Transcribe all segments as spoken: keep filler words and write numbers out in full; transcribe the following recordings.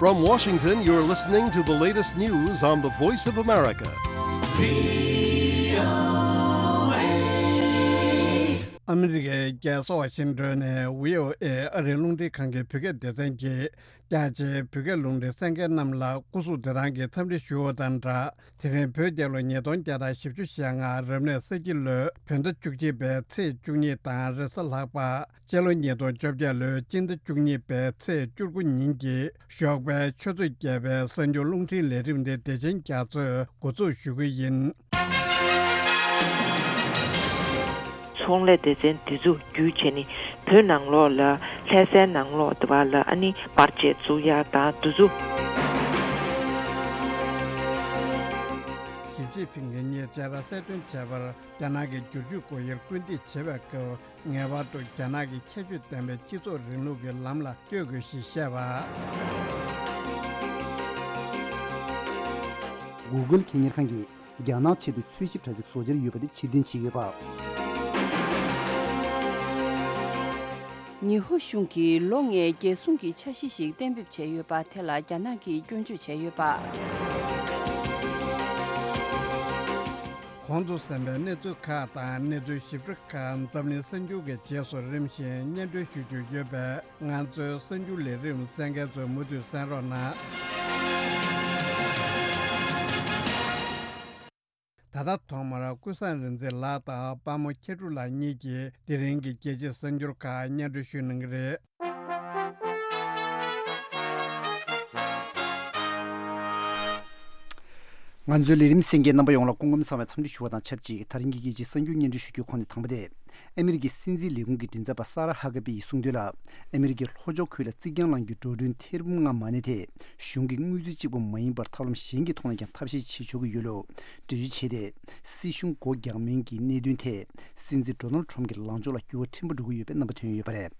From Washington, you're listening to the latest news on the Voice of America. ཨ་མི་རི་ཀའི་རྒྱལ་ས་ཝ་ཤིང་ཏོན་ནས་བྷི་ཨོ་ཨེ་ཨ་རིའི་རླུང་འཕྲིན་ཁང་གི་བོད་སྐད་སྡེ་ཚན་གྱིས། རྒྱ་ཆེའི་བོད་སྐད་རླུང་འཕྲིན་གསན་མཁན་རྣམས་ལ་སྐུ་གཟུགས་བདེ་ཐང་གི་འཚམས་འདྲི་ཞུ་བ་དང་སྦྲགས། དེ་རིང་བོད་རྒྱལ་ལོ་ཉིས་སྟོང་བརྒྱ་དང་བཞི་བཅུ་ཞེ་ལྔ་རབ་གནས་ས་ཁྱི་ལོའི་བོད་ཟླ་བཅུ་གཅིག་པའི་ཚེས་བཅུ་གཉིས་དང་རེས་གཟའ་ལྷག་པ། སྤྱི་ལོ་ཉིས་སྟོང་བཅོ་བརྒྱད་ལོའི་སྤྱི་ཟླ་བཅུ་གཉིས་པའི་ཚེས་བཅུ་དགུ་ཉིན་གྱི་ཞོགས་པའི་ཆུ་ཚོད་བརྒྱད་པའི་གསར་འགྱུར་རླུང་འཕྲིན་ལས་རིམ་དེ་བདེ་ཆེན་རྒྱ་མཚོས་འགོ་འཛུགས་ཞུ་གི་ཡིན། ཚོང་ལས་སྡེ་ཚན་འདི་ཚོ་བརྒྱུད་བྱས་ནས་བོད་ནང་ལོགས་ལ་ལྷ་སའི་ནང་ལོགས་དེ་བ་ལ་ཨ་ནི་པར་ཆས་བཙུགས་ཡ་དང་འདི་ཚོ། ཞི་ཅིན་ཕིང་གིས་ཉེ་ཆར་གསལ་སྟོན་བྱས་པར་རྒྱ་ནག་གིས་བསྒྱུར་བཅོས་སྒོ་དབྱེར་སྐུལ་འདེད་བྱེད་པའི་སྐབས་ངེས་པར་དུ་རྒྱ་ནག་གི་ཁྱད་ཆོས་ལྡན་པའི་སྤྱི་ཚོགས་རིང་ལུགས་ཀྱི་ལམ་ལ་གཏོད་དགོས་ཞེས་བཤད་པ། Google་ཁེ་གཉེར་ཁང་གིས། རྒྱ་ནག་ཆེད་དུ་འཚོལ་ཞིབ་དྲ་ཚིགས་བཟོ་འཆར་ཡོད་པ་དེ་ཕྱིར་འཐེན་བྱས་ཡོད་པ། ཉི་ཧོང་གཞུང་གིས་ལོ་ལྔའི་རྒྱལ་སྲུང་གི་འཆར་གཞི་ཞིག་གཏན་འབེབས་བྱས་ཡོད་པ་དེ་ལ་རྒྱ་ནག་གིས་སྐྱོན་བརྗོད་བྱས་ཡོད་པ། གོང་དུ་གསན་པའི་གནས་ཚུལ་ཁག་དང་གནས་ཚུལ་ཞིབ་ཕྲ་ཁག་འཛམ་གླིང་གསར་འགྱུར་གྱི་རྗེས་སུ་རིམ་བཞིན་སྙན་སྒྲོན་ཞུ་རྒྱུ་ཡོད་པས། ང་ཚོའི་གསར་འགྱུར་ལས་རིམ་གསན་མཁན་ཚོས་མུ་མཐུད་གསན་རོགས་གནང་། ད་ལྟ་ཐོག་མར་ཀུན་བཟང་རིག་འཛིན་ལགས་དང་དཔའ་མོ་ཁྱེད་ཕྲུག་ལགས་གཉིས་ཀྱིས་དེ་རིང་གི་རྒྱལ་སྤྱིའི་གསར་འགྱུར་ཁག་སྙན་སྒྲོན་ཞུ་གནང་གི་རེད། ང་ཚོའི་ལས་རིམ་གསན་མཁན་རྣམ་པ་ཡོངས་ལ་སྐུ་ཁམས་བཟང་བའི་འཚམས་འདྲི་ཞུ་བ་དང་ཆབས་ཅིག་དེ་རིང་གི་རྒྱལ་སྤྱིའི་གསར་འགྱུར་སྙན་སྒྲོན་ཞུ་རྒྱུའི་ཁོངས་ནས་དང་པོ་དེ། ཨ་མི་རི་ཀའི་སྲིད་འཛིན་ལས་ཁུངས་ཀྱི་མགྲིན་ཚབ་པ་ས་ར་ཧ་ཀ་པི་ཡིས་གསུངས་དོན་ལ། ཨ་མི་རི་ཀའི་ལྷོ་ཕྱོགས་ཁུལ་ལ་རྩིག་གྱང་ལངས་རྒྱུའི་འགྲོ་གྲོན་ཐེར་འབུམ་ལྔ་མ་གནས་ཐད་གཞུང་གིས་དངུལ་རྩིས་གཅིག་པུ་མ་ཡིན་པར་ཐབས་ལམ་གཞན་གྱི་ཐོག་ནས་ཀྱང་ཐབས་ཤེས་བྱེད་ཆོག་གི་ཡོད་ལུགས་འགྲེལ་བརྗོད་བྱས་ཏེ། སྲིད་གཞུང་སྒོ་རྒྱག་མིན་གྱི་གནད་དོན་ཐད་སྲིད་འཛིན་ཌོ་ནལ་ཊམ་གྱི་ལངས་ཕྱོགས་ལ་འགྱུར་བ་ཕྲན་བུ་འགྲོ་གི་ཡོད་པའི་རྣམ་པ་ཐོན་ཡོད་པ་རེད།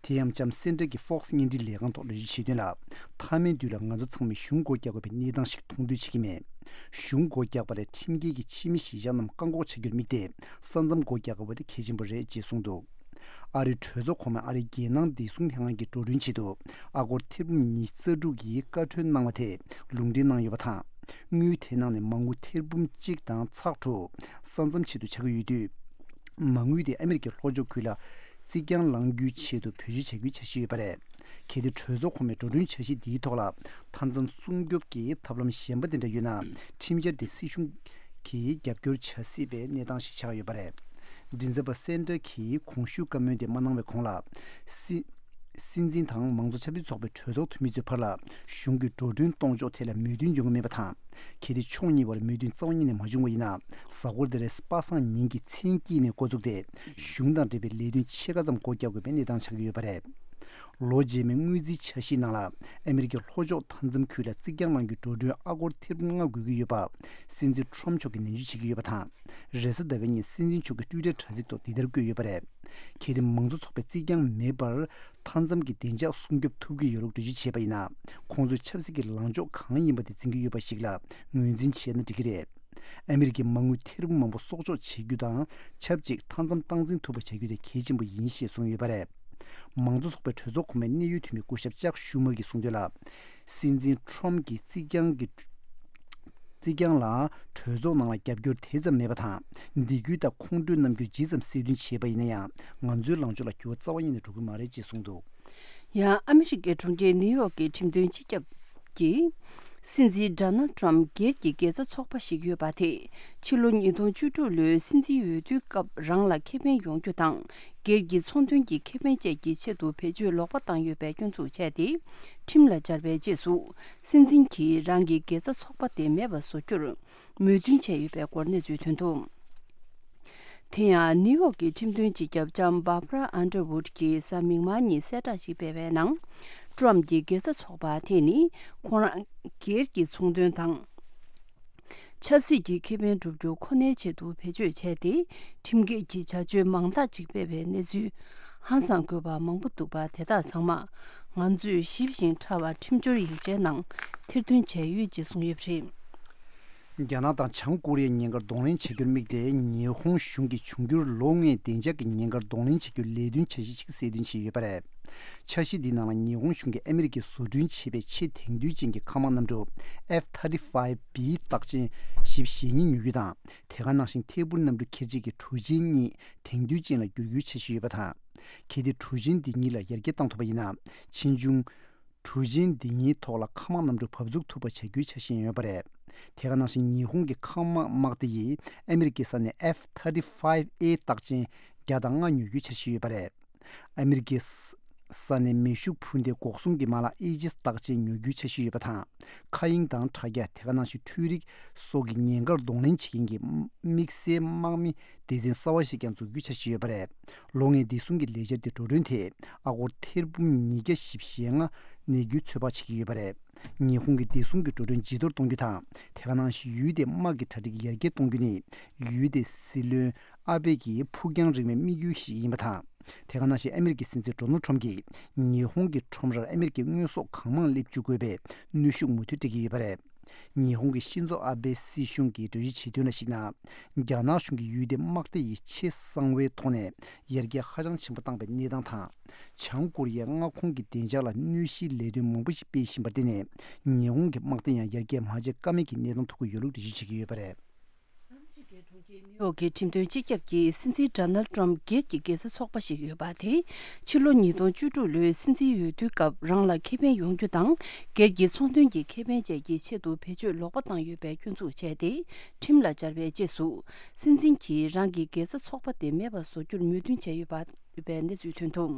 དེ་ཡང་ལྕམ་སན་ཏྲ་གྱིས་Fox་བརྙན་འཕྲིན་ལས་ཁང་ཐོག་འགྲེལ་བརྗོད་བྱས་དོན་ལ། མཐའ་མའི་དུས་ལ་ང་ཚོ་ཚང་མས་གཞུང་སྒོ་རྒྱག་དགོས་པའི་གནས་སྟངས་ཤིག་མཐོང་འདོད་བྱེད་ཀྱི་མེད། གཞུང་སྒོ་རྒྱག་པ་ལས་ཁྲིམས་འགལ་གྱི་ཕྱི་མི་གཞིས་ཆགས་རྣམས་བཀག་འགོག་བྱ་རྒྱུར་དམིགས་ཏེ། ས་མཚམས་སྒོ་རྒྱག་དགོས་པ་དེ་གལ་ཆེན་པོ་རེད་ཅེས་གསུངས་འདུག་ཨ་རིའི་གྲོས་ཚོགས་གོང་མས་ཨ་རིའི་རྒྱལ་ནང་བདེ་སྲུང་ལྷན་ཁང་གི་འགྲོ་གྲོན་ཆེད་དུ་ཨ་སྒོར་ཐེར་འབུམ་ཉི་ཤུ་རྩ་དྲུག་གི་བཀའ་འཁྲོལ་གནང་བ་དེ་ལུང་འདྲེན་གནང་ཡོད་པ་དང་། དངུལ་དེའི་ནང་ནས་མ་དངུལ་ཐེར་འབུམ་གཅིག་དང་ཚེག་དྲུག་ས་མཚམས་ཆེད་དུ་ཆགས་ཀྱི་ཡོད་དུས། མ་དངུལ་དེ་ཨ་མི་རི་ཀའི་ལྷོ་ཕྱོགས་ཁུལ་ལ་རྩིག་གྱང་ལངས་རྒྱུའི་ཆེད་དུ་བེད་སྤྱོད་བྱ་རྒྱུའི་འཆར་གཞི་ཡོད་པ་རེད། གལ་ཏེ་གྲོས་ཚོགས་གོང་མའི་འགྲོ་གྲོན་འཆར་གཞི་འདིའི་ཐོག་ལ་མཐའ་མཚམས་སྲུང་སྐྱོབ་ཀྱི་ཐབས་ལམ་གཞན་པ་དེ་འདྲ་ཡོད་ན། ཁྲིམས་འཆར་དེ་སྲིད་གཞུང་གིས་རྒྱབ་སྐྱོར་བྱ་སྲིད་པའི་གནས་སྟངས་ཤིག་ཆགས་ཡོད་པ་རེད། མགྲིན་ཚབ་པ་སན་ཏྲ་གིས་གོང་ཞུས་བཀའ་མོལ་དེ་མ་གནང་བའི་གོང་ལ། སྲིད་སྲིད་འཛིན་དང་མང་གཙོ་ཆབ་སྲིད་ཚོགས་པའི་གྲོས་ཚོགས་འཐུས་མི་ཚོའི་བར་ལ་གཞུང་གི་འགྲོ་གྲོན་གཏོང་ཕྱོགས་ཐད་ལ་མོས་མཐུན་ཡོང་གི་མེད་པ་དང་། གལ་ཏེ་ཕྱོགས་གཉིས་བར་མོས་མཐུན་རྩ་བ་ཉིད་ནས་མ་བྱུང་བ་ཡིན་ན། གཟའ་འཁོར་འདི་རེས་པ་སངས་ཉིན་གྱི་མཚན་དཀྱིལ་ནས་འགོ་བཙུགས་ཏེ། གཞུང་དང་འབྲེལ་བའི་ལས་དོན་ཕྱེད་ཀ་ཙམ་སྒོ་རྒྱག་དགོས་པའི་གནས་སྟངས་ཆགས་ཀྱི་ཡོད་པ་རེད། ལོ་རྗེས་མའི་དངུལ་རྩིས་འཆར་གཞིའི་ནང་ལ། ཨ་མི་རི་ཀའི་ལྷོ་ཕྱོགས་མཐའ་མཚམས་ཁུལ་ལ་རྩིག་གྱང་ལངས་རྒྱུའི་འགྲོ་གྲོན་ཨ་སྒོར་ཐེར་འབུམ་ལྔ་དགོས་ཀྱི་ཡོད་པ། སྲིད་འཛིན་ཁྲོམ་མཆོག་གིས་ནན་བརྗོད་བྱེད་ཀྱི་ཡོད་པ་དང་། རེས་གཟའ་ཟླ་བའི་ཉིན་སྲིད་འཛིན་མཆོག་གིས་ཊུའི་ཊར་དྲ་ཚིགས་ཐོག་འདི་ལྟར་བཀོད་ཡོད་པ་རེད། གལ་ཏེ་མང་གཙོ་ཚོགས་པས་རྩིག་གྱང་མེད་པར་མཐའ་མཚམས་ཀྱི་བདེ་འཇགས་སྲུང་སྐྱོབ་ཐུབ་ཀྱི་ཡོད་ལུགས་འགྲེལ་བརྗོད་བྱས་པ་ཡིན་ན། ཁོང་ཚོས་ཆབ་སྲིད་ཀྱི་ལངས་ཕྱོགས་གང་ཡིན་པ་དེ་འཛིན་གྱི་ཡོད་པ་ཞིག་ལ་ངོས་འཛིན་བྱས་ན་འགྲིག་གི་རེད། ཨ་མི་རི་ཀའི་མ་དངུལ་ཐེར་འབུམ་མང་པོ་གསོག་འཇོག་བྱེད་རྒྱུ་དང་ཆབས་ཅིག་མཐའ་མཚམས་སྟངས་འཛིན་ཐུབ་པ་བྱ་རྒྱུ་དེ་གལ་ཆེན་པོ་ཡིན་ཞེས་གསུངས་ཡོད་པ་རེད། མང་གཙོ་ཚོགས་པའི་གྲོས་ཚོགས་གོང་མའི་གནད་ཡོད་འཐུས་མི་སྐུ་ཞབས་ཅག་ཤུ་མར་གྱིས་གསུངས་དོན་ལ། སྲིད་འཛིན་ཁྲོམ་གྱིས་རྩིག་གྱང་གི་རྩིག་གྱང་ལ་གྲོས་ཚོགས་ནང་ལ་རྒྱབ་སྐྱོར་དེ་ཙམ་མེད་པ་དང་། འདས་རྒྱུ་དང་ཁོང་ཁྲོའི་རྣམ་འགྱུར་ཇི་ཙམ་གསལ་སྟོན་བྱས་པ་ཡིན་ན་ཡང་། ང་ཚོའི་ལངས་ཕྱོགས་ལ་འགྱུར་བ་རྩ་བ་ཉིད་ནས་འགྲོ་གི་མ་རེད་ཅེས་གསུངས་འདུག་ཡང་ཨ་མི་རི་ཀའི་གྲོང་ཁྱེར་ནིའུ་ཡོག་གི་ཁྲིམས་དོན་སྤྱི་ཁྱབ་ཀྱིས། སྲིད་འཛིན་ཌོ་ནལ་ཊམ་སྒེར་གྱི་དགེ་རྩ་ཚོགས་པ་ཞིག་ཡོད་པ་དེས། ཕྱི་ལོ་ཉིས་སྟོང་བཅུ་དྲུག་ལོའི་སྲིད་འཛིན་འོས་བསྡུའི་སྐབས་རང་ལ་ཁེ་ཕན་ཡོང་རྒྱུ་དང་། སྒེར་གྱི་ཚོང་དོན་གྱི་ཁེ་ཕན་བཅས་ཀྱི་ཆེད་དུ་བེད་སྤྱོད་ལོག་པ་བཏང་ཡོད་པའི་སྐྱོན་འཛུགས་བྱས་ཏེ། ཁྲིམས་ལ་སྦྱར་བའི་རྗེས་སུ། སྲིད་འཛིན་གྱིས་རང་གི་དགེ་རྩ་ཚོགས་པ་དེ་མེད་པར་བཟོ་རྒྱུར་མོས་མཐུན་བྱས་ཡོད་པའི་སྐོར་གནས་ཚུལ་ཐོན་འདུག་དེ་ཡང་ནིའུ་ཡོག་གི་ཁྲིམས་དོན་སྤྱི་ཁྱབ་ལྕམ་Barbara Underwood་གྱིས་གཟའ་མིག་དམར་ཉིན་གསལ་བསྒྲགས་ཤིག་སྤེལ་བའི་ནང་། ཊམ་གྱི་དགེ་རྩ་ཚོགས་པ་དེ་ནི་ཁོང་རང་སྒེར་གྱི་ཚོང་དོན་དང་། ཆབ་སྲིད་ཀྱི་ཁེ་ཕན་སྒྲུབ་རྒྱུ་ཁོ་ནའི་ཆེད་དུ་བེད་སྤྱོད་བྱས་ཏེ། ཁྲིམས་འགལ་གྱི་བྱ་སྤྱོད་མང་དག་ཅིག་སྤེལ་བའི་གནས་ཚུལ་ཧང་སང་དགོས་པ་མང་པོ་འདུག་པ་དེ་དག་ཚང་མ་ང་ཚོས་ཞིབ་ཞིང་ཕྲ་བ་ཁྲིམས་སྦྱོར་ཡིག་ཆའི་ནང་ཐེར་འདོན་བྱས་ཡོད་ཅེས་གསུངས་ཡོད་པ་རེད། རྒྱ་ནག་དང་བྱང་ཀོ་རི་ཡའི་ཉེན་ཁར་གདོང་ལེན་བྱ་རྒྱུར་དམིགས་ཏེ། ཉི་ཧོང་གཞུང་གིས་འབྱུང་འགྱུར་ལོ་ལྔའི་བདེ་འཇགས་ཀྱི་ཉེན་ཁར་གདོང་ལེན་བྱ་རྒྱུའི་ལས་དོན་འཆར་གཞི་ཞིག་གསལ་སྟོན་བྱས་ཡོད་པ་རེད། འཆར་གཞི་འདིའི་ནང་ལ་ཉི་ཧོང་གཞུང་གིས་ཨ་མི་རི་ཀས་བཟོ་སྐྲུན་བྱས་པའི་ཆེས་དེང་དུས་ཅན་གྱི་མཁའ་དམག་གནམ་གྲུ་F thirty-five B རྟགས་ཅན་བཞི་བཅུ་ཞེ་གཉིས་ཉོ་རྒྱུ་དང་། དེ་ག་ནང་བཞིན་ཐད་འཕུར་གནམ་གྲུ་འཁྱེར་བྱེད་ཀྱི་གྲུ་ཆེན་གཉིས་དེང་དུས་ཅན་ལ་བསྒྱུར་རྒྱུའི་འཆར་གཞི་ཡོད་པ་དང་། གལ་ཏེ་གྲུ་ཆེན་འདི་གཉིས་ལ་ཡར་རྒྱས་བཏང་ཐུབ་པ་ཡིན་ན། ཕྱིས་འབྱུང་གྲུ་ཆེན་འདི་གཉིས་ཐོག་ལ་མཁའ་དམག་གནམ་གྲུ་འབབ་ཚུགས་ཐུབ་པ་བྱ་རྒྱུའི་འཆར་གཞི་ཡང་ཡོད་པ་རེད། དེ་ག་ནང་བཞིན་ཉི་ཧོང་གི་མཁའ་དམག་དམག་སྡེ་ཡིས་ཨ་མི་རི་ཀའི་ས་ནས་F thirty-five A རྟགས་ཅན་བརྒྱ་དང་ལྔ་ཉོ་རྒྱུའི་འཆར་གཞི་ཡོད་པ་རེད། ཨ་མི་རི་ཀའི་ས་ནས་མེ་ཤུགས་འཕུར་མདེལ་འགོག་སྲུང་གི་མ་ལག་ཨེ་ཇི་སི་རྟགས་ཅན་ཉོ་རྒྱུའི་འཆར་གཞི་ཡོད་པ་དང་། མཁའ་དབྱིངས་དང་དྲ་རྒྱ། དེ་ག་ནང་བཞིན་འཕྲུལ་རིག་སོགས་ཀྱི་ཉེན་ཁར་གདོང་ལེན་བྱེད་མཁན་གྱི་དམིགས་བསལ་དམག་མི་སྡེ་ཚན་གསར་བ་ཞིག་ཀྱང་འཛུགས་རྒྱུའི་འཆར་གཞི་ཡོད་པ་རེད། ལོ་ལྔའི་བདེ་སྲུང་གི་ལས་འཆར་དེ་འགྲོ་གྲོན་དེ་ཨ་སྒོར་ཐེར་འབུམ་ཉིས་བརྒྱ་བཞི་བཅུ་ཞེ་ལྔ་གནས་རྒྱུའི་ཚོད་དཔག་བྱེད་ཀྱི་ཡོད་པ་རེད། ཉི་ཧོང་གི་བདེ་སྲུང་གི་འགྲོ་གྲོན་ཇེ་མཐོར་གཏོང་རྒྱུ་དང་། དེ་ག་ནང་བཞིན་ཡུལ་དེའི་དམག་གི་གྲ་སྒྲིག་ཡར་རྒྱས་གཏོང་རྒྱུ་ནི་ཡུལ་དེའི་སྲིད་བློན་ཨ་བྷེ་ཡི་ཕུགས་རྒྱང་རིང་བའི་དམིགས་ཡུལ་ཞིག་ཡིན་པ་དང་། དེ་ག་ནང་བཞིན་ཨ་མི་རི་ཀའི་སྲིད་འཛིན་ཌོ་ནལ་ཁྲོམ་གྱིས་ཉི་ཧོང་གི་ཁྲོམ་རར་ཨ་མི་རི་ཀའི་དངོས་ཟོག་གང་མང་སླེབས་འཇུག་དགོས་པའི་གནོན་ཤུགས་མུ་མཐུད་སྤྲད་ཀྱི་ཡོད་པ་རེད། ཉི་ཧོང་གི་ཤིན་ཛོ་ཨ་བྷེ་སྲིད་གཞུང་གིས་འགྲེལ་བརྗོད་བྱས་དོན་ལ་གཞིགས་ན། རྒྱ་ནག་གཞུང་གིས་ཡུལ་དེའི་དམག་སྡེ་ཡི་ཆེས་གསང་བའི་ཐོག་ནས་ཡར་རྒྱས་ཧ་ཅང་ཆེན་པོ་བཏང་པའི་གནས་སྟངས་དང་། བྱང་ཀོ་རི་ཡའི་མངའ་ཁོངས་ཀྱི་བདེ་འཇགས་ལ་གནོད་གཞིའི་ལས་དོན་མང་པོ་ཞིག་སྤེལ་བཞིན་པར་བརྟེན་ནས། ཉི་ཧོང་གི་དམག་སྡེ་ཡང་ཡར་རྒྱས་མ་བྱས་ཀ་མེད་ཀྱི་གནས་སྟངས་ཐུག་གི་ཡོད་ལུགས་འགྲེལ་བརྗོད་བྱེད་ཀྱི་ཡོད་པ་རེད། ནིའུ་ཡོག་གི་ཁྲིམས་དོན་སྤྱི་ཁྱབ་ཀྱིས་སྲིད་འཛིན་ཌོ་ནལ་ཏྲམ་སྒེར་གྱི་དགེ་རྩ་ཚོགས་པ་ཞིག་ཡོད་པ་དེ་ཕྱི་ལོ་ཉིས་སྟོང་བཅུ་དྲུག་ལོའི་སྲིད་འཛིན་འོས་བསྡུའི་སྐབས་རང་ལ་ཁེ་ཕན་ཡོང་རྒྱུ་དང་སྒེར་གྱི་ཚོང་དོན་གྱི་ཁེ་ཕན་བཅས་ཀྱི་ཆེད་དུ་བེད་སྤྱོད་ལོག་པ་བཏང་ཡོད་པའི་སྐྱོན་འཛུགས་བྱས་ཏེ་ཁྲིམས་ལ་སྦྱར་བའི་རྗེས་སུ། སྲིད་འཛིན་གྱིས་རང་གི་དགེ་རྩ་ཚོགས་པ་དེ་མེད་པར་བཟོ་རྒྱུར་མོས་མཐུན་བྱས་ཡོད་པ། ཡོད་པའི་གནས་ཚུལ་ཐོན་འདུག་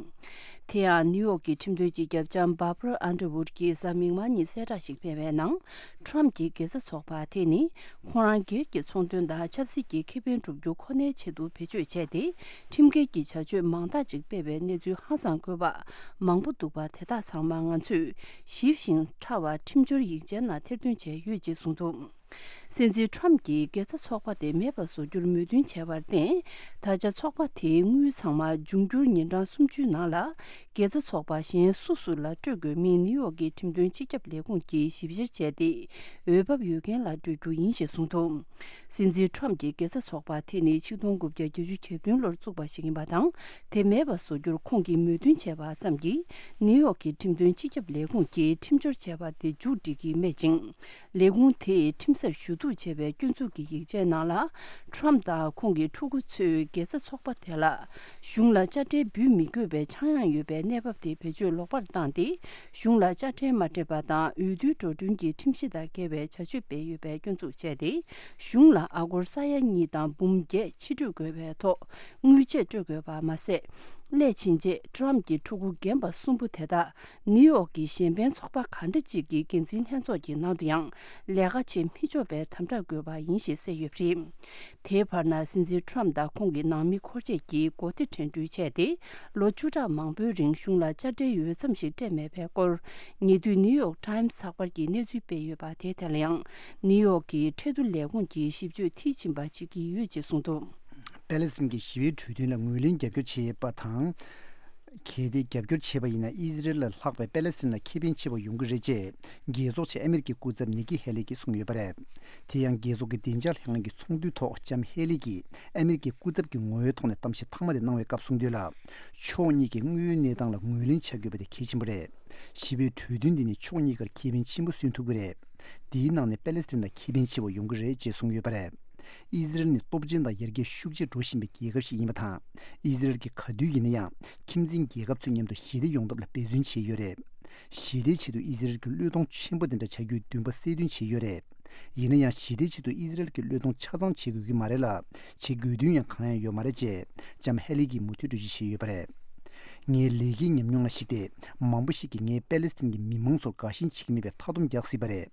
དེ་ཡང་ནིའུ་ཡོག་གི་ཁྲིམས་དོན་སྤྱི་ཁྱབ་ལྕམ་Barbara Underwood གྱིས་གཟའ་མིག་དམར་ཉིན་གསལ་བསྒྲགས་ཤིག་སྤེལ་བའི་ནང་། ཊམ་གྱི་དགེ་རྩ་ཚོགས་པ་དེ་ནི་ཁོང་རང་སྒེར་གྱི་ཚོང་དོན་དང་ཆབ་སྲིད་ཀྱི་ཁེ་ཕན་སྒྲུབ་རྒྱུ་ཁོ་ནའི་ཆེད་དུ་བེད་སྤྱོད་བྱས་ཏེ། ཁྲིམས་འགལ་གྱི་བྱ་སྤྱོད་མང་དག་ཅིག་སྤེལ་བའི་གནས་ཚུལ་ཧང་སངས་དགོས་པ་མང་པོ་འདུག་པ། དེ་དག་ཚང་མ་ང་ཚོས་ཞིབ་ཞིང་ཕྲ་བ་ཁྲིམས་སྦྱོར་ཡིག་ཆའི་ནང་ཐེར་འདོན་བྱས་ཡོད་ཅེས་གསུངས་འདུག་སྲིད་འཛིན་ཊམ་གྱིས་དགེ་རྩ་ཚོགས་པ་དེ་མེད་པར་བཟོ་རྒྱུར་མོས་མཐུན་བྱས་པར་བརྟེན། ད་ཆ་ཚོགས་པ་དེའི་དངུལ་ཚང་མ་འབྱུང་འགྱུར་ཉིན་གྲངས་སུམ་ཅུའི་ནང་ལ་དགེ་རྩ་ཚོགས་པ་གཞན་སུ་སུ་ལ་སྤྲོད་དགོས་མིན་ནིའུ་ཡོག་གི་ཁྲིམས་དོན་སྤྱི་ཁྱབ་ལས་ཁུངས་ཀྱིས་ཞིབ་བཤེར་བྱས་ཏེ། འོས་བབ་ཡོད་མཁན་ལ་སྤྲོད་རྒྱུ་ཡིན་ཞེས་གསུངས་འདུག་སྲིད་འཛིན་ཊམ་གྱི་དགེ་རྩ་ཚོགས་པ་དེ་ནི་ཆིག་སྟོང་དགུ་བརྒྱ་བརྒྱད་ཅུ་གྱ་བདུན་ལོར་བཙུགས་པ་ཞིག་ཡིན་པ་དང་། དེ་མེད་པར་བཟོ་རྒྱུར་ཁོང་གིས་མོས་མཐུན་བྱས་པ་ཙམ་གྱིས། ནིའུ་ཡོག་གི་ཁྲིམས་དོན་སྤྱི་ཁྱབ་ལས་ཁུངས་ཀྱིས་ཁྲིམས་སྦྱོར་བྱས་པ་དེ་མཇུག་སྒྲིལ་གྱི་མེད་ཅིང་། ལས་ཁུངས་དེས་ཁྲིམས་སར་ཞུ་གཏུག་བྱས་པའི་སྐྱོན་འཛུགས་ཀྱི་ཡིག་ཆའི་ནང་ལ། ཊམ་དང་ཁོང་གི་ཕྲུ་གུ་ཚོས་དགེ་རྩ་ཚོགས་པ་དེ་ལ་གཞུང་ལ་དཔྱ་ཁྲལ་འབུལ་མི་དགོས་པའི་ཆག་ཡང་ཡོད་པའི་གནས་བབ་དེ་བེད་སྤྱོད་ལོག་པར་བཏང་སྟེ། གཞུང་ལ་དཔྱ་ཁྲལ་མ་སྤྲད་པ་དང་། འོས་བསྡུའི་འགྲོ་གྲོན་གྱི་ཁྲིམས་གཞི་དང་འགལ་བའི་བྱ་སྤྱོད་སྤེལ་ཡོད་པའི་སྐྱོན་འཛུགས་བྱས་ཏེ། གཞུང་ལ་ཨ་སྒོར་ས་ཡ་གཉིས་དང་འབུམ་བརྒྱད་ཕྱིར་སྤྲོད་དགོས་པའི་ཐོག་དངུལ་ཆད་སྤྲོད་དགོས་པ་མ་ཟད། སླད་ཕྱིན་ཆད་ཊམ་གྱི་ཕྲུ་གུ་རྒན་པ་གསུམ་པོ་དེ་དག་ནིའུ་ཡོག་གི་གཞན་ཕན་ཚོགས་པ་གང་འདྲ་ཅིག་གི་འགན་འཛིན་ལྷན་ཚོགས་ཀྱི་ནང་དུ་ཡང་ལས་ཀ་བྱེད་མི་ཆོག་པའི་དམ་དྲག་དགོས་པ་ཡིན་ཞེས་གསལ་ཡོད་པ་རེད། དེའི་བར་ན་སྲིད་འཛིན་ཊམ་དང་ཁོང་གི་ནང་མི་འཁོར་བཅས་ཀྱིས་མགོ་བདེ་དྲན་འཕྲུལ་བྱས་ཏེ། ལོ་བཅུ་ཕྲག་མང་པོའི་རིང་གཞུང་ལ་དཔྱ་ཁྲལ་འོས་འཚམ་ཞིག་སྤྲད་མེད་པའི་སྐོར། ཉེ་དུས་ནིའུ་ཡོག་ཊམ་ཚགས་པར་གྱིས་གནས་ཚུལ་སྤེལ་ཡོད་པ་དེ་དེ་ལ་ཡང་ནིའུ་ཡོག་གི་ཁྲལ་བསྡུ་ལས་ཁུངས་ཀྱིས་ཞིབ་དཔྱོད་མཐིལ་ཕྱིན་པ་བྱེད་ཀྱི་ཡོད་ཅེས་གསུངས་འདུག་པེ་ལེ་སི་ཐན་གྱི་ཞི་བའི་གྲོས་མཐུན་ལ་ངོས་ལེན་རྒྱབ་སྐྱོར་བྱས་པ་དང་། གལ་ཏེ་རྒྱབ་སྐྱོར་བྱས་པ་ཡིན་ན། ཨི་ཟི་རལ་ལ་ལྷག་པའི་པེ་ལེ་སི་ཐན་ལ་ཁེ་ཕན་ཆེ་བ་ཡོང་གི་རེད་ཅེས། རྒྱལ་ཚོགས་ཆེད་ཨ་མེ་རི་ཀའི་སྐུ་ཚབ་ནི་ཀི་ཧེ་ལི་གིས་གསུངས་ཡོད་པ་རེད། དེ་ཡང་རྒྱལ་ཚོགས་ཀྱི་བདེ་འཇགས་ལྷན་ཁང་གི་ཚོགས་འདུའི་ཐོག་ལྕམ་ཧེ་ལི་གིས་ཨ་མེ་རི་ཀའི་སྐུ་ཚབ་ཀྱི་ངོ་བོའི་ཐོག་ནས་གཏམ་བཤད་མཐའ་མ་དེ་གནང་བའི་སྐབས་གསུངས་དོན་ལ། ཕྱོགས་གཉིས་ཀྱིས་དངོས་ཡོད་གནས་སྟངས་ལ་ངོས་ལེན་བྱ་དགོས་པ་དེ་གལ་ཆེན་པོ་རེད། ཞི་བའི་གྲོས་མཐུན་འདི་ནི་ཕྱོགས་གཉིས་ཀར་ཁེ་ཕན་ཆེན་པོ་སོན་ཐུབ་ཀྱི་རེད། དེའི་ནང་ནས་པེ་ལེ་སི་ཐན་ལ་ཁེ་ཕན་ཆེ་བ་ཡོང་གི་རེད་ཅེས་གསུངས་ཡོད་པ་རེད། ཨི་ཟི་རལ་ནི་སྟོབས་ཆེན་དང་ཡར་རྒྱས་ཤུགས་ཆེ་འགྲོ་བཞིན་པའི་རྒྱལ་ཁབ་ཞིག་ཡིན་པ་དང་། ཨི་ཟི་རལ་གྱིས་ག་དུས་ཡིན་ན་ཡང་ཁྱིམ་མཚེས་རྒྱལ་ཁབ་ཚོའི་མཉམ་དུ་ཞི་བདེ་ཡོང་ཐབས་ལ་འབད་བརྩོན་བྱས་ཡོད་རེད། ཞི་བདེའི་ཆེད་དུ་ཨི་ཟི་རལ་གྱི་བློས་གཏོང་ཆེན་པོ་དེ་འདྲ་བྱ་རྒྱུའི་འདུན་པ་གསལ་སྟོན་བྱས་ཡོད་རེད། ཡིན་ན་ཡང་ཞི་བདེའི་ཆེད་དུ་ཨི་ཟི་རལ་གྱི་བློས་གཏོང་ཆ་ཚང་བྱེད་དགོས་ཀྱི་མ་རེད་ལ། བྱེད་དགོས་དོན་ཡང་གང་ཡང་ཡོད་མ་རེད་ཅེས་ལྕམ་ཧེ་ལི་གིས་མུ་མཐུད་འགྲེལ་བརྗོད་བྱས་ཡོད་པ་རེད། ངའི་ལས་ཀའི་ཉམས་མྱོང་ལ་གཞིགས་ཏེ། མང་པོ་ཞིག་གིས་ངས་པེ་ལེ་སི་ཐན་གྱི་མི་མང་ཚོར་དགའ་ཞེན་བྱེད་ཀྱི་མེད་པའི་མཐའ་སྡོམ་རྒྱག་སྲིད་པ་རེད།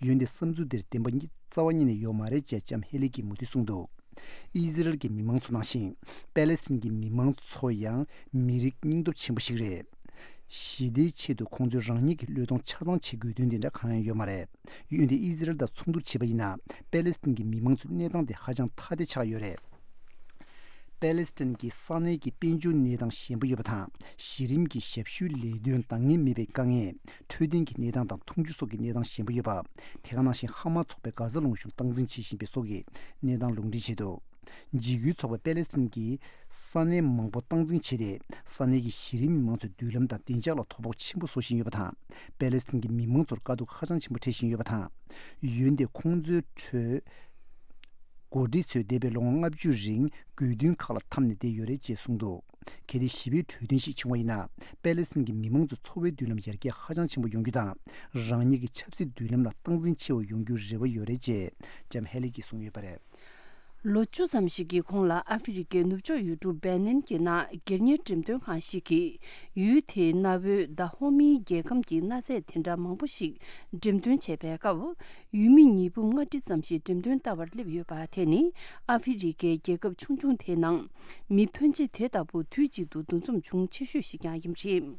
འོན་ཏེ་བསམ་ཚུལ་འདིར་བདེན་པ་རྩ་བ་ཉིད་ནས་ཡོད་མ་རེད་ཅེས་ལྕམ་ཧེ་ལི་གིས་མུ་མཐུད་གསུངས་འདུག་ཨི་ཟི་རལ་གྱི་མི་མང་ཚོ་ནང་བཞིན་པེ་ལེ་སི་ཐན་གྱི་མི་མང་ཚོ་ཡང་མི་རིགས་སྙིང་སྟོབས་ཆེན་པོ་ཞིག་རེད། ཞི་བདེའི་ཆེད་དུ་ཁོང་ཚོས་རང་ཉིད་ཀྱི་བློས་གཏོང་ཆ་ཚང་བྱེད་དགོས་དོན་དེ་འདྲ་གང་ཡང་ཡོད་མ་རེད། འོན་ཏེ་ཨི་ཟི་རལ་དང་ཚོགས་འདུར་བྱེད་པ་ཡིན་ན། པེ་ལེ་སི་ཐན་གྱི་མི་མང་ཚོའི་གནས་སྟངས་དེ་ཧ་ཅང་ཐ་དད་ཆགས་ཡོད་རེད། པེ་ལེ་སི་ཐན་གྱི་ས་གནས་ཀྱི་དཔལ་འབྱོར་གནས་སྟངས་ཞན་པོ་ཡོད་པ་དང་། གཞི་རིམ་གྱི་ཞབས་ཞུའི་ལས་དོན་འདང་ངེས་མེད་པའི་དཀའ་ངལ། འཕྲོད་བསྟེན་གྱི་གནས་སྟངས་དང་འཐུང་ཆུ་སོགས་ཀྱི་གནས་སྟངས་ཞན་པོ་ཡོད་པ། དེ་ག་ནང་བཞིན་ཧ་མ་ཚོགས་པས་གྷ་ཟ་ལུང་གཞུང་སྟངས་འཛིན་བྱེད་བཞིན་པའི་སོགས་ཀྱི་གནས་སྟངས་ལུང་འདྲེན་བྱས་འདུག་འཇིགས་སྐུལ་ཚོགས་པས་པེ་ལེ་སི་ཐན་གྱི་ས་གནས་མང་པོ་སྟངས་འཛིན་བྱས་ཏེ། ས་གནས་ཀྱི་གཞི་རིམ་མི་མང་ཚོའི་མདུན་ལམ་དང་བདེ་འཇགས་ལ་དོ་ཕོག་ཆེན་པོ་བཟོ་བཞིན་ཡོད་པ་དང་། པེ་ལེ་སི་ཐན་གྱི་མི་མང་ཚོར་དཀའ་སྡུག་ཧ་ཅང་ཆེན་པོ་འཕྲད་བཞིན་ཡོད་པ་དང་། འོན་ཏེ་ཁོང་ཚོའི་ཁྲོད་འགོ་ཁྲིད་ཚོས་འདས་པའི་ལོ་ངོ་ལྔ་བཅུ་རིང་དགོས་འདུན་ཁག་ལ་འཐམས་ནས་བསྡད་ཡོད་རེད་ཅེས་གསུངས་འདུག་གལ་ཏེ་ཞི་བའི་གྲོས་མཐུན་ཞིག་བྱུང་བ་ཡིན་ན། པེ་ལེ་སི་ཐན་གྱི་མི་མང་ཚོའི་འཚོ་བའི་མདུན་ལམ་ཡར་རྒྱས་ཧ་ཅང་ཆེན་པོ་ཡོང་རྒྱུ་དང་། རང་ཉིད་ཀྱི་ཆབ་སྲིད་མདུན་ལམ་ལ་སྟངས་འཛིན་ཆེ་བ་ཡོང་རྒྱུའི་རེ་བ་ཡོད་རེད་ཅེས་ལྕམ་ཧེ་ལི་གྱིས་གསུངས་ཡོད་པ་རེད། ལོ་བཅུ་ཙམ་ཞིག་གི་གོང་ལ་ཨ་ཧྥེ་རི་ཁའི་ནུབ་ཕྱོགས་ཡུལ་གྲུ་སྦེ་ནན་གྱི་ནང་སྒེར་གཉེར་འགྲེམས་སྟོན་ཁང་ཞིག་གིས་ཡུལ་དེའི་གནའ་བོའི་ད་ཧོ་མིའི་རྒྱལ་ཁམས་ཀྱི་གནའ་རྫས་དེ་འདྲ་མང་པོ་ཞིག་འགྲེམས་སྟོན་བྱས་པའི་སྐབས། ཡུལ་མི་ཉིས་འབུམ་ལྔ་ཁྲི་ཙམ་ཞིག་འགྲེམས་སྟོན་ལྟ་བར་སླེབས་ཡོད་པ་དེ་ནི་ཨ་ཧྥེ་རི་ཁའི་རྒྱལ་ཁབ་ཆུང་ཆུང་དེའི་ནང་མི་ཕོན་ཆེ་དེ་ལྟ་བུ་དུས་གཅིག་ཏུ་འདུ་འཛོམས་བྱུང་ཆེ་ཤོས་ཤིག་ཀྱང་ཡིན་པ་རེད།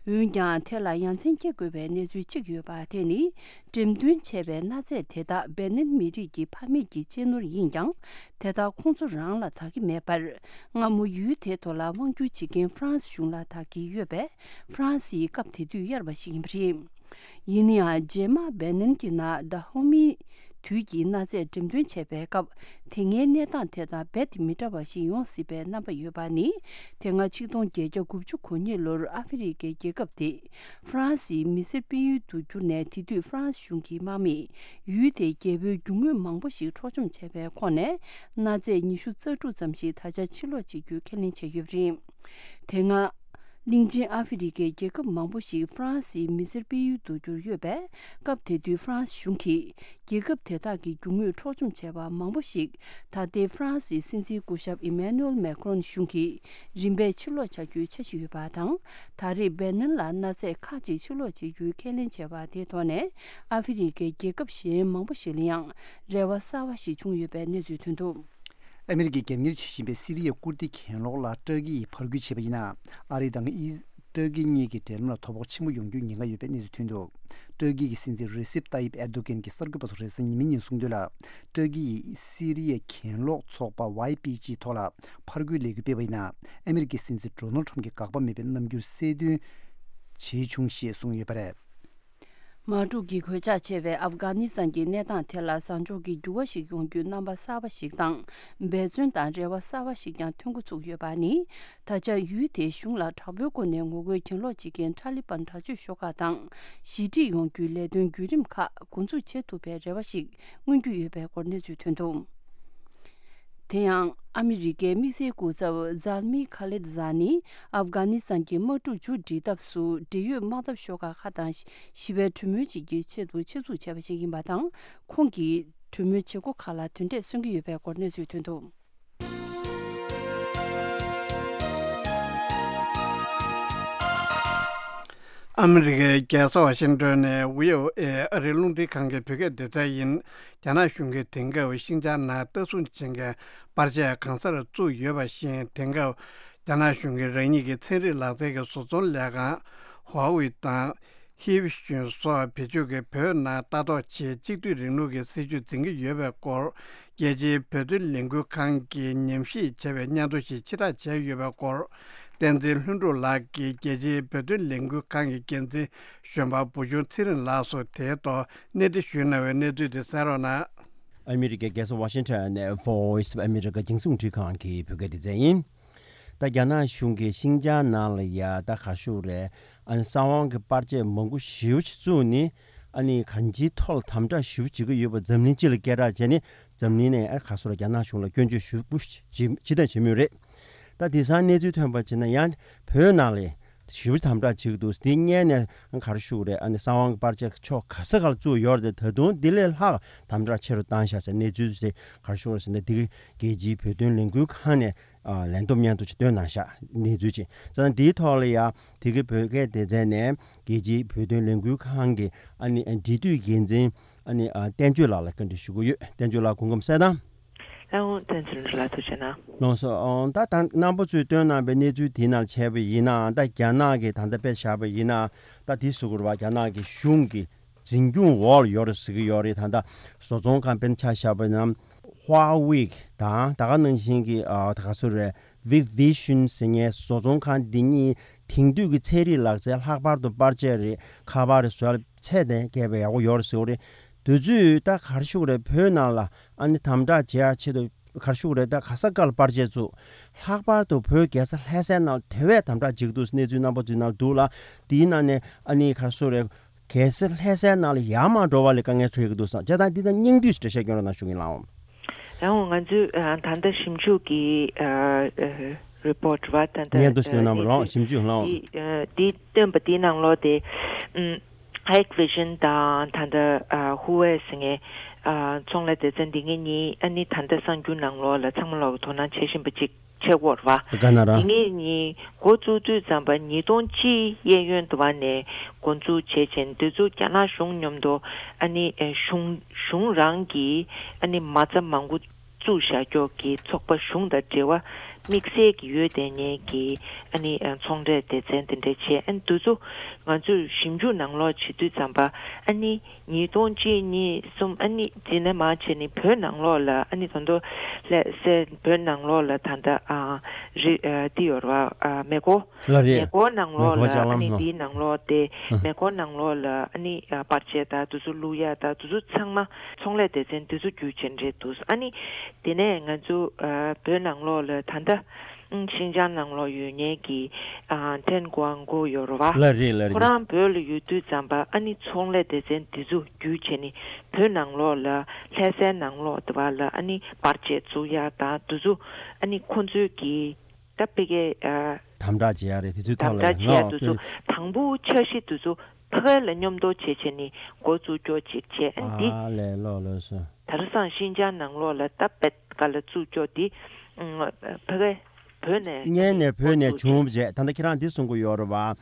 འོན་ཀྱང་དེ་ལ་ཡ་མཚན་སྐྱེ་དགོས་པའི་གནས་ཚུལ་གཅིག་ཡོད་པ་དེ་ནི། འགྲེམས་སྟོན་བྱས་པའི་གནའ་རྫས་དེ་དག་སྦེ་ནན་མི་རིགས་ཀྱི་ཕ་མེས་ཀྱི་གཅེས་ནོར་ཡིན་ཀྱང་། དེ་དག་ཁོང་ཚོ་རང་ལ་བདག་གི་མེད་པར། སྔ་མོ་ཡུལ་དེའི་ཐོག་ལ་དབང་བསྒྱུར་བྱེད་མཁན་ཧྥ་རན་སི་གཞུང་ལ་བདག་གི་ཡོད་པས། ཧྥ་རན་སི་ཡིས་སྐབས་དེ་དུས་གཡར་བ་ཞིག་ཡིན་པ་རེད། ཡིན་ན་ཡང་རྗེས་མ་སྦེ་ནན་གྱི་ནང་ད་ཧོ་མིའི་དུས་ཀྱི་གནའ་རྫས་འགྲེམས་སྟོན་བྱས་པའི་སྐབས། དེ་སྔའི་གནས་སྟངས་དེ་དང་རྦད་དེ་མི་འདྲ་བ་ཞིག་ཡོང་སྲིད་པའི་རྣམ་པ་ཡོད་པ་ནི། དེ་སྔ་ཆིག་སྟོང་བརྒྱད་བརྒྱ་དགུ་བཅུ་གོ་གཉིས་ལོར་ཨ་ཧྥེ་རི་ཁའི་རྒྱལ་ཁབ་དེ་ཧྥ་རན་སིའི་མི་སེར་སྤེལ་ཡུལ་དུ་གྱུར་ནས། དེ་དུས་ཧྥ་རན་སི་གཞུང་གི་དམག་མིས་ཡུལ་དེའི་རྒྱལ་པོའི་རྒྱུ་དངོས་མང་པོ་ཞིག་འཕྲོག་བཅོམ་བྱས་པའི་ཁོངས་ནས། གནའ་རྫས་ཉི་ཤུ་རྩ་དྲུག་ཙམ་ཞིག་ད་ཆ་ཕྱིར་སློག་བྱེད་རྒྱུའི་ཁས་ལེན་བྱས་ཡོད་པ་རེད། དེ་སྔ། གླིང་ཆེན་ཨ་ཧྥེ་རི་ཁའི་རྒྱལ་ཁབ་མང་པོ་ཞིག་ཧྥ་རན་སིའི་མི་སེར་སྤེལ་ཡུལ་དུ་གྱུར་ཡོད་པས། སྐབས་དེ་དུས་ཧྥ་རན་སི་གཞུང་གིས་རྒྱལ་ཁབ་དེ་དག་གི་རྒྱུ་དངོས་འཕྲོག་བཅོམ་བྱས་པ་མང་པོ་ཞིག་ད་ལྟའི་ཧྥ་རན་སིའི་སྲིད་འཛིན་སྐུ་ཞབས་ཨི་མེ་ནུ་ཨེལ་མེ་ཁྲོན་གཞུང་གིས་རིམ་པས་ཕྱིར་སློག་བྱ་རྒྱུའི་འཆར་གཞི་ཡོད་པ་དང་། ད་རེས་སྦེ་ནན་ལ་གནའ་རྫས་ཁག་ཅིག་ཕྱིར་སློག་བྱེད་རྒྱུའི་ཁས་ལེན་བྱས་པ་དེའི་ཐོག་ནས། ཨ་ཧྥེ་རི་ཁའི་རྒྱལ་ཁབ་གཞན་མང་པོ་ཞིག་ལ་ཡང་རེ་བ་གསར་བ་ཞིག་བྱུང་ཡོད་པའི་གནས་ཚུལ་ཐོན་འདུག་ཨ་མི་རི་ཀས་རྒྱབ་གཉེར་བྱེད་བཞིན་པའི་སི་རི་ཡའི་ཀུར་ཏི་གྱེན་ལོག་ལ་ཏྲ་ཀི་ཡིས་ཕར་རྒོལ་བྱས་པ་ཡིན་ན། ཨ་རི་དང་ཨི་ཏྲ་ཀི་གཉིས་ཀྱི་འབྲེལ་ལམ་ལ་དོ་ཕོག་ཆེན་པོ་ཡོང་རྒྱུའི་ཉེན་ཁ་ཡོད་པའི་གནས་ཚུལ་ཐོན་འདུག་ཏྲ་ཀི་གི་སྲིད་འཛིན་རེ་སེབ་ཏཱ་ཡིབ་ཨེར་དོ་གན་གྱིས་གསར་འགོད་པ་ཚོར་རེས་གཟའ་ཉི་མའི་ཉིན་གསུངས་དོན་ལ། ཏྲ་ཀི་ཡིས་སི་རི་ཡའི་གྱེན་ལོག་ཚོགས་པ་ཝའི་པི་ཇི་ཐོག་ལ་ཕར་རྒོལ་ལས་འགུལ་སྤེལ་བ་ཡིན་ན། ཨ་མི་རི་ཀའི་སྲིད་འཛིན་ཌོ་ནལ་ཁྲམ་གྱི་དགག་པ་མེད་པའི་རྣམ་འགྱུར་གསལ་སྟོན་བྱས་བྱུང་ཞེས་གསུངས་ཡོད་པ་རེད། དམག་འཁྲུག་གི་གོད་ཆག་ཆེ་བའི་ཨབ་གྷ་ནི་སི་ཐན་གྱི་གནས་སྟངས་དེ་ལ་བཟང་ཕྱོགས་ཀྱི་འགྱུར་བ་ཞིག་ཡོང་རྒྱུའི་རྣམ་པ་གསར་པ་ཞིག་དང་། འབད་བརྩོན་དང་རེ་བ་གསར་པ་ཞིག་ཀྱང་ཐོན་འགོ་ཚུགས་ཡོད་པ་ནི། ད་ཆ་ཡུལ་དེའི་གཞུང་ལ་དྲག་པོའི་སྒོ་ནས་ངོ་རྒོལ་གྱེན་ལོག་བྱེད་མཁན་ཐ་ལི་པན་དྲག་སྤྱོད་ཤོག་ཁག་དང་ཞི་འགྲིག་ཡོང་རྒྱུའི་ལས་དོན་བརྒྱུད་རིམ་ཁག་འགོ་འཛུགས་བྱེད་ཐུབ་པའི་རེ་བ་ཞིག་མངོན་རྒྱུ་ཡོད་པའི་སྐོར་གནས་ཚུལ་ཐོན་འདུག་དེ་ཡང་ཨ་མི་རི་ཀའི་དམིགས་བསལ་སྐུ་ཚབ་ཛལ་མི་ཁ་ལེད་ཛ་ནི་ཨབ་གྷ་ནི་སི་ཐན་གྱི་དམག་འཁྲུག་མཇུག་སྒྲིལ་ཐབས་སུ་འབྲེལ་ཡོད་དམག་འཐབ་ཤོག་ཁག་ཁག་དང་ཞི་བའི་གྲོས་མོལ་བྱེད་རྒྱུའི་ཆེད་དུ་ཆེད་འཛུགས་བྱས་པ་ཞིག་ཡིན་པ་དང་། ཁོང་གིས་གྲོས་མོལ་བྱེད་སྒོ་ཁག་ལ་དོན་འབྲས་སོན་གྱི་ཡོད་པའི་སྐོར་གནས་ཚུལ་ཐོན་འདུག་ཨ་མི་རི་ཀའི་རྒྱལ་ས་ཝ་ཤིང་ཏོན་ནས་བྷི་ཨོ་ཨེ་ཨ་རིའི་རླུང་འཕྲིན་ཁང་གི་བོད་སྐད་སྡེ་ཚན་ཡིན། རྒྱ་ནག་གཞུང་གིས་དེང་སྐབས་ཤིན་ཅང་ནང་ལྟ་སྲུང་བྱེད་མཁན་པར་ཆས་གང་སར་བཙུགས་ཡོད་པ་བཞིན། དེང་སྐབས་རྒྱ་ནག་གཞུང་གིས་རང་ཉིད་ཀྱི་ཚན་རིག་ལག་རྩལ་གྱི་བཟོ་ཚོང་ལས་ཁང་ཧྭ་ཝེ་དང་། ཧི་ཝེ་ཤུན་སོགས་བེད་སྤྱོད་ཀྱིས་བོད་ནང་ལྟ་རྟོག་ཆེད་གཅིག་སྡུད་རིང་ལུགས་ཀྱི་སྲིད་བྱུས་འཛིན་གྱི་ཡོད་པའི་སྐོར། རྒྱལ་སྤྱིའི་བོད་དོན་ལས་འགུལ་ཁང་གིས་ཉམས་ཞིབ་བྱས་པའི་སྙན་ཐོ་ཞིག་ཕྱིར་བསྒྲགས་བྱས་ཡོད་པའི་སྐོར། བསྟན་འཛིན་ལྷུན་གྲུབ་ལགས་ཀྱིས་རྒྱལ་སྤྱིའི་བོད་དོན་ལས་འགུལ་ཁང་གི་འགན་འཛིན་གཞོན་པ་བུ་ཆུང་ཚེ་རིང་ལགས་སུ་དེའི་ཐོག་གནས་འདྲི་ཞུས་གནང་བའི་གནས་ཚུལ་དེ་གསན་རོགས་གནང་། ཨ་མི་རི་ཀའི་རྒྱལ་ས་ཝ་ཤིང་ཊོན་ནས་Voice of America་རྒྱང་སྲིང་རླུང་འཕྲིན་ཁང་གི་བོད་སྐད་སྡེ་ཚན་ཡིན། ད་རྒྱ་ནག་གཞུང་གིས་ཤིན་ཅང་ནང་ལ་ཡ་ད་ག་ཞུ་རེད། ཨ་ནི་གསང་བའི་པར་ཆས་མང་པོ་ཞེ་པོ་ཅིག་བཙུགས་ནས། ཨ་ནི་གང་ཅིའི་ཐོག་ལ་དམ་དྲག་ཞེ་པོ་བྱེད་ཀྱི་ཡོད་པ་འཛམ་གླིང་སྤྱི་ལ་སྐད་གྲགས་བྱས་ནས། འཛམ་གླིང་ནས་ཨ་ག་སོ་ར་རྒྱ་ནག་གཞུང་ལ་སྐྱོན་བརྗོད་ཞེ་པོ་ཅིག་བྱེད་མུས་རེད། ད་དེང་སང་གནས་ཚུལ་ཐོན་པ་བྱས་ན་ཡང་བོད་ནང་ལ་ཞེ་པོ་དམ་དྲག་བྱེད་ཀྱི་འདུག་དེ་སྔོན་ནས་ག་རེ་ཞུ་རེད། ཨ་ནི་གསང་བའི་པར་ཆས་ཕྱོགས་ག་ས་ག་ལ་བཙུགས་ཡོད་རེད། ད་དུང་དེ་ལས་ལྷག་དམ་དྲག་ཆེ་རུ་བཏང་བཞག་ཟེར་གནས་ཚུལ་དེ་ག་རེ་ཞུ་རེད་ཟེར་ན། དེ་གི་རྒྱལ་སྤྱིའི་བོད་དོན་ལས་འགུལ་ཁང་ནས་ཨ་ལན་འདེབས་སྙན་ཐོ་ཞིག་བཏོན་གནང་བཞག་གནས་ཚུལ་ཅིག་ཙང་། འདིའི་ཐོག་ལ་ཡ་དེ་གི་བོད་སྐད་སྡེ་ཚན་ནས་རྒྱལ་སྤྱིའི་བོད་དོན་ལས་འགུལ་ཁང་གི་ཨ་ནི་འབྲེལ་མཐུད་འགན་འཛིན་ཨ་ནི་ཨ་བསྟན་ཆོས་ལགས་ལ་བཀའ་འདྲི་ཞུ་གི་ཡོད། བསྟན་ཆོས་ལགས་སྐུ་ཁམས་བཟང་དང་། ལགས་འོང་། བསྟན་འཛིན་ལགས་ཐུགས་རྗེ་གནང་། ལགས་སོ། ཨོ་ད་ད་རྣམ་པ་ཚོས་བཏོན་གནང་པའི་གནས་ཚུལ་དེའི་ནང་བྱས་པ་ཡིན་ན། ད་རྒྱ་ནག་གིས་ད་ལྟ་དཔེ་བཞག་པ་ཡིན་ན། ད་དེ་སུ་གུར་བ་རྒྱ་ནག་གི་གཞུང་གི་འཛིན་སྐྱོང་འོག་ལ་ཡོད་རེད་ཟེར་གྱི་ཡོད་རེད། ད་ལྟ་བཟོ་ཚོང་ཁང་དཔེར་ན་ཆ་བཞག་པ་ན་ཧྭ་ཝེ་དང་ད་ག་ནང་བཞིན་གྱི་ཨ་ད་ག་སུ་རེད། Hikvision ཟེར་མཁན་བཟོ་ཚོང་ཁང་འདི་གཉིས་དེང་དུས་ཀྱི་ཚན་རིག་ལག་རྩལ་ལྷག་པར་དུ་པར་ཆས་རེད། ཁ་པར་རེད། བཟོ་ཡ་ཚད་ལྡན་སྐད་པའི་ཡག་པོ་ཡོད་རེད་ཟེར་བ་རེད། དུས་ཚོད་ད་ག་རེ་ཞུ་དགོས་རེད། བོད་ནང་ལ་ཨ་ནི་དམ་དྲག་བྱེད་ཡ་ཆེད་དུ་ ག་རེ་ཞུ་དགོས་རེད། ད་ག་ས་ག་ལ་པར་ཆས་བཙུགས། ལྷག་པར་དུ་བོད་རྒྱལ་ས་ལྷ་སའི་ནང་དེ་བས་དམ་དྲག་བྱེད་ཀྱི་འདུག་གནས་ཚུལ་རྣམ་པ་ཚོའི་ནང་འདུག་ལ། དེའི་ནང་ནས་ཨ་ནི་ག་རེ་ཞུ་དགོས་རེད། གལ་སྲིད་ལྷ་སའི་ནང་ལ་ཡར་མར་འགྲོ་བ་ལ་དཀའ་ངལ་འཕྲད་ཀྱི་འདུག་བསམ། བྱས་ཙང་འདི་དང་སྙིང་བསྡུས་ཤིག་འགྲེལ་བཤད་སྐྱོན་རོགས་གནང་ཞུ་གི་ཡིན་ལགས། ཡང་ང་ཚོས་ཨ་ད་ལྟ་ཞིབ་འཇུག་གི་ཨ་ཨ་རི་པོ་ཊི་རེད་བ། ད་ལྟ་སྙན་ཐོ་ཞིག་ཨ་སྟོན་གནང་བ་ལགས། ཞིབ་འཇུག་ལགས། འདི་ཨ་འདི་སྟོན་པ་འདིའི་ནང་ལོགས་དེ་ཨམ་Hikvision དང་ད་ལྟ་ཨ་Huawei ཟེར་མཁན་ཨ་ཚོང་ལས་སྡེ་ཚན་འདི་གཉིས་ཨ་ནི་ད་ལྟ་གསར་འགྱུར་ནང་ལོགས་ལ་ཚང་མ་ལོག་གི་དོ་སྣང་བྱེད་བཞིན་པ་ཅིག་བྱེད་དགོས་རེད་བ། དེ་ག་ན་ར། དེ་ངེད་གཉིས་འགོ་བཙུགས་དུས་ཙམ་པ་ཉིས་སྟོང་གཅིག་གཡས་གཡོན་དུ་བ་ནས་འགོ་འཛུགས་བྱས་བྱས་འདི་ཚོ་རྒྱ་ནག་གཞུང་མཉམ་དུ་ཨ་ནི་ཨེ་གཞུང་གཞུང་རང་གིས་ཨ་ནི་མ་རྩ་མང་པོ་བཙུགས་བཞག་ཀྱོག་གི་ཚོགས་པ་གཞུང་དང་འབྲེལ་བ་དམིགས་བསལ་གྱི་ཡོད་དེ་ངེད་ཀྱི་ཨ་ནི་ཨེ་ཚོང་འབྲེལ་སྡེ་ཚན་དེ་འདྲས་བྱས། ཨ་ནི་འདི་ཚོ་ང་ཚོས་ཞིབ་འཇུག་ནང་ལོགས་བྱེད་དུས་ཙམ་པ་ཨ་ནི། ཉིས་སྟོང་གཅིག་གཉིས་གསུམ་ཨ་ནི་འཛིན་ནས་མ་བྱས་ནི་བོད་ནང་ལོགས་ལ་ཨ་ནི་ད་དུང་ལྷ་སའི་བོད་ནང་ལོགས་ལ་ད་ལྟ་ཨ་རི་ཨ་འདི་ཡོད་རེད་བ། ཨ་མེ་འཁོར། ལགས་རེད། མེ་འཁོར་ནང་ལོགས་མེ་འཁོར་ལ་ལྕགས་ཨ་ལམ་ནི་ནང་འདིའི་ནང་ལོགས་དེ་ཨ་མེ་འཁོར་ནང་ལོགས་ལ་ཨ་ནི་ཨ་པར་ཆས་དང་དེ་ཚོ་བླུག་ཡ་དང་དེ་ཚོ་ཚང་མ་ཚོང་ལས་སྡེ་ཚན་དེ་ཚོ་བརྒྱུད་བྱས་འདྲེས་འདུག་ཨ་ནི་དེ་ནས་ང་ཚོ་ཨ་བོད་ནང་ལོགས་ལ་ད་ལྟ། ཨང་། ཤིན་ཅང་ནང་ལོགས་ཡོད་མཁན་གྱི་ཨ་ཐན་ཀོང་གོ་ཡོད་རེད་བ། ལགས་རེད་ལགས་རེད། ཁོ་རང་བོད་ལ་ཡོད་དུས་ཙམ་པ་ཨ་ནི་ཚོང་ལས་སྡེ་ཚན་འདི་ཚོ་བརྒྱུད་བྱས་ནས་བོད་ནང་ལོགས་ལ་ལྷ་སའི་ནང་ལོགས་དེ་བ་ལ་ཨ་ནི་པར་ཆས་བཙུགས་ཡག་དང་དེ་ཚོ་ཨ་ནི་ཁོང་ཚོའི་གི་ད་ཕ་གི་ཨ་དམ་དྲག་བྱེད་ཡག་རེད། དེ་ཚོའི་ཐོག་དམ་ལ་དྲག་བྱེད་ཡག་ཡང་དེ་ཚོ་དང་པོ་འཆར་གཞི་དེ་ཚོ་ཕ་གི་ལ་མཉམ་དུ་བྱས་བྱས་ནས་འགོ་བཙུགས་ཀྱོག་ཅིག་བྱས། ཨ་ནི་འདི་ཨ་ལས་ལོ་ལོ་སོ། དེང་སང་ཤིན་ཅང་ནང་ལོགས་ལ་ད་བེད་ཀ་ལ་བཙུགས་ཀྱོག་འདི་ཕ་གི་བོད་ནས་སྔོན་ནས་བོད་ནས་བྱུང་བ་བྱས། ད་ལྟ་ཁྱེད་རང་འདི་གསུང་གི་ཡོད་རེད་བ།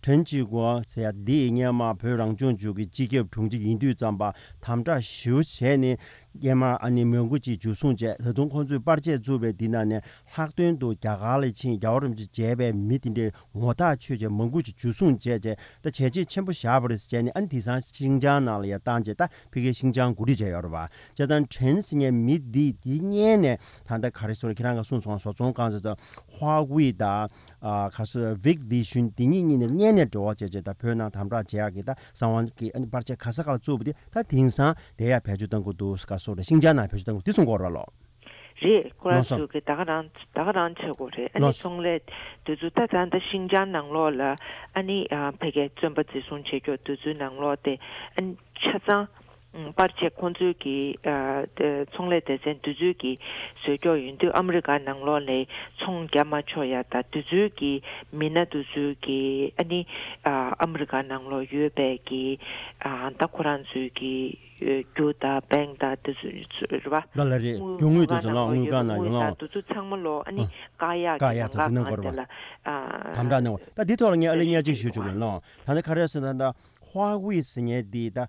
ཁྲེན་ཅི་གོ་ཟེར་ཡ་འདི་སྔོན་མ་བོད་རང་སྐྱོང་ལྗོངས་ཀྱི་སྤྱི་ཁྱབ་དྲུང་ཆེ་ཡིན་དུས་ཙམ་པ་དམ་དྲག་ཞེ་པོ་བྱས་ནས་སྔོན་མ་ཨ་ནི་མང་པོ་ཅིག་འཇུ་བཟུང་བྱས། ད་དུང་ཁོང་ཚོས་པར་ཆས་བཙུགས་པའི་འདི་ནང་ནས་ལྷག་དོན་དུ་རྒྱ་གར་ལ་ཕྱིན་རྒྱལ་བ་རིན་པོ་ཆེ་མཇལ་བའི་མི་དེ་འདྲའི་ངོ་ཐག་ཆོད་བྱས་མང་པོ་ཅིག་འཇུ་བཟུང་བྱས་བྱས་ད་བྱས་རྗེས་ཆེན་པོ་བཞག་པ་རེད་ཟེར་བྱས་ནས། ཨ་ནི་དེང་སང་ཤིན་ཅང་ནང་ལ་ཡ་བཏང་བྱས་ད་ཕ་གིའི་ཤིན་ཅང་གོ་སྒྲིག་བྱས་ཡོད་རེད་བ། བྱས་ཙང་ཁྲེན་ཟེར་མཁན་མི་འདི་འདི་སྔོན་ནས་ད་ལྟ་ག་རེ་ཟེར་ཁྱེད་རང་ག་གསུངས་སོང་། བཟོ་ཚོང་ཁང་ཟེར་ད་ཧྭ་ཝེ་དང་ཨ་ག་ཟེར་ཝིག་ཝི་ཤུན་འདི་གཉིས་གཉིས་ནས་སྔོན་ནས་འབྲེལ་བ་བྱས་བྱས་ད་བོད་ནང་དམ་དྲག་བྱེད་ཡག་གི་ད་གསང་བ་གི་ཨ་ནི་པར་ཆས་ག་ས་ག་ལ་བཙུགས་པ་དེ་ད་དེང་སང་དེ་ཡ་བེད་སྤྱོད་གཏང་གི་འདུག་ག་ཟེར་ཤིན་ཅང་ནང་བེད་སྤྱོད་གཏང་གི་འདུག་འདི་གསུང་གི་ཡོད་རེད་བ་ལོ། རེད། ཁོ་རང་ལགས་སོ། ཚོས་ཀྱི་ད་ག་རང་ད་ག་རང་བྱེད་དགོས་རེད། ཨ་ནི་ལགས་སོ། ཚོང་ལས་དེ་ཚོ་ད་ད་ལྟ་ཤིན་ཅང་ནང་ལོགས་ལ་ཨ་ནི་ཨ་ཕ་གིའི་བཙོན་པ་འཛིན་བཟུང་བྱེད་ཀྱོག་དེ་ཚོའི་ནང་ལོགས་དེ་ཨ་ནི་ཆ་ཚང་ཨ་པར་ཆས་ཁོང་ཚོའི་གི་ཨ་དེ་ཚོང་ལས་སྡེ་ཚན་དེ་ཚོའི་གི་བཟོས་ཀྱོག་ཡིན་དུས་ཨ་མི་རི་ཀ་ནང་ལོགས་ལ་ཚོང་རྒྱག་མ་ཆོག་ཡ་ད་དེ་ཚོའི་གི་མི་སྣ་དེ་ཚོའི་གི་ཨ་ནི་ཨ་ཨ་མི་རི་ཀ་ནང་ལོགས་ཡོད་པའི་གི་ཨ་ད་ཁོ་རང་ཚོའི་གི་རྒྱུ་དང་བེང་དང་དེ་ཚོ་རེད་བ། ལ་ལ་རེད། རྒྱུ་དངོས་དེ་ཚོ་ལ་དངུལ་ཁང་ནང་ཡོང་ལ། དེ་ཚོ་ཚང་མ་ལོ་ཨ་ནི་ཨ་བཀག་ཡག་བཀག་ཡག་དང་དེ་ནང་སྐོར་བ་དེ་ལ་ཨ་དམ་དྲག་གནང་བ། ད་འདི་ཐོག་ལ་ངས་ཨ་ལེ་བསྙལ་ཅིག་ཞུ་ཆོག་གི་ལོ། ད་ནི་ག་རེ་ཟེར་ན་ད་ཧྭ་ཝེ་ཟེར་མཁན་འདི་ད་ཨ་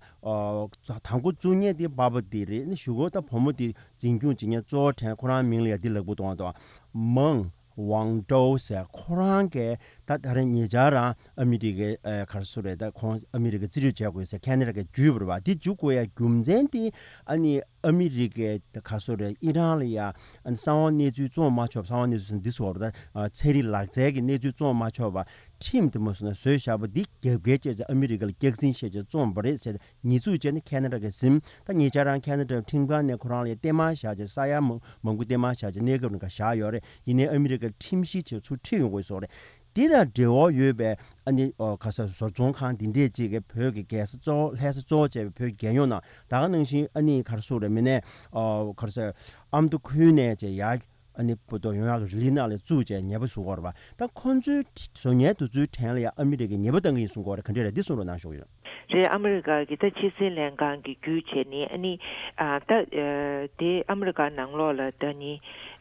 དང་པོ་བཙུགས་མཁན་འདི་པ་ཕ་འདི་རེད། ཨ་ནི་གཞུག་གུ་ད་བུ་མོ་འདི་འཛིན་སྐྱོང་བྱེད་མཁན་གཙོ་བོ་དྲན་ཁོ་རང་མིང་ལ་ཡ་འདི་ལབ་དགོས་འདུག་ཨ། ད་མང་ཝང་ཀྲོའུ་ཟེར་ཁོ་རང་གིས་ད་ད་རེས་ཉེ་ཆར་རང་ཨ་མི་རི་ཀའི་ཨ་ག་རེ་ཟེར་རེད། ད་ཁོང་ཨ་མི་རི་ཀ་རྩིས་སྤྲོད་བྱས་དགོས་ཟེར་ཁེ་ན་ཌ་གིས་བརྒྱུད་པ་རེད་བ། དེ་བརྒྱུད་དགོས་ཡ་རྒྱུ་མཚན་དེ་ཨ་ནི་ཨ་མི་རི་ཀའི་ད་ག་རེ་ཟེར་རེད། ཨི་རན་ལ་ཡ་ཨ་ནི་གསང་བ་གནས་ཚུལ་བཙོང་མ་ཆོག་གསང་བ་གནས་ཚུལ་ཟེར་ན་འདི་ཟེར་བ་རེད། ད་ཚན་རིག་ལག་རྩལ་གྱི་གནས་ཚུལ་བཙོང་མ་ཆོག་པ་ཁྲིམས་དེ་མ་བཟོས་ན་བཟོས་བཞག་པ་འདི་རྒྱབ་འགལ་བྱས་ཙང་ཨ་མི་རི་ཀ་ལ་སྐྱག་རྫུན་བཤད་བྱས་བཙོངས་པ་རེད་ཟེར། ཉེས་འཛུགས་བྱས་ནས་ཁེ་ན་ཌ་གིས་ཟིན། ད་ཉེ་ཆར་རང་ཁེ་ན་ཌ་ཁྲིམས་ཁང་ནས་ཁོ་རང་ལ་ཡ་བརྟན་མ་བཞག་བྱས། ས་ཡ་མང་མང་པོ་བརྟན་མ་བཞག་བྱས་གནས་སྐབས་རིང་ག་བཞག་ཡོད་རེད། ཡིན་ནའི་ཨ་མི་རི་ཀར་ཁྲིམས་ཞིབ་བྱས་ཚུར་ཁྲིད་ཡོང་དགོས་སོགས་རེད། འདི་དང་འབྲེལ་བ་ཡོད་པའི་ཨ་ནི་ཨོ་ག་ས་བཟོ་ཚོང་ཁང་འདི་འདྲས་ཅིག་གིས་བོད་ཀྱི་རྒྱལ་ས་གཙོ་བོ་ལྷ་ས་གཙོ་བོ་བྱས་པའི་བོད་ཀྱི་རྒྱལ་ཡོངས་ནང་ད་ག་ནང་བཞིན་ཨ་ནི་ག་རེ་ཟེར་རེད། མི་སྣའི་ཨོ་ག་རེ་ཟེར་ཨ་མདོ་ཁུལ་ནས་བྱས་ཡར་ཨ་ནི་བོད་ཐོག་ཡོང་ཡག་གི་རི་ལི་ནང་ལ་བཙུགས་བྱས་ཉེས་པ་བཟོ་གི་ཡོད་རེད་པ། ད་ཁོང་ཚོའི་བཟོ་ཉེས་དེ་ཚོའི་གྲས་ལ་ཡང་ཨ་མི་རི་ཀས་ཉེས་པ་བཏང་གི་ཡིན་གསུང་གི་ཡོད་རེད། ག་འདྲས་རེད། འདི་གསུང་རོགས་གནང་ཞུ་གི་ཡོད། རེད། ཨ་མི་རི་ཀ་གི་ད་ཕྱི་སྲིད་ལྷན་ཁང་གི་བརྒྱུད་བྱས་ནས་ཨ་ནི་ཨ་ད་ཨ་དེ་ཨ་མི་རི་ཀ་ནང་ལོགས་ལ་ད་ནི་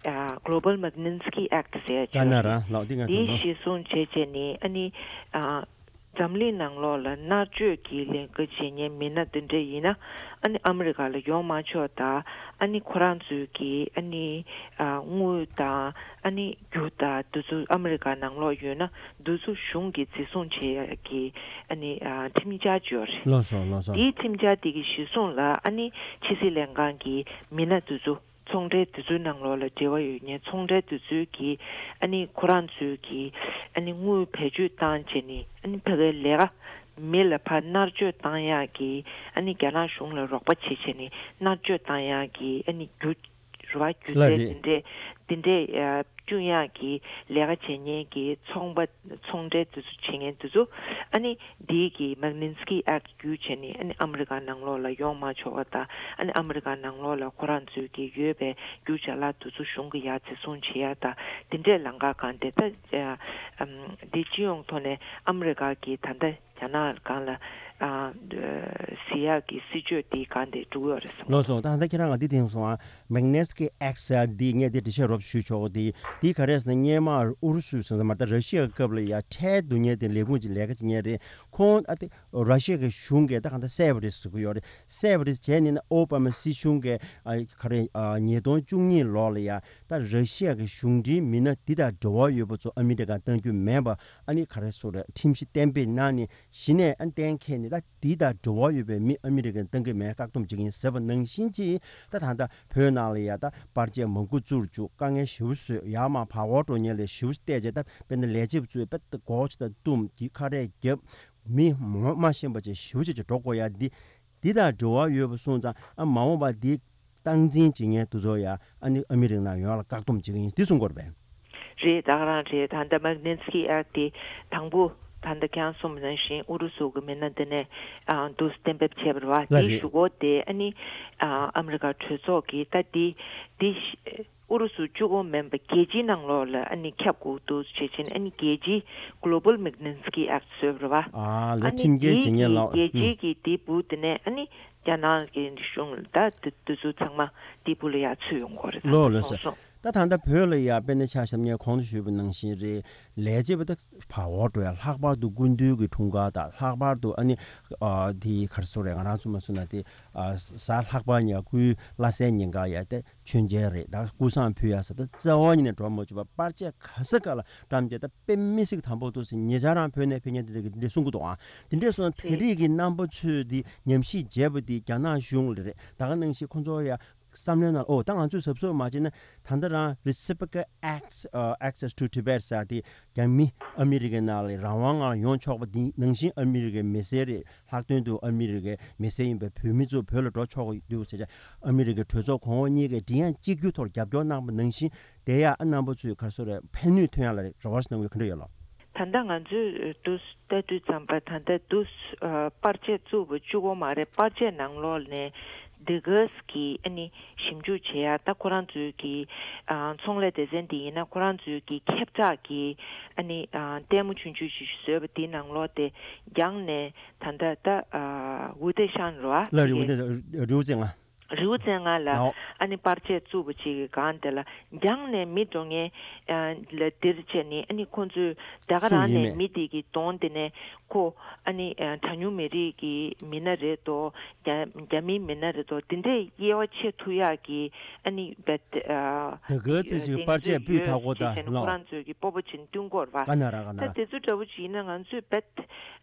ཨ་Global Magnitsky Act ཟེར་ཡ་ཅིག་ཡོད་རེད། ལགས་འདི་ང་འདི་ཚོ་གཞི་བཟུང་བྱས་བྱས་ནས་ཨ་ནི་ཨ་འཛམ་གླིང་ནང་ལོགས་ལ་མནར་གཅོད་ཀྱི་ལས་ཀ་བྱེད་མཁན་མི་སྣ་དེ་འདྲ་ཡིན་ན་ཨ་ནི་ཨ་མི་རི་ཀ་ལ་ཡོང་མ་ཆོག་དང་། ཨ་ནི་ཁོ་རང་ཚོའི་གི་ཨ་ནི་ཨ་དངུལ་དང་ཨ་ནི་རྒྱུ་དང་དེ་ཚོ་ཨ་མི་རི་ཀ་ནང་ལོགས་ཡོད་ན་དེ་ཚོ་གཞུང་གིས་འཛིན་བཟུང་བྱེད་ཡ་གི་ཨ་ནི་ཨ་ཁྲིམས་འཆར་ཅིག་ཡོད་རེད། ལགས་སོ་ལགས་སོ། དེའི་ཁྲིམས་འཆར་དེ་གི་གཞི་བཟུང་ལ་ཨ་ནི་ཕྱི་སྲིད་ལྷན་ཁང་གི་མི་སྣ་དེ་ཚོ་ཚོང་འབྲེལ་དེ་ཚོའི་ནང་ལོགས་ལ་འབྲེལ་བ་ཡོད་མཁན་ཚོང་འབྲེལ་དེ་ཚོའི་གི་ཨ་ནི་ཁོ་རང་ཚོའི་གི་ཨ་ནི་དངུལ་བེད་སྤྱོད་བཏང་བྱས་ནས་ཨ་ནི་ཕ་གིའི་ལས་ཀ་མི་ལ་ཕར་མནར་གཅོད་བཏང་ཡག་གི་ཨ་ནི་རྒྱ་ནག་གཞུང་ལ་རོགས་པ་བྱེད་བྱས་ནས་མནར་གཅོད་བཏང་ཡག་གི་ཨ་ནི་རྒྱུ་ རེད་བ། སྒྱུ་ལགས་རྩལ་རེད། དེ་འདྲས་དེ་འདྲས་ཨ་བསྐྲུན་ཡག་གི་ལས་ཀ་བྱེད་མཁན་གྱི་ཚོང་པ་ཚོང་འབྲེལ་དེ་ཚོ་བྱེད་མཁན་དེ་ཚོ་ཨ་ནི་འདིའི་གི་Magnitsky Act བརྒྱུད་བྱས་ནས་ཨ་ནི་ཨ་མི་རི་ཀ་ནང་ལོགས་ལ་ཡོང་མ་ཆོག་པ་དང་། ཨ་ནི་ཨ་མི་རི་ཀ་ནང་ལོགས་ལ་ཁོ་རང་ཚོའི་གི་ཡོད་པའི་རྒྱུ་ཅ་ལག་དེ་ཚོ་གཞུང་གི་ཡར་འཛིན་བཟུང་བྱེད་ཡག་དང་དེ་འདྲས་ལམ་ཁ་གང་དེ་ད་ཨ་ཨམ་འདི་སྤྱི་ཡོངས་ཐོག་ནས་ཨ་མི་རི་ཀ་གི་ད་ལྟ་རྒྱ་ནག་སྒང་ལ་ཨ་ཟེར་ཡག་གི་སྲིད་བྱུས་དེ་གང་དེ་འགྲོ་གི་ཡོད་རེད་བསམ། ལགས་སོ། ད་ལྟ་ཁྱེད་རང་ང་འདི་དེང་སོང་ཨ། Magnitsky Act ཟེར་ཡག་འདི་ངས་འདི་འགྲེལ་བཤད་རོབ་ཞུས་ཆོག་གི། འདི་འདི་ག་རེ་ཟེར་ན་སྔོན་མ་ཨུ་རུ་སུ་ཟེར་ན་མ་ད་ར་ཤི་ཡ་སྐབས་ལ་ཡ་ཁྲལ་བསྡུ་མཁན་དེ་ལས་ཁུངས་ཀྱི་ལས་ཀ་བྱེད་མཁན་རེད། ཁོང་ཨ་དེ་ར་ཤི་ཡ་གི་གཞུང་གིས་ད་གང་ལྟར་བསད་པ་རེད་ཟེར་གི་ཡོད་རེད། བསད་པ་རེད་བྱས་ནས་ན་ཨོ་བྷ་མ་སྲིད་གཞུང་གིས་ཨ་ག་རེ་ཨ་ཉིས་སྟོང་བཅུ་གཉིས་ལོ་ལ་ཡ་ད་ར་ཤི་ཡ་གི་གཞུང་འབྲེལ་མི་སྣ་འདི་དང་འབྲེལ་བ་ཡོད་པ་ཚོ་ཨ་མི་རི་ཀར་གཏང་རྒྱུ་མེད་པ་ཨ་ནི་ག་རེ་ཟེར་རེད། ཁྲིམས་གཞི་གཏན་འབེབས་གནང་ནས་གཞི་ནས་ཨ་གཏན་འཁེལ་ནས་ད་འདི་དང་འབྲེལ་བ་ཡོད་པའི་མི་ཨ་མི་རི་ཀར་གཏང་གི་མེད། བཀག་སྡོམ་བྱེད་ཀྱི་ཡིན་ཟེར་བ་ནང་བཞིན་གྱིས་ད་ད་ལྟ་བོད་ནང་ལ་ཡ་ད་པར་ཆས་མང་པོ་བཙུགས་བཅུག་དཀའ་ངལ་ཞེ་པོ་བཟོས། ཡར་མར་བར་བར་འགྲོ་མཁན་ལ་ཞེ་པོ་བལྟས་བྱས། ད་དཔེར་ན་ལས་བྱེད་པ་ཚོས་དཔེ་ད་སྒོ་ཕྱེ་ད་བཏུམས་དེ་ཁ་རས་བརྒྱབ། མི་ངོ་མ་ཤེས་པ་ཅིག་ཞེ་པོ་ཅིག་ཅིག་འགྲོ་དགོས་ཡ་འདི། འདི་དང་འབྲེལ་བ་ཡོད་པ་སོང་ཙང་ཨ་མ་འོངས་པ་འདི་སྟངས་འཛིན་བྱེད་མཁན་དེ་ཚོ་ཡ་ཨ་ནི་ཨ་མི་རི་ཀ་ནང་ཡོང་ཡ་ལ་བཀག་སྡོམ་བྱེད་ཀྱི་ཡིན་འདི་གསུང་གི་ཡོད་རེད་པས། རེད། ད་ག་རང་རེད། ད་ལྟ་Magnitsky Act དེ་དང་པོ་ད་ལྟ་ཁྱེད་རང་གསུངས་པ་ནང་བཞིན་ཨུ་རུ་སུ་གི་མི་སྣ་འདི་ནས་ཨ་འདུག་གཏན་འབེབས་བྱས་པ་རེད་བ། ལགས་དེའི་རེད། གཞུག་གུ་དེ་ཨ་ནི་ཨ་ཨ་མི་རི་ཀ་གྲོས་ཚོགས་ཀྱིས་ད་དེ་དེ་ཨུ་རུ་སུ་གཅིག་པོ་མིན་པ་རྒྱལ་སྤྱིའི་ནང་ལོགས་ལ་ཨ་ནི་ཁྱབ་དགོས་འདུག་བྱས་ཕྱིན་ཨ་ནི་རྒྱལ་སྤྱིའི་Global Magnitsky Act བཟོས་པ་རེད་བ། ཨ་ལས་ཨ་ནི་ཁྲིམས་འགལ་དེའི་བྱེད་མཁན་ལ། གི་རྒྱལ་སྤྱིའི་གི་དེའི་སྦུག་དེ་ནས་ཨ་ནི་རྒྱ་ནག་གི་གཞུང་ད་དེ་དེ་ཚོ་ཚང་མ་དེའི་སྦུག་ལ་ཡར་ཚུད་ཡོང་གི་རེད། ལགས་ལགས་སོ། སོང་སོང་། ད་ད་ལྟ་བོད་ལ་ཡ་དཔེར་ན་ཆ་བཞག་ན་གོང་དུ་ཞུས་པ་ནང་བཞིན་རེད། ལས་བྱེད་པ་ད་བར་བར་འགྲོ་ཡ། ལྷག་པར་དུ་སྐུ་མདུན་གྱི་འཁྲུངས་སྐར་དང་ལྷག་པར་དུ་ཨ་ནི་ཨ་དེ་ག་རེ་ཟེར་རེད། ང་རང་ཚོ་མ་སུ་ན་དེ་ཨ་གཟའ་ལྷག་པ་ཉིན་སྐུའི་བླ་གཟའི་ཉིན་ཀ་ཡ་དེ་མཆོད་མཇལ་རེད། ད་སྐུ་བསང་ཕུལ་ཡ་ཟེར། ད་རྩ་བ་ཉིད་ནས་འགྲོ་མ་བཅུག་པ་པར་ཆས་ག་ས་ག་ལ་བཀྲམ་བྱས། ད་དཔེ་མི་སྲིད་དམ་པོ་འདུག་ཟེར་ཉེ་ཆར་རང་བོད་ནས་ཕེབས་མཁན་དེ་འདྲ་གིས་འདི་འདྲ་གསུང་གི་འདུག་ཨང་། དེ་འདྲ་སོང་ན་དེ་རིགས་ཀྱི་རྣམ་པ་ཚོས་འདི་ཉམས་ཞིབ་བྱས་པ་འདི་རྒྱ་ནག་གཞུང་ལ་རེད། ད་ག་ནང་བཞིན་ཁོང་ཚོ་ཡ་བསམ་བློའི་ནང་ཨོ་ད་ང་ཚོས་གཟབ་གཟབ་མ་བྱས་ན་ད་ལྟ་རང་Reciprocal Acts- ཨ་Access to Tibet ཟེར་དེ་རྒྱ་མི་ཨ་མི་རི་ཀའི་ནང་ལ་རང་དབང་ངང་ཡོང་ཆོག་པ་འདི་ནང་བཞིན་ཨ་མི་རི་ཀའི་མི་སེར་རེད། ལྷག་དོན་དུ་ཨ་མི་རི་ཀའི་མི་སེར་ཡིན་པའི་བོད་མི་ཚོ་བོད་ལ་འགྲོ་ཆོག་གི་འདུག་ཟེར་བྱས། ཨ་མི་རི་ཀའི་གྲོས་ཚོགས་གོང་འོག་གཉིས་ཀས་མགྲིན་དབྱངས་གཅིག་གྱུར་ཐོག་རྒྱབ་སྐྱོར་གནང་པ་ནང་བཞིན་དེ་ཡང་ཨ་རྣམ་པ་ཚོས་ག་རེ་ཟེར་རེད། ཕན་ནུས་ཐོན་ཡག་ལ་རེ་བ་ཞིག་གནང་ཡོད། ག་འདྲ་ཡོད་ལགས། ད་ལྟ་ང་ཚོས་འདུག་ལྟ་དུས་ཙམ་པ་ད་ལྟ་འདུག་ཨ་པར་ཆས་བཙུགས་པ་གཅིག་པོ་མ་རེད། པར་ཆས་ནང་ལོགས་ནས་འདི་གས་ཀྱི་ཨ་ནི་ཞིབ་འཇུག་བྱེད་ཡ། ད་ཁོ་རང་ཚོའི་གི་ཨ་ཚོང་ལས་སྡེ་ཚན་འདི་ཡིན་ན་ཁོ་རང་ཚོའི་གི་ཁྱབ་བསྒྲགས་ཀྱི་ཨ་ནི་ཨ་ལྟད་མོ་ཆུང་ཆུང་ཞིག་བཟོས་པ་འདི་ནང་ལོགས་དེ་རྒྱང་ནས་ད་ལྟ་ད་ཨ་ཝུ་ཏེ་ཤང་རེད་བ། ལགས་རེད། ཝུ་ཏེ་རིའུ་ཙེ་ང་རིའུ་ཙེ་ང་ལ་ཨོ་ཨ་ནི་པར་ཆས་བཙུགས་པ་ཅིག་གི་སྒང་དེ་ལ་རྒྱང་ནས་མི་འགྲོ་མཁན་ཨ་ལ་འདིར་བྱས་ནས་ཨ་ནི་ཁོང་ཚོས་ད་ག་སུ་རང་ཡིན་ནས་མེད། མི་དེ་གི་གདོང་དེ་ནས་ཁོ་ཨ་ནི་ཨ་གྲངས་ཉུང་མི་རིགས་ཀྱི་མི་སྣ་རེད་དོ། རྒྱ་རྒྱ་མིའི་མི་སྣ་རེད་དོ། དེ་འདྲས་དབྱེ་བ་ཕྱེ་ཐུབ་ཡག་གི་ཨ་ནི་བེད་ཨ་ད་ག་ཚོད་ཅིག་པར་ཆས་ཕུད་ཐག་གོ་ད་ཅེས་བྱས་ནས་ལོ། ཁོ་རང་ཚོས་ཀྱི་སྤོབས་པ་ཅན་བསྟུན་དགོས་རེད་བ། ག་ན་ར་ག་ན་ད་ར། དེ་ཚོ་འདྲ་བོ་ཅིག་ཡིན་ན་ང་ཚོས་བེད་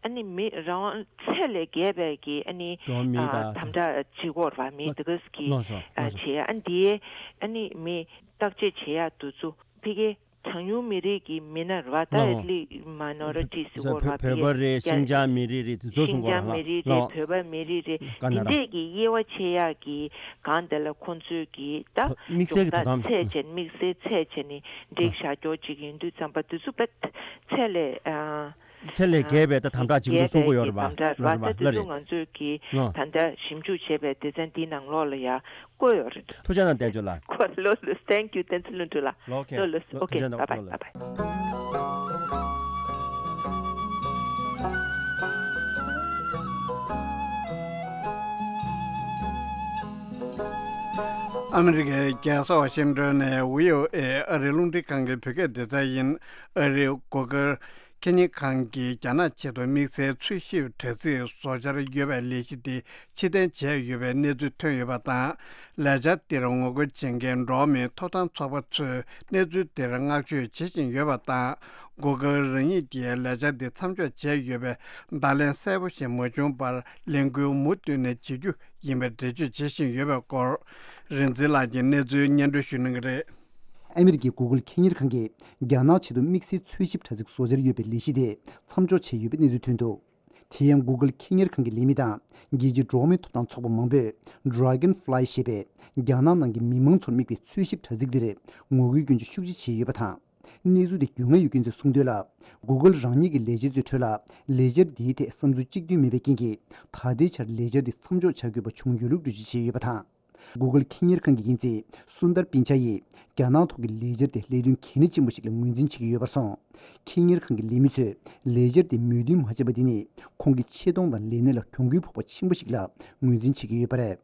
ཨ་ནི་མི་རང་དབང་ཚད་ལས་བརྒལ་བའི་གི་ཨ་ནི་འགྲོ་མི་ཨ་ད་དམ་དྲག་བྱེད་དགོས་རེད་བ། མི་ལོ་དེ་ག་གི་ལོ་སོ་ཨ་ལོ་སོ། བྱེད་ཨ་ནི་དེ་ཨ་ནི་མི་བརྟག་དཔྱད་བྱེད་ཡག་དུས་ཚོད་ཕ་གི་གྲངས་ཉུང་མི་རིགས་ཀྱི་མི་སྣ་རེད་བ། ད་ལོ། ཨེ་ལི་མ་ནོ་རི་ཊི་ཟེར་བ་བོད་བོད་པ་རེད། ཤིན་ཅང་མི་རིགས་རེད། དེ་ཚོ་གསུང་གི་ཡོད་རེད་ལགས། ཤིན་ཅང་མི་རིགས་རེད། ལོ། བོད་པ་མི་རིགས་རེད། ག་ན་ར། འདི་འདྲས་ཀྱི་དབྱེ་བ་ཕྱེ་ཡག་གི་སྒང་དེ་ལ་ཁོང་ཚོས་ཀྱི་ད་དམིགས་བསལ་གྱི་དོ་དམ་ཚད་བྱས་དམིགས་བསལ་ཚད་བྱས་ནས་འགྲིག་བཞག་རྒྱུ་ཅིག་ཡིན་དུས་ཙམ་པ་དེ་ཚོ་བེད་ཚད་ལས་ཨ། ཚད་ལས་བརྒལ་བའི་ད་དམ་དྲག་ཅིག་འདུག་གསུང་གི་ཡོད་རེད་པ། དམ་དྲག་རེད་པ། ལགས་རེད་པ། ད་དེ་ཚོ་ལགས་རེད། ང་ཚོས་ཀྱི་ལགས། ད་ལྟ་ཞིབ་འཇུག་བྱས་པའི་སྡེ་ཚན་འདིའི་ནང་ལོགས་ལ་ཡ་བཀོད་ཡོད་རེད། ཐུགས་རྗེ་གནང་བསྟན་བཅོས་ལགས། ལོ་ལོ། Thank you བསྟན་འཛིན་ལྷུན་གྲུབ་ལགས། ལོ། ཨོ་ཁེ། ལོ་ལོ། ལོ། ཨོ་ཁེ། ཐུགས་རྗེ་གནང་། Bye bye། ལོ་ལོ། Bye bye། ཨ་མི་རི་ཀའི་རྒྱལ་ས་ཝ་ཤིང་ཏོན་ནས་བྷི་ཨོ་ཨེ་ཨ་རིའི་རླུང་འཕྲིན་ཁང་གི་བོད་སྐད་སྡེ་ཚན་ཡིན། ཨ་རིའི་གོ་སྐབས་ཁེ་ཉིན་ཁང་གིས་རྒྱ་ནག་ཆེད་དུ་དམིགས་བསལ་འཚོལ་ཞིབ་དྲ་ཚིགས་བཟོ་འཆར་ཡོད་པའི་ལས་གཞི་དེ་ཕྱིར་འཐེན་བྱས་ཡོད་པའི་གནས་ཚུལ་ཐོན་ཡོད་པ་དང་། ལས་འཆར་དེར་ངོ་རྒོལ་བྱེད་མཁན་འགྲོ་བ་མིའི་ཐོབ་ཐང་ཚོགས་པ་ཚོས་གནས་ཚུལ་དེར་བསྔགས་བརྗོད་བྱེད་བཞིན་ཡོད་པ་དང་། གོ་སྐབས་རང་ཉིད་ཀྱིས་ལས་འཆར་འདི་མཚམས་འཇོག་བྱས་ཡོད་པའི་བརྡ་ལན་གསལ་པོ་ཞིག་མ་བྱུང་བར་ལས་འགུལ་མུ་མཐུད་ནས་བྱེད་རྒྱུ་ཡིན་པའི་འགྲེལ་བརྗོད་བྱེད་བཞིན་ཡོད་པའི་སྐོར། རིག་འཛིན་ལགས་ཀྱིས་གནས་ཚུལ་སྙན་སྒྲོན་ཞུ་གནང་གི་རེད། ཨ་མི་རི་ཀའི་གུ་གལ་ཁེ་གཉེར་ཁང་གིས་རྒྱ་ནག་ཆེད་དུ་དམིགས་བསལ་འཚོལ་ཞིབ་དྲ་ཚིགས་བཟོ་འཆར་ཡོད་པའི་ལས་གཞི་དེ་མཚམས་འཇོག་བྱས་ཡོད་པའི་གནས་ཚུལ་ཐོན་འདུག་དེ་ཡང་Google་ཁེ་གཉེར་ཁང་གི་ལས་མི་དང་རྒྱལ་སྤྱིའི་འགྲོ་བ་མིའི་ཐོབ་ཐང་ཚོགས་པ་མང་པོས་Dragonfly་ཞེས་པའི་རྒྱ་ནག་ནང་གི་མི་མང་ཚོར་དམིགས་པའི་འཚོལ་ཞིབ་དྲ་ཚིགས་འདིར་ངོ་རྒོལ་སྐྱོན་བརྗོད་ཤུགས་ཆེ་བྱས་ཡོད་པ་དང་། གནས་ཚུལ་དེ་རྒྱུས་མངའ་ཡོད་མཁན་ཚོས་གསུངས་དོན་ལ། Google་རང་ཉིད་ཀྱི་ལས་བྱེད་ཚོའི་ཁྲོད་ལ་ལས་འཆར་འདིའི་ཐད་བསམ་ཚུལ་གཅིག་མཐུན་མེད་པའི་རྐྱེན་གྱིས། ད་ལྟའི་ཆར་ལས་འཆར་འདི་མཚམས་འཇོག་བྱ་དགོས་པ་བྱུང་ཡོད་ལུགས་འགྲེལ་བརྗོད་བྱས་ཡོད་པ་དང་། Google་ཁེ་གཉེར་ཁང་གི་འགན་འཛིན་སུན་དར་པིན་ཆ་ཡིས་རྒྱ་ནག་ཐོག་གི་ལས་འཆར་དེ་ལས་དོན་གལ་གནད་ཆེན་པོ་ཞིག་ལ་ངོས་འཛིན་བྱེད་ཀྱི་ཡོད་པར་སོང་། ཁེ་གཉེར་ཁང་གི་ལས་མི་ཚོས་ལས་འཆར་དེ་མོས་མཐུན་མ་བྱས་པ་དེ་ནི་ཁོང་གི་ཆེ་མཐོང་དང་ལས་གནས་ལ་གྱོང་གུན་ཕོག་པ་ཆེན་པོ་ཞིག་ལ་ངོས་འཛིན་བྱེད་ཀྱི་ཡོད་པ་རེད།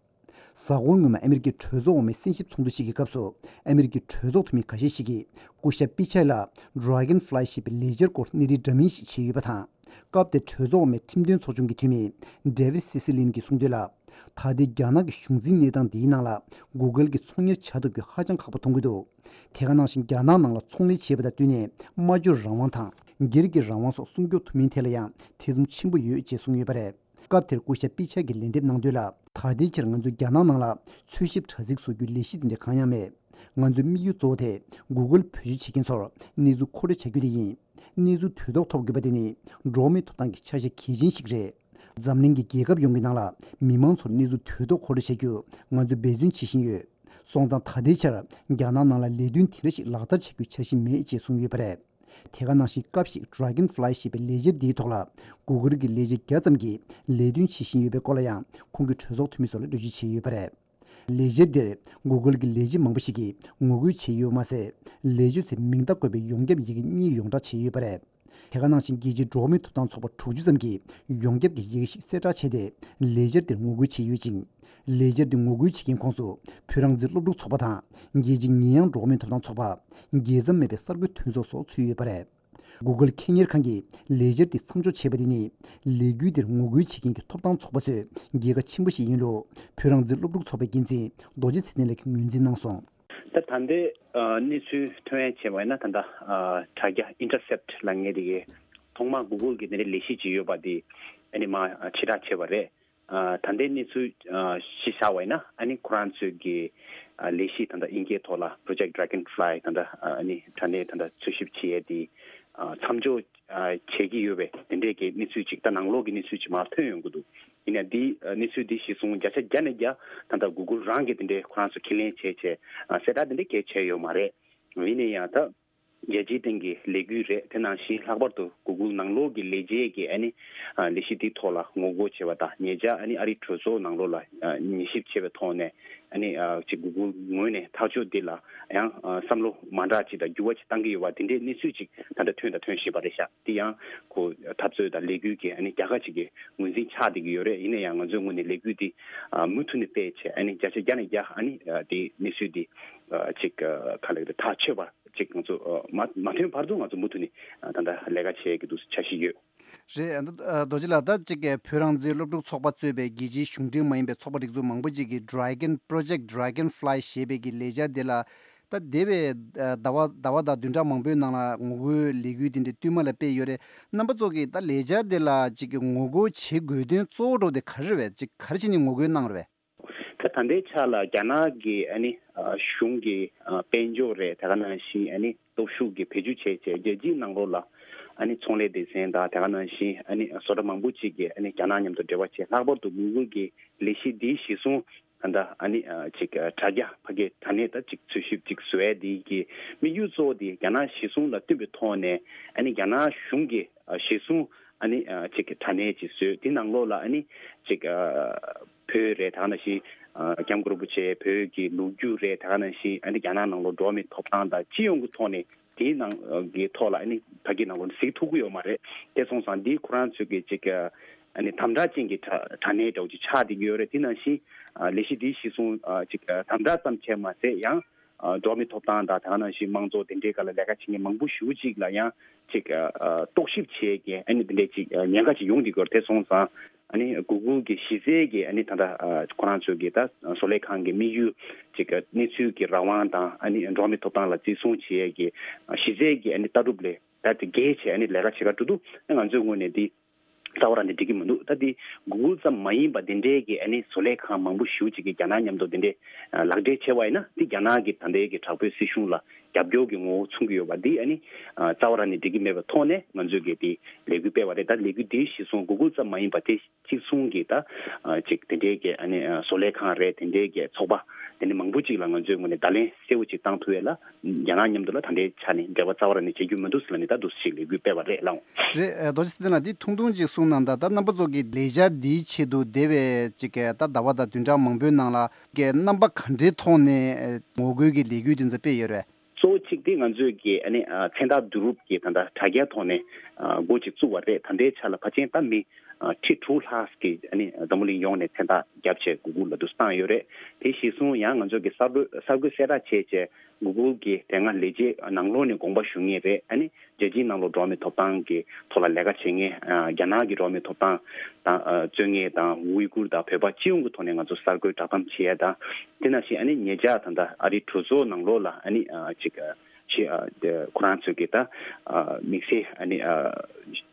གཟའ་འཁོར་སྔོན་མ་ཨ་མེ་རི་ཀའི་གྲོས་ཚོགས་འོག་མའི་གསན་ཞིབ་ཚོགས་འདུ་ཞིག་གི་སྐབས་སུ། ཨ་མེ་རི་ཀའི་གྲོས་ཚོགས་འཐུས་མི་ཁ་ཤས་ཤིག་གིས་སྐུ་ཞབས་པི་ཆའི་ལ་Dragonfly་ཞེས་པའི་ལས་འཆར་སྐོར་གནས་རིམ་འདྲ་མིན་ཞིག་བྱས་ཡོད་པ་དང་། སྐབས་དེར་གྲོས་ཚོགས་འོག་མའི་ཁྲིམས་དོན་ཚོགས་ཆུང་གི་འཐུས་མི་David Cicilline་གྱིས་གསུངས་དོན་ལ། ད་ལྟའི་རྒྱ་ནག་གི་གཞུང་འཛིན་གནས་སྟངས་འདིའི་ནང་ལ་Google་གྱིས་ཚོང་གཉེར་བྱ་ཐུབ་རྒྱུ་ཧ་ཅང་ཁག་པོ་མཐོང་གི་འདུག་དེ་ག་ནང་བཞིན་རྒྱ་ནག་ནང་ལ་ཚོང་ལས་བྱེད་པ་དང་བསྟུན་ནས་སྨྲ་བརྗོད་རང་དབང་དང་སྒེར་གྱི་རང་དབང་སོགས་སྲུང་སྐྱོབ་ཐུབ་མིན་ཐད་ལ་ཡང་ཐེ་ཚོམ་ཆེན་པོ་ཡོད་ཅེས་གསུངས་ཡོད་པ་རེད། སྐབས་དེར་སྐུ་ཞབས་པི་ཆ་གིས་ལན་འདེབས་གནང་དོན་ལ། ད་ལྟའི་ཆར་ང་ཚོས་རྒྱ་ནག་ནང་ལ་འཚོལ་ཞིབ་དྲ་ཚིགས་བཟོ་རྒྱུའི་ལས་གཞི་དེ་འདྲ་གང་ཡང་མེད། ང་ཚོའི་དམིགས་ཡུལ་གཙོ་བོ་དེ་Google་བེད་སྤྱོད་བྱེད་མཁན་ཚོར་གནས་ཚུལ་མཁོ་སྤྲོད་བྱ་རྒྱུ་དེ་ཡིན། གནས་ཚུལ་དུས་ཐོག་ཐོབ་དགོས་པ་དེ་ནི་འགྲོ་བ་མིའི་ཐོབ་ཐང་གི་ཆ་ཤས་གལ་ཆེན་ཞིག་རེད། འཛམ་གླིང་གི་རྒྱལ་ཁབ་ཡོངས་ཀྱི་ནང་ལ་མི་མང་ཚོར་གནས་ཚུལ་དུས་ཐོག་མཁོ་སྤྲོད་བྱ་རྒྱུ་ང་ཚོས་འབད་བརྩོན་བྱེད་བཞིན་ཡོད། སོང་ཙང་ད་ལྟའི་ཆར་རྒྱ་ནག་ནང་ལ་ལས་དོན་དེ་འདྲ་ཞིག་ལག་བསྟར་བྱ་རྒྱུའི་འཆར་གཞི་མེད་ཅེས་གསུངས་ཡོད་པ་རེད། དེ་ག་ནང་བཞིན་སྐབས་ཤིག་Dragonfly་ཞེས་པའི་ལས་འཆར་འདིའི་ཐོག་ལ་Google་གྱི་ལས་བྱེད་བརྒྱ་ཙམ་གྱིས་ལས་དོན་བྱེད་བཞིན་ཡོད་པའི་སྐོར་ལ་ཡང་ཁོང་གིས་གྲོས་ཚོགས་འཐུས་མི་ཚོ་ལ་འགྲེལ་བརྗོད་བྱས་ཡོད་པ་རེད། ལས་འཆར་འདིར་Google་གྱི་ལས་བྱེད་མང་པོ་ཞིག་གིས་ངོ་རྒོལ་བྱས་ཡོད་པ་མ་ཟད། ལས་བྱེད་ཚོས་མིང་རྟགས་བཀོད་པའི་ཡོངས་ཁྱབ་ཡི་གེ་གཉིས་ཡོངས་བསྒྲགས་བྱས་ཡོད་པ་རེད། དེ་ག་ནང་བཞིན་རྒྱལ་སྤྱིའི་འགྲོ་བ་མིའི་ཐོབ་ཐང་ཚོགས་པ་དྲུག་ཅུ་ཙམ་གྱིས་ཡོངས་ཁྱབ་ཀྱི་ཡི་གེ་ཞིག་གསལ་བསྒྲགས་བྱས་ཏེ་ལས་འཆར་འདིར་ངོ་རྒོལ་བྱས་ཡོད་ཅིང་། ལས་འཆར་འདི་ངོ་རྒོལ་བྱེད་མཁན་ཁོངས་སུ་བོད་རང་བཙན་སློབ་ཕྲུག་ཚོགས་པ་དང་རྒྱལ་སྤྱིའི་ཉེས་ཡངས་འགྲོ་བ་མིའི་ཐོབ་ཐང་ཚོགས་པ། རྒྱལ་མཚམས་མེད་པའི་གསར་འགོད་མཐུན་ཚོགས་སོགས་ཚུད་ཡོད་པ་རེད། Google་ཁེ་གཉེར་ཁང་གིས་ལས་འཆར་འདི་མཚམས་འཇོག་བྱས་པ་དེ་ནི་ལས་འགུལ་འདིར་ངོ་རྒོལ་བྱེད་མཁན་གྱི་ཐོབ་ཐང་ཚོགས་པ་ཚོའི་རྒྱལ་ཁ་ཆེན་པོ་ཞིག་ཡིན་ལུགས་བོད་རང་བཙན་སློབ་ཕྲུག་ཚོགས་པའི་འགན་འཛིན་རྡོ་རྗེ་ཚེ་བརྟན་ལགས་ཀྱིས་ངོས་འཛིན་གནང་སོང་། ད་ད་ལྟའི་ཨ་གནས་ཚུལ་ཐོན་ཡ་བྱས་པ་ཡིན་ན། ད་ལྟ་ཨ་དྲ་རྒྱ་Intercept་ལབ་མཁན་དེ་གིས་ཐོག་མར་Google་གི་དེ་འདྲའི་ལས་གཞི་ཅིག་ཡོད་པ་དེ་ཨ་ནི་མར་ཨ་ཕྱིར་བསྒྲགས་བྱས་པ་རེད། ཨ་ད་ལྟའི་གནས་ཚུལ་ཨ་གཞི་བཞག་པ་ཡིན་ན། ཨ་ནི་ཁོ་རང་ཚོའི་གི་ཨ་ལས་གཞི་ད་ལྟ་དབྱིན་སྐད་ཐོག་ལ་Project Dragonfly་ད་ལྟ་ཨ་ནི་དྲ་གནས་ད་ལྟ་འཚོལ་ཞིབ་བྱེད་ཡས་དེ་ཨ་མཚམས་འཇོག་ཨ་བྱེད་ཀྱི་ཡོད་པའི་དེ་འདྲའི་གི་གནས་ཚུལ་ཅིག་ད་ནང་ལོགས་ཀྱི་གནས་ཚུལ་ཅིག་མར་ཐོན་ཡོང་གི་འདུག་ཡིན་ན་འདི་ཨ་གནས་ཚུལ་འདི་གཞིར་བཟུང་བརྒྱ་ཆ་བརྒྱ་ནས་བརྒྱ་ད་ལྟ་Google་རང་གིས་དེ་འདྲའི་ཁོ་རང་ཚོ་ཁས་ལེན་བྱས་བྱས་ཨ་གསལ་བསྒྲགས་དེ་འདྲའི་གས་བྱས་ཡོད་མ་རེད། ཡིན་ན་ཡང་ད་རྒྱལ་སྤྱིའི་སྟེང་གི་ལས་འགུལ་རེད། དེ་ནང་བཞིན་ལྷག་པར་དུ་Google་ནང་ལོགས་ཀྱི་ལས་བྱེད་ཀྱིས་ཨ་ནི་ཨ་ལས་གཞི་འདིའི་ཐོག་ལ་ངོ་རྒོལ་བྱས་པ་དང་། ཉེ་ཆར་ཨ་ནི་ཨ་རིའི་གྲོས་ཚོགས་ནང་ལོགས་ལ་ཨ་ཉན་ཞིབ་བྱས་པའི་ཐོག་ནས་ཨ་ནི་ཨ་ཅིག་Google་ངོས་ནས་ཐག་གཅོད་འདི་ལ་ཡང་ཨ་བསམ་བློ་མ་འདྲ་ཅིག་དང་འགྱུར་བ་ཅིག་བཏང་གི་ཡོད་པ་དེ་འདྲའི་གནས་ཚུལ་ཅིག་ད་ལྟ་ཐོན་དང་ཐོན་བཞིན་པ་རེད་ཤག་དེ་ཡང་ཁོ་འཐབ་རྩོད་དང་ལས་འགུལ་གྱི་ཨ་ནི་རྒྱལ་ཁ་ཅིག་གི་ངོས་འཛིན་ཆགས་བསྡད་ཀྱི་ཡོད་རེད། ཡིན་ན་ཡང་ང་ཚོའི་ངོས་ནས་ལས་འགུལ་འདི་ཨ་མུ་མཐུད་ནས་སྤེལ་བྱས། ཨ་ནི་བརྒྱ་ཆ་བརྒྱ་ནས་བརྒྱ་ཨ་ནི་ཨ་དེ་གནས་ཚུལ་འདི་ཨ་ཅིག་ཨ་ག་ལབ་དགོས་རེད། ཐག་ཆོད་པ་ཅིག་ང་ཚོ་ཨ་མ་མ་ཐོན་བར་དུ་ང་ཚོ་མུ་མཐུད་ནས་ཨ་ད་ལྟ་ལས་ཀ་བྱེད་ཀྱི་འདུག་འཆར་གཞི་ཡོད། རེད། ཨ་ད་ཨ་རྡོ་རྗེ་ལགས། ད་ཅིག་གི་བོད་རང་བཙན་སློབ་ཕྲུག་ཚོགས་པ་གཙོས་པའི་རྒྱལ་སྤྱིའི་གཞུང་འབྲེལ་མ་ཡིན་པའི་ཚོགས་པ་རིགས་ཚོགས་མང་པོ་ཅིག་གིས་Dragon Project Dragonfly་ཞེས་པའི་གི་ལས་འཆར་དེ་ལ་ད་འདས་པའི་ཨ་ཟླ་བ་ཟླ་བ་དང་བདུན་ཕྲག་མང་པོའི་ནང་ལ་ངོ་རྒོལ་ལས་འགུལ་དེ་འདྲ་བསྟུད་མར་ལ་སྤེལ་ཡོད་རེད། རྣམ་པ་ཚོ་གིས་ད་ལས་འཆར་དེ་ལ་ཅིག་གི་ངོ་རྒོལ་བྱེད་དགོས་དོན་གཙོ་བོ་འདྲ་བོ་དེ་ག་རེ་རེད་པས། ཅིག་ག་རེ་བྱས་ནས་ངོ་རྒོལ་གནང་རེད་པས། ད་ད་ལྟའི་ཆ་ལ་རྒྱ་ནག་གི་ཨ་ནི་ཨ་གཞུང་གི་ཨ་དཔལ་འབྱོར་རེད། དེ་ག་ནང་བཞིན་ཨ་ནི་སྟོབས་ཤུགས་ཀྱི་བེད་སྤྱོད་བྱས་བྱས་རྒྱལ་སྤྱིའི་ནང་ལོགས་ལ་ཨ་ནི་ཚོང་ལས་སྡེ་ཚན་དང་། དེ་ག་ནང་བཞིན་ཨ་ནི་བཟོ་གྲྭ་མང་པོ་ཅིག་གིས་ཨ་ནི་རྒྱ་ནག་མཉམ་དུ་འབྲེལ་བ་བྱས། ལྷག་པར་དུ་Google་གི་ལས་གཞི་འདིའི་གཞི་བཟུང་ད་ལྟ་ཨ་ནི་ཨ་ཅིག་ཨ་དྲ་རྒྱ་ཕ་གི་དྲ་གནས་ད་ཅིག་འཚོལ་ཞིབ་ཅིག་བཟོ་ཡས་འདི་གི་དམིགས་ཡུལ་གཙོ་བོ་དེ་རྒྱ་ནག་གཞི་བཟུང་ལ་བསྟུན་པའི་ཐོག་ནས་ཨ་ནི་རྒྱ་ནག་གཞུང་གི་ཨ་གཞི་བཟུང་ཨ་ནི་ཨ་ཅིག་གི་དྲ་གནས་ཅིག་བཟོས། དེ་ནང་ལོགས་ལ་ཨ་ནི་ཅིག་ཨ་བོད་རེད། དེ་ག་ནང་བཞིན་ཨ་སྐྱབས་མགོན་རིན་པོ་ཆེ་བོད་ཀྱི་ལོ་རྒྱུས་རེད། དེ་ག་ནང་བཞིན་ཨ་ནི་རྒྱ་ནག་ནང་ལོགས་འགྲོ་བ་མིའི་ཐོབ་ཐང་དང་སྤྱི་ཡོངས་ཀྱི་ཐོག་ནས་དེའི་ནང་གི་ཐོག་ལ་ཨ་ནི་ཕ་གི་ནང་ལོགས་ནས་གཟིགས་ཐུབ་ཀྱི་ཡོད་མ་རེད། དེ་སོང་ཙང་འདི་ཁོ་རང་ཚོའི་གི་ཅིག་ཨ་ནི་དམ་དྲག་ཅན་གྱི་དྲ་དྲ་གནས་འདྲ་བོ་ཅིག་ཆགས་བསྡད་ཀྱི་ཡོད་རེད། དེ་ནང་བཞིན་ཨ་ལས་གཞི་འདིའི་གཞི་བཟུང་ཨ་ཅིག་ཨ་དམ་དྲག་ཙམ་བྱས་མ་ཟད། ཡང་ཨ་འགྲོ་བ་མིའི་ཐོབ་ཐང་དང་། དེ་ག་ནང་བཞིན་དམངས་གཙོ་དེ་འདྲའི་སྒང་ལ་ལས་ཀ་བྱེད་མཁན་མང་པོ་ཞེ་པོ་ཅིག་ལ་ཡང་ཅིག་ཨ་ཨ་རྟོག་ཞིབ་བྱེད་ཀྱི་ཨ་ནི་དེ་འདྲའི་ཅིག་ཨ་ཉེན་ཁ་ཅིག་ཡོང་བསྡད་ཀྱི་ཡོད་རེད། དེ་སོང་ཙང་ཨ་ནི་Google་གི་གཞི་རྩའི་གི་ཨ་ནི་ད་ལྟ་ཨ་ཁོ་རང་ཚོའི་གི་ད་བཟོ་ལས་ཁང་གི་དམིགས་ཡུལ་ཅིག་ཨ་གནས་ཚུལ་གྱི་རང་དབང་དང་། ཨ་ནི་འགྲོ་བ་མིའི་ཐོབ་ཐང་ལ་བརྩི་སྲུང་བྱེད་ཡས་ཀྱི་ཨ་གཞི་རྩའི་གི་ཨ་ནི་ལྟ་གྲུབ་ལས་ད་དེ་འགལ་བྱས་ཨ་ནི་ལས་ཀ་བྱེད་ཀ་འགྲོ་དུས། ཨ་ང་ཚོའི་ངོས་ནས་དེ་རྩ་བ་རང་ནས་འགྲིག་གི་མི་འདུག་ད་དེ་Google་ཙམ་མ་ཡིན་པ་དེ་འདྲའི་གི་ཨ་ནི་བཟོ་ལས་ཁང་མང་པོ་ཞེ་པོ་ཅིག་གིས་རྒྱ་ནག་མཉམ་དུ་དེ་འདྲའི་ཨ་ལག་འབྲེལ་བྱས་པ་ཡིན་ན། དེ་རྒྱ་ནག་གི་ད་ལྟའི་གི་དྲག་པོའི་སྲིད་གཞུང་ལ་ རྒྱབ་སྐྱོར་གྱི་ངོ་བོ་མཚོན་གྱི་ཡོད་པ་འདི་ཨ་ནི་རྩ་བ་རང་ནས་འགྲིག་གི་མེད་པའི་ཐོག་ནས་ང་ཚོས་ཀྱི་དེ་ལས་འགུལ་སྤེལ་བ་རེད། ད་ལས་འགུལ་འདི་གཞི་བཟུང་Google་ཙམ་མ་ཡིན་པ་དེ་གཅིག་མཚུངས་ཀྱི་ད་ཅིག་དེ་འདྲའི་གི་ཨ་ནི་བཟོ་ལས་ཁང་རེད། དེ་འདྲའི་གི་ཚོགས་པ་དེ་འདྲ་མང་པོ་ཅིག་ལ་ང་ཚོའི་ངོས་ནས་བརྡ་ལན་གསལ་བོ་ཅིག་བཏང་ཐུབ་ཡས་ལ་རྒྱ་ནག་མཉམ་དུ་ལ་ད་ལྟའི་ཆ་ནས་འབྲེལ་བ་རྩ་བ་རང་ནས་བྱེད་རྒྱུ་མི་འདུག་ཟེར་ལབ་ནས་ད་འདུག་ཅིག་ལས་འགུལ་སྤེལ་བ་རེད་ལགས། རེད། ཨ། རྡོ་རྗེ་ཚེ་བརྟན་ལགས་འདི་ཐུང་ཐུང་ཅིག་གསུངས་གནང་དང་། ད་རྣམ་པ་ཚོ་གི་ལས་འཆར་འདིའི་ཆེད་དུ་འདས་པའི་ཅིག་གི་ད་ཟླ་བ་དང་བདུན་ཕྲག་མང་པོའི་ནང་ལ་གི་རྣམ་པ་ག་འདྲའི་ཐོག་ནས་ངོ་རྒོལ་གྱི་ལས་འགུལ་དེ་ཚོ་སྤེལ་ཡོད་རེད། གཙོ་བོ་གཅིག་དེ་ང་ཚོས་ཀྱི་ཨ་ནི་ཨ་མཚན་རྟགས་བསྡུ་རུབ་ཀྱི་ད་ལྟ་དྲ་རྒྱའི་ཐོག་ནས་ཨ་འགོ་ཅིག་བཙུགས་པ་རེད། ད་ལྟའི་ཆ་ལ་ཕལ་ཆེར་ད་མི་ཨ་ཁྲི་དྲུག་ལྷག་གིས་ཨ་ནི་འཛམ་བུ་གླིང་ཡོངས་ནས་མཚན་རྟགས་བརྒྱབ་བྱས་Google་ལ་དུ་བཏང་ཡོད་རེད། དེ་གཞིར་བཟུང་ཡང་ང་ཚོ་གི་གསར་འགོད་གསར་འགོད་གསལ་བསྒྲགས་བྱས་བྱས་Google་གི་དེ་སྔ་ལས་བྱེད་ནང་ལོགས་ནས་དགོངས་པ་ཞུ་མཁན་རེད། ཨ་ནི་རྒྱལ་སྤྱིའི་ནང་ལོགས་འགྲོ་བ་མིའི་ཐོབ་ཐང་གི་ཐོག་ལ་ལས་ཀ་བྱེད་མཁན་ཨ་རྒྱ་ནག་གི་འགྲོ་བ་མིའི་ཐོབ་ཐང་དང་ཨ་རྩོད་མཁན་དང་ཝུའི་གུར་དང་བོད་པ་སྤྱི་ཡོངས་ཀྱི་ཐོག་ནས་ང་ཚོ་གསར་འགོད་བསྒྲགས་གཏམ་བྱེད་ཡ་དང་། དེ་ནང་བཞིན་ཨ་ནི་ཉེ་ཆར་ད་ལྟ་ཨ་རིའི་གྲོས་ཚོགས་ནང་ལོགས་ལ་ཨ་ནི་ཨ་ཅིག་ཨ་ཞི་ཨ་དེ་ཁོ་རང་ཚོས་ཀྱི་ད་ཨ་དམིགས་བསལ་ཨ་ནི་ཨ་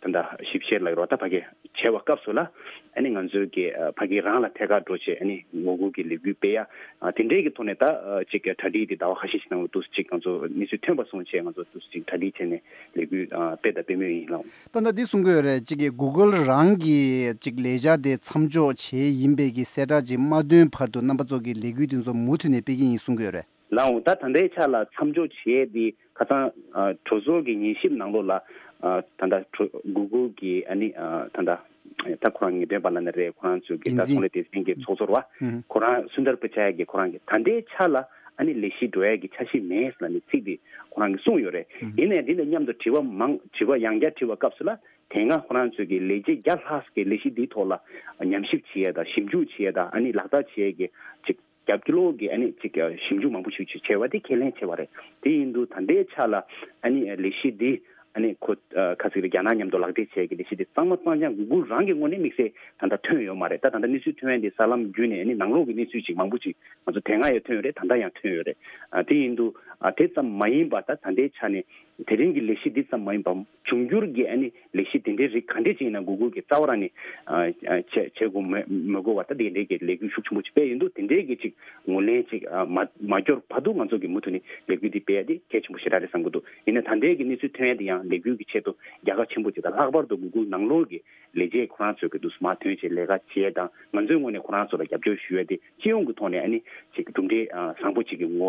ད་ལྟ་ཞིབ་བཤེར་ལ་རོགས་ད་ཕ་གི་བྱས་པ་སྐབས་སུ་ལ་ཨ་ནི་ང་ཚོས་ཀྱི་ཨ་ཕ་གི་རང་ལ་ཐད་ཀར་འགྲོ་བྱས་ཨ་ནི་ངོ་རྒོལ་གྱི་ལས་འགུལ་སྤེལ་ཡ་ཨ་དེ་འདྲའི་གི་ཐོག་ནས་ད་ཨ་ཅིག་གྲ་སྒྲིག་དེ་ཟླ་བ་ཁ་ཤས་ཤིག་ནང་ལ་འདུག་ཅིག་ང་ཚོ་གནས་ཚུལ་ཐོན་པ་སོང་བྱས་ང་ཚོ་འདུག་ཅིག་གྲ་སྒྲིག་བྱས་ནས་ལས་འགུལ་ཨ་སྤེལ་དང་སྤེལ་མུས་ཡིན་ལགས། ད་ལྟ་འདི་གསུང་གི་ཡོད་རེད། གཅིག་གི་Google་རང་གི་གཅིག་ལས་འཆར་དེ་མཚམས་འཇོག་བྱས་ཡིན་པའི་གི་གསལ་བསྒྲགས་ཅིག་མ་ཐོན་བར་དུ་རྣམ་པ་ཚོ་གི་ལས་འགུལ་དེ་ཚོ་མུ་མཐུད་ནས་སྤེལ་གྱི་ཡིན་གསུང་གི་ཡོད་རེད། ལགས་འོང་། ད་ད་ལྟའི་ཆ་ལ་མཚམས་འཇོག་བྱས་ཏེ་ཁ་སང་ཨ་གྲོས་ཚོགས་ཀྱི་ཉན་ཞིབ་ནང་ལོགས་ལ་ཨ་ད་ལྟ་གྲོས་Google་གི་ཨ་ནི་ཨ་ད་ལྟ་ད་ཁོ་རང་ངེས་སྟོན་པ་ལ་ནི་རེད། ཁོ་རང་ཚོའི་གི་འགན་ད་འཛིན་ཚོང་ལས་སྡེ་ཚན་གྱི་ཚོགས་གཙོ་བ་ཧུམ། ཁོ་རང་སུན་དར་པི་ཆ་ཡ་གི་ཁོ་རང་གི་ད་ལྟའི་ཆ་ལ་ཨ་ནི་ལས་གཞི་འགྲོ་ཡ་གི་འཆར་གཞི་མེད་ལབ་ནས་ཚིག་དེ་ཁོ་རང་གིས་གསུངས་ཡོད་རེད། ཡིན་ནའི་འདི་དང་མཉམ་དུ་དྲི་བ་མང་དྲི་བ་ཡང་བསྐྱར་དྲི་བ་སྐབས་སུ་ལ་དེ་སྔ་ཁོ་རང་ཚོས་ཀྱི་ལས་བྱེད་བརྒྱ་ལྷག་གི་ལས་གཞི་འདིའི་ཐོག་ལ་ཉམས་ཞིབ་བྱེད་ཡས་དང་ཞིབ་འཇུག་བྱེད་ཡས་དང་ཨ་ནི་ལག་བསྟར་བྱེད་ཡས་ཀྱི་ཅིག་རྒྱབ་ཀྱི་ལོག་གི་ཨ་ནི་ཅིག་ཞིབ་འཇུག་མང་པོ་ཞིག་ཅིག་བྱས་པ་དེ་ཁས་ལེན་བྱས་པ་རེད། དེ་ཡིན་དུས་ད་ལྟའི་ཆ་ལ་ཨ་ནི་ལས་གཞི་འདི་ཨ་ནི་ཁོ་ཁ་ཚིག་རེད། རྒྱ་ནག་མཉམ་དུ་ལག་འབྲེལ་བྱས་ཀྱི་ལས་གཞི་འདི་གཙང་མ་གཙང་རྐྱང་Google་རང་གི་ངོས་ནས་དམིགས་བསལ་ད་ལྟ་ཐོན་ཡོད་མ་རེད། ད་ད་ལྟ་གནས་ཚུལ་ཐོན་ཡས་འདི་གསར་ལམ་བརྒྱུད་ནས་ཨ་ནི་ནང་ལོགས་ཀྱི་གནས་ཚུལ་ཅིག་མང་པོ་ཅིག་ང་ཚོ་དེ་སྔ་ཡང་ཐོན་ཡོད་རེད། ད་ལྟ་ཡང་ཐོན་ཡོད་རེད། ཨ་དེ་ཡིན་དུས་ཨ་དེ་ཙམ་མ་ཡིན་པ་ད་ད་ལྟའི་ཆ་ནས་དེ་རིང་གི་ལས་གཞི་འདི་ཙམ་མ་ཡིན་པ་འབྱུང་འགྱུར་གྱི་ཨ་ནི་ལས་གཞི་དེ་འདྲའི་རིགས་ག་འདྲས་ཅིག་ཡིན་ན་Google་གི་རྩ་བ་རང་ནས་ཨ་ཨ་བྱེད་བྱེད་དགོས་མི་མི་དགོས་པ་ད་དེ་འདྲའི་གི་ལས་འགུལ་ཤུགས་ཆེན་པོ་ཅིག་སྤེལ་ཡོད་འདུག་དེ་འདྲའི་གི་ཅིག་ངོས་ལེན་ཅིག་ཨ་མ་མ་འབྱོར་བར་དུ་ང་ཚོ་གི་མུ་མཐུད་ནས་ལས་འགུལ་འདི་སྤེལ་ཡ་དེ་གལ་ཆེན་པོ་ཞེ་དྲག་རེད་བསམ་གྱི་འདུག་ཡིན་ན་ད་ལྟའི་གི་གནས་ཚུལ་ཐོན་ཡ་དེ་ཡང་ལས་འགུལ་གྱི་ཆེད་དུ་རྒྱལ་ཁ་ཆེན་པོ་ཅིག་དང་ལྷག་པར་དུ་Google་ནང་ལོགས་ཀྱི་ལས་བྱེད་ཁོ་རང་ཚོས་ཀྱི་འདུག་མ་ཐོན་བྱས་ལས་ཀ་བྱེད་ཡ་དང་ང་ཚོའི་ངོས་ནས་ཁོ་རང་ཚོ་ལ་རྒྱབ་སྐྱོར་ཞུ་ཡ་དེ་སྤྱི་ཡོངས་ཀྱི་ཐོག་ནས་ཨ་ནི་ཅིག་གྲུབ་འབྲས་ཨ་བཟང་པོ་ཅིག་གི་ངོ་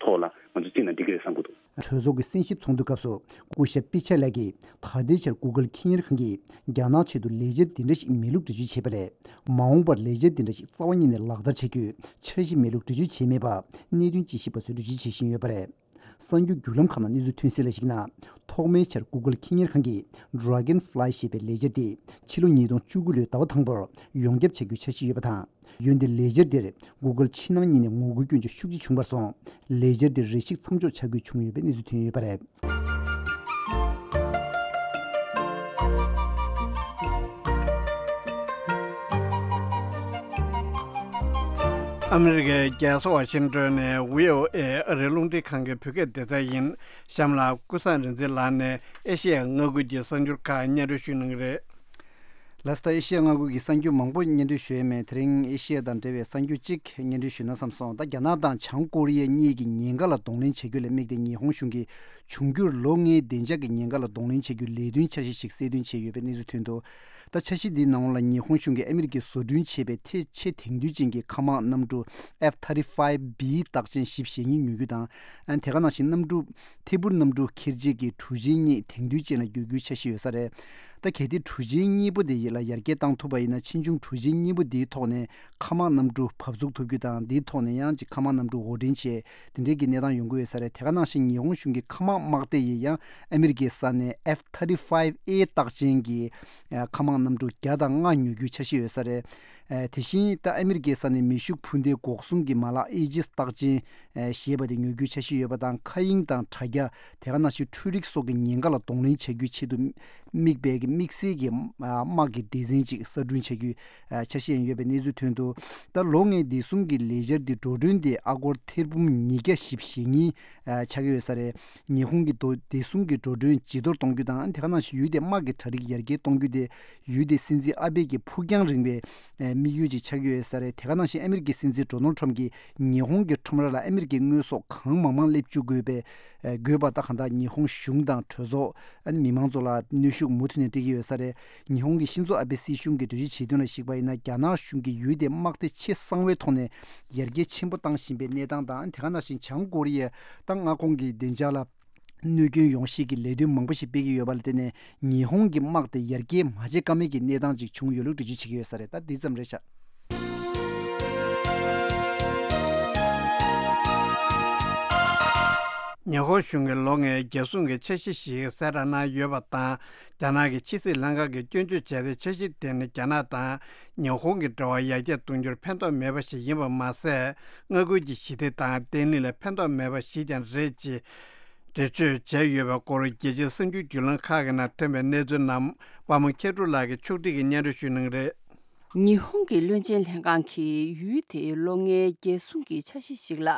ཐོག་ལ་ང་ཚོ་བརྩིས་ན་འགྲིག་གི་རེད་བསམ་གྱི་འདུག་གྲོས་ཚོགས་ཀྱི་གསན་ཞིབ་ཚོགས་འདུ་སྐབས་སུ་སྐུ་ཞབས་པི་ཆ་ལགས་ཀྱིས་ད་ལྟའི་ཆར་Google་ཁེ་གཉེར་ཁང་གིས་རྒྱ་ནག་ཆེད་དུ་ལས་འཆར་འདི་འདྲ་ཞིག་མེད་ལུགས་འགྲེལ་བརྗོད་བྱས་པ་ལས་མ་འོངས་པར་ལས་འཆར་འདི་འདྲ་ཞིག་རྩ་བ་ཉིད་ནས་ལག་བསྟར་བྱ་རྒྱུའི་འཆར་གཞི་མེད་ལུགས་འགྲེལ་བརྗོད་བྱས་མེད་པ་གནད་དོན་དཔྱད་ཞིབ་པ་ཚོས་འགྲེལ་བརྗོད་བྱེད་བཞིན་ཡོད་པ་རེད། གསར་འགྱུར་བརྒྱུད་ལམ་ཁག་ནང་གནས་ཚུལ་ཐོན་གསལ་ལ་གཞིགས་ན། ཐོག་མའི་ཆར་Google་ཁེ་གཉེར་ཁང་གིས་Dragonfly་ཞེས་པའི་ལས་འཆར་དེ་ཕྱི་ལོ་ཉིས་སྟོང་བཅུ་དགུ་ལོའི་ཟླ་བ་དང་པོར་ཡོངས་ཁྱབ་བྱ་རྒྱུའི་འཆར་གཞི་ཡོད་པ་དང་། འོན་ཏེ་ལས་འཆར་དེར་Google་ཕྱི་ནང་གཉིས་ནས་ངོ་རྒོལ་སྐྱོན་བརྗོད་ཤུགས་ཆེ་བྱུང་བར་སོང་། ལས་འཆར་དེ་རེ་ཞིག་མཚམས་འཇོག་བྱ་དགོས་བྱུང་ཡོད་པའི་གནས་ཚུལ་ཐོན་ཡོད་པ་རེད། ཨ་མི་རི་ཀའི་རྒྱལ་ས་ཝ་ཤིང་ཏོན་ནས་བྷི་ཨོ་ཨེ་ཨ་རིའི་རླུང་འཕྲིན་ཁང་གི་བོད་སྐད་སྡེ་ཚན་ཡིན། གཤམ་ལ་ཀུན་བཟང་རིག་འཛིན་ལགས་ནས་ཨེ་ཤེ་ཡ་མངའ་ཁུལ་གྱི་གསར་འགྱུར་ཁག་སྙན་སྒྲོན་ཞུ་གནང་གི་རེད། ལགས་སོ། ད་ཨེ་ཤེ་ཡ་མངའ་ཁུལ་གྱི་གསར་འགྱུར་མང་པོ་སྙན་སྒྲོན་ཞུ་ཡས་མེད། དེ་རིང་ཨེ་ཤེ་ཡ་དང་འབྲེལ་བའི་གསར་འགྱུར་གཅིག་སྙན་སྒྲོན་ཞུ་ན་བསམ་སོང་། ད་རྒྱ་ནག་དང་བྱང་ཀོ་རི་ཡ་གཉིས་ཀྱི་ཉེན་ཁ་ལ་གདོང་ལེན་བྱ་རྒྱུ་ལ་དམིགས་ཏེ་ཉི་ཧོང་གཞུང་གིས་འབྱུང་འགྱུར་ལོ་ལྔའི་བདེ་འཇགས་ཀྱི་ཉེན་ཁ་ལ་གདོང་ལེན་བྱ་རྒྱུའི་ལས་དོན་འཆར་གཞི་ཞིག་གསལ་སྟོན་བྱས་ཡོད་པའི་གནས་ཚུལ་ཐོན་འདུག་ད་འཆར་གཞི་འདིའི་ནང་ལ་ཉི་ཧོང་གཞུང་གིས་ཨ་མི་རི་ཀས་བཟོ་སྐྲུན་བྱས་པའི་ཐེ་ཆེས་དེང་དུས་ཅན་གྱི་མཁའ་དམག་གནམ་གྲུ་F thirty-five B རྟགས་ཅན་བཞི་བཞེས་གཉིས་ཉོ་རྒྱུ་དང་། ཨ་དེ་ག་ནང་བཞིན་གནམ་གྲུ་ཐད་འཕུར་གནམ་གྲུ་འཁྱེར་བྱེད་ཀྱི་གྲུ་ཆེན་གཉིས་དེང་དུས་ཅན་ལ་བསྒྱུར་རྒྱུའི་འཆར་གཞི་ཡོད་ས་རེད། ད་གལ་ཏེ་གྲུ་ཆེན་གཉིས་པོ་དེ་ཡིད་ལ་ཡར་རྒྱས་བཏང་ཐུབ་པ་ཡིན་ན། ཕྱིས་འབྱུང་གྲུ་ཆེན་གཉིས་པོ་དེའི་ཐོག་ནས་མཁའ་དམག་གནམ་གྲུ་བབས་ཚུགས་ཐུབ་རྒྱུ་དང་། དེའི་ཐོག་ནས་ཡང་ཅིག་མཁའ་དམག་གནམ་གྲུ་དབོར་འདྲེན་བྱས་དེ་འདྲའི་གི་གནས་སྟངས་ཡོང་གི་ཡོད་ས་རེད། དེ་ག་ནང་བཞིན་ཉི་ཧོང་གཞུང་གི་མཁའ་དམག་དམག་སྡེ་ཡིས་ཡང་ཨ་མི་རི་ཀའི་ས་ནས་F thirty-five A རྟགས་ཅན་གྱི་ཨ་མཁའ་དམག་གནམ་གྲུ་བརྒྱ་དང་ལྔ་ཉོ་རྒྱུའི་འཆར་གཞི་ཡོད་ས་རེད། ཨ་དེ་བཞིན་ད་ཨ་མི་རི་ཀའི་ས་ནས་མེ་ཤུགས་འཕུར་མདེལ་འགོག་སྲུང་གི་མ་ལག་Aegis རྟགས་ཅན་ཨ་ཞེས་པ་དེ་ཉོ་རྒྱུའི་འཆར་གཞི་ཡོད་པ་དང་། མཁའ་དབྱིངས་དང་དྲ་རྒྱ། དེ་ག་ནང་བཞིན་འཕྲུལ་རིག་སོགས་ཀྱི་ཉེན་ཁ་ལ་གདོང་ལེན་བྱ་རྒྱུའི་ཆེད་དུ་དམིགས་པའི་གི་ དམིགས་བསལ་གྱི་དམག་གི་སྡེ་ཚན་ཅིག་གསར་སྐྲུན་བྱ་རྒྱུའི་འཆར་གཞི་ཡང་ཡོད་པའི་གནས་ཚུལ་ཐོན་འདུག་ད་ལོ་ལྔའི་བདེ་སྲུང་གི་ལས་འཆར་འདི་འགྲོ་གྲོན་དེ་ཨ་སྒོར་ཐེར་འབུམ་ཉིས་བརྒྱ་བཞི་བཅུ་ཞེ་གཉིས་ཆགས་ཀྱི་ཡོད་ས་རེད། ཉི་ཧོང་གི་བདེ་སྲུང་གི་འགྲོ་གྲོན་ཇེ་མཐོར་གཏོང་རྒྱུ་དང་དེ་ག་ནང་བཞིན་ཡུལ་དེའི་དམག་གི་གྲ་སྒྲིག་ཡར་རྒྱས་གཏོང་རྒྱུ་དེ་ཡུལ་དེའི་སྲིད་འཛིན་ཨ་བྷེ་གི་ཕུགས་རྒྱང་རིང་བའི་དམིགས་ཡུལ་ཅིག་ཆགས་ཀྱི་ཡོད་ས་རེད། དེ་ག་ནང་བཞིན་ཨ་མི་རི་ཀའི་སྲིད་འཛིན་ཌོ་ནལ་ཊམ་གྱིས་ཉི་ཧོང་གི་ཁྲོམ་ར་ལ་ཨ་མི་རི་ཀའི་དངོས་ཟོག་གང་མང་མང་སླེབས་བཅུག་དགོས་པའི་དགོས་པ་དང་གང་ལྟར་ཉི་ཧོང་གཞུང་དང་གྲོས་ཚོགས་ཨ་ནི་མི་མང་ཚོ་ལ་གནོན་ཤུགས་མུ་མཐུད་ནས་སྤྲད་ཀྱི་ཡོད་ས་རེད། ཉི་ཧོང་གི་ཤིན་ཛོ་ཨ་བྷེ་སྲིད་གཞུང་གིས་འགྲེལ་བརྗོད་བྱས་དོན་ལ་གཞིགས་པ་ཡིན་ན། རྒྱ་ནག་གཞུང་གིས་ཡུལ་དེའི་དམག་སྡེ་ཆེས་གསང་བའི་ཐོག་ནས་ཡར་རྒྱས་ཆེན་པོ་བཏང་བཞིན་པའི་གནས་སྟངས་དང་། དེ་ག་ནང་བཞིན་བྱང་ཀོ་རི་ཡ་དང་མངའ་ཁོངས་ཀྱི་བདེ་འཇགས་ལ་གནོད་སྐྱོན་ཡོང་གཞིའི་ལས་དོན་མང་པོ་ཞིག་སྤེལ་གྱི་ཡོད་པ་ལ་བརྟེན་ནས། ཉི་ཧོང་གི་དམག་དེ་ཡར་རྒྱས་མ་བྱེད་ཀ་མེད་ཀྱི་གནས་སྟངས་ཅིག་བྱུང་ཡོད་ལུགས་འགྲེལ་བརྗོད་བྱེད་ཀྱི་ཡོད་ས་རེད། ད་འདི་ཙམ་རེད་ཤག་ཉི་ཧོང་གཞུང་གིས་ལོ་ལྔའི་རྒྱལ་སྲུང་གི་འཆར་གཞི་ཞིག་གསལ་བསྒྲགས་གནང་ཡོད་པ་དང་། རྒྱ་ནག་གི་ཕྱི་སྲིད་ལྷན་ཁང་གིས་སྐྱོན་བརྗོད་བྱས་ཏེ། འཆར་གཞི་དེ་ནི་རྒྱ་ནག་དང་ཉི་ཧོང་གི་འབྲེལ་བ་ཡར་རྒྱས་གཏོང་རྒྱུར་ཕན་ཐོགས་མེད་པ་ཞིག་ཡིན་པ་མ་ཟད། མངའ་ཁུལ་གྱི་ཞི་བདེ་དང་བརྟན་ལྷིང་ལ་ཕན་ཐོགས་མེད་པ་ཞིག་ཀྱང་རེད་ཅེས་འགྲེལ་བརྗོད་བྱས་ཡོད་པའི་སྐོར། རྒྱལ་སྤྱིའི་གསར་འགྱུར་བརྒྱུད་ལམ་ཁག་གི་ནང་ཐོན་པའི་གནས་ཚུལ་རྣམས་པདྨ་མཁས་གྲུབ་ལགས་ཀྱིས་ཕྱོགས་སྒྲིག་གིས་སྙན་སྒྲོན་ཞུ་གནང་གི་རེད། ཉི་ཧོང་གི་བློན་ཆེན་ལྷན་ཁང་གིས་ཡུལ་དེའི་ལོ་ལྔའི་རྒྱལ་སྲུང་གི་འཆར་གཞི་ཞིག་ལ་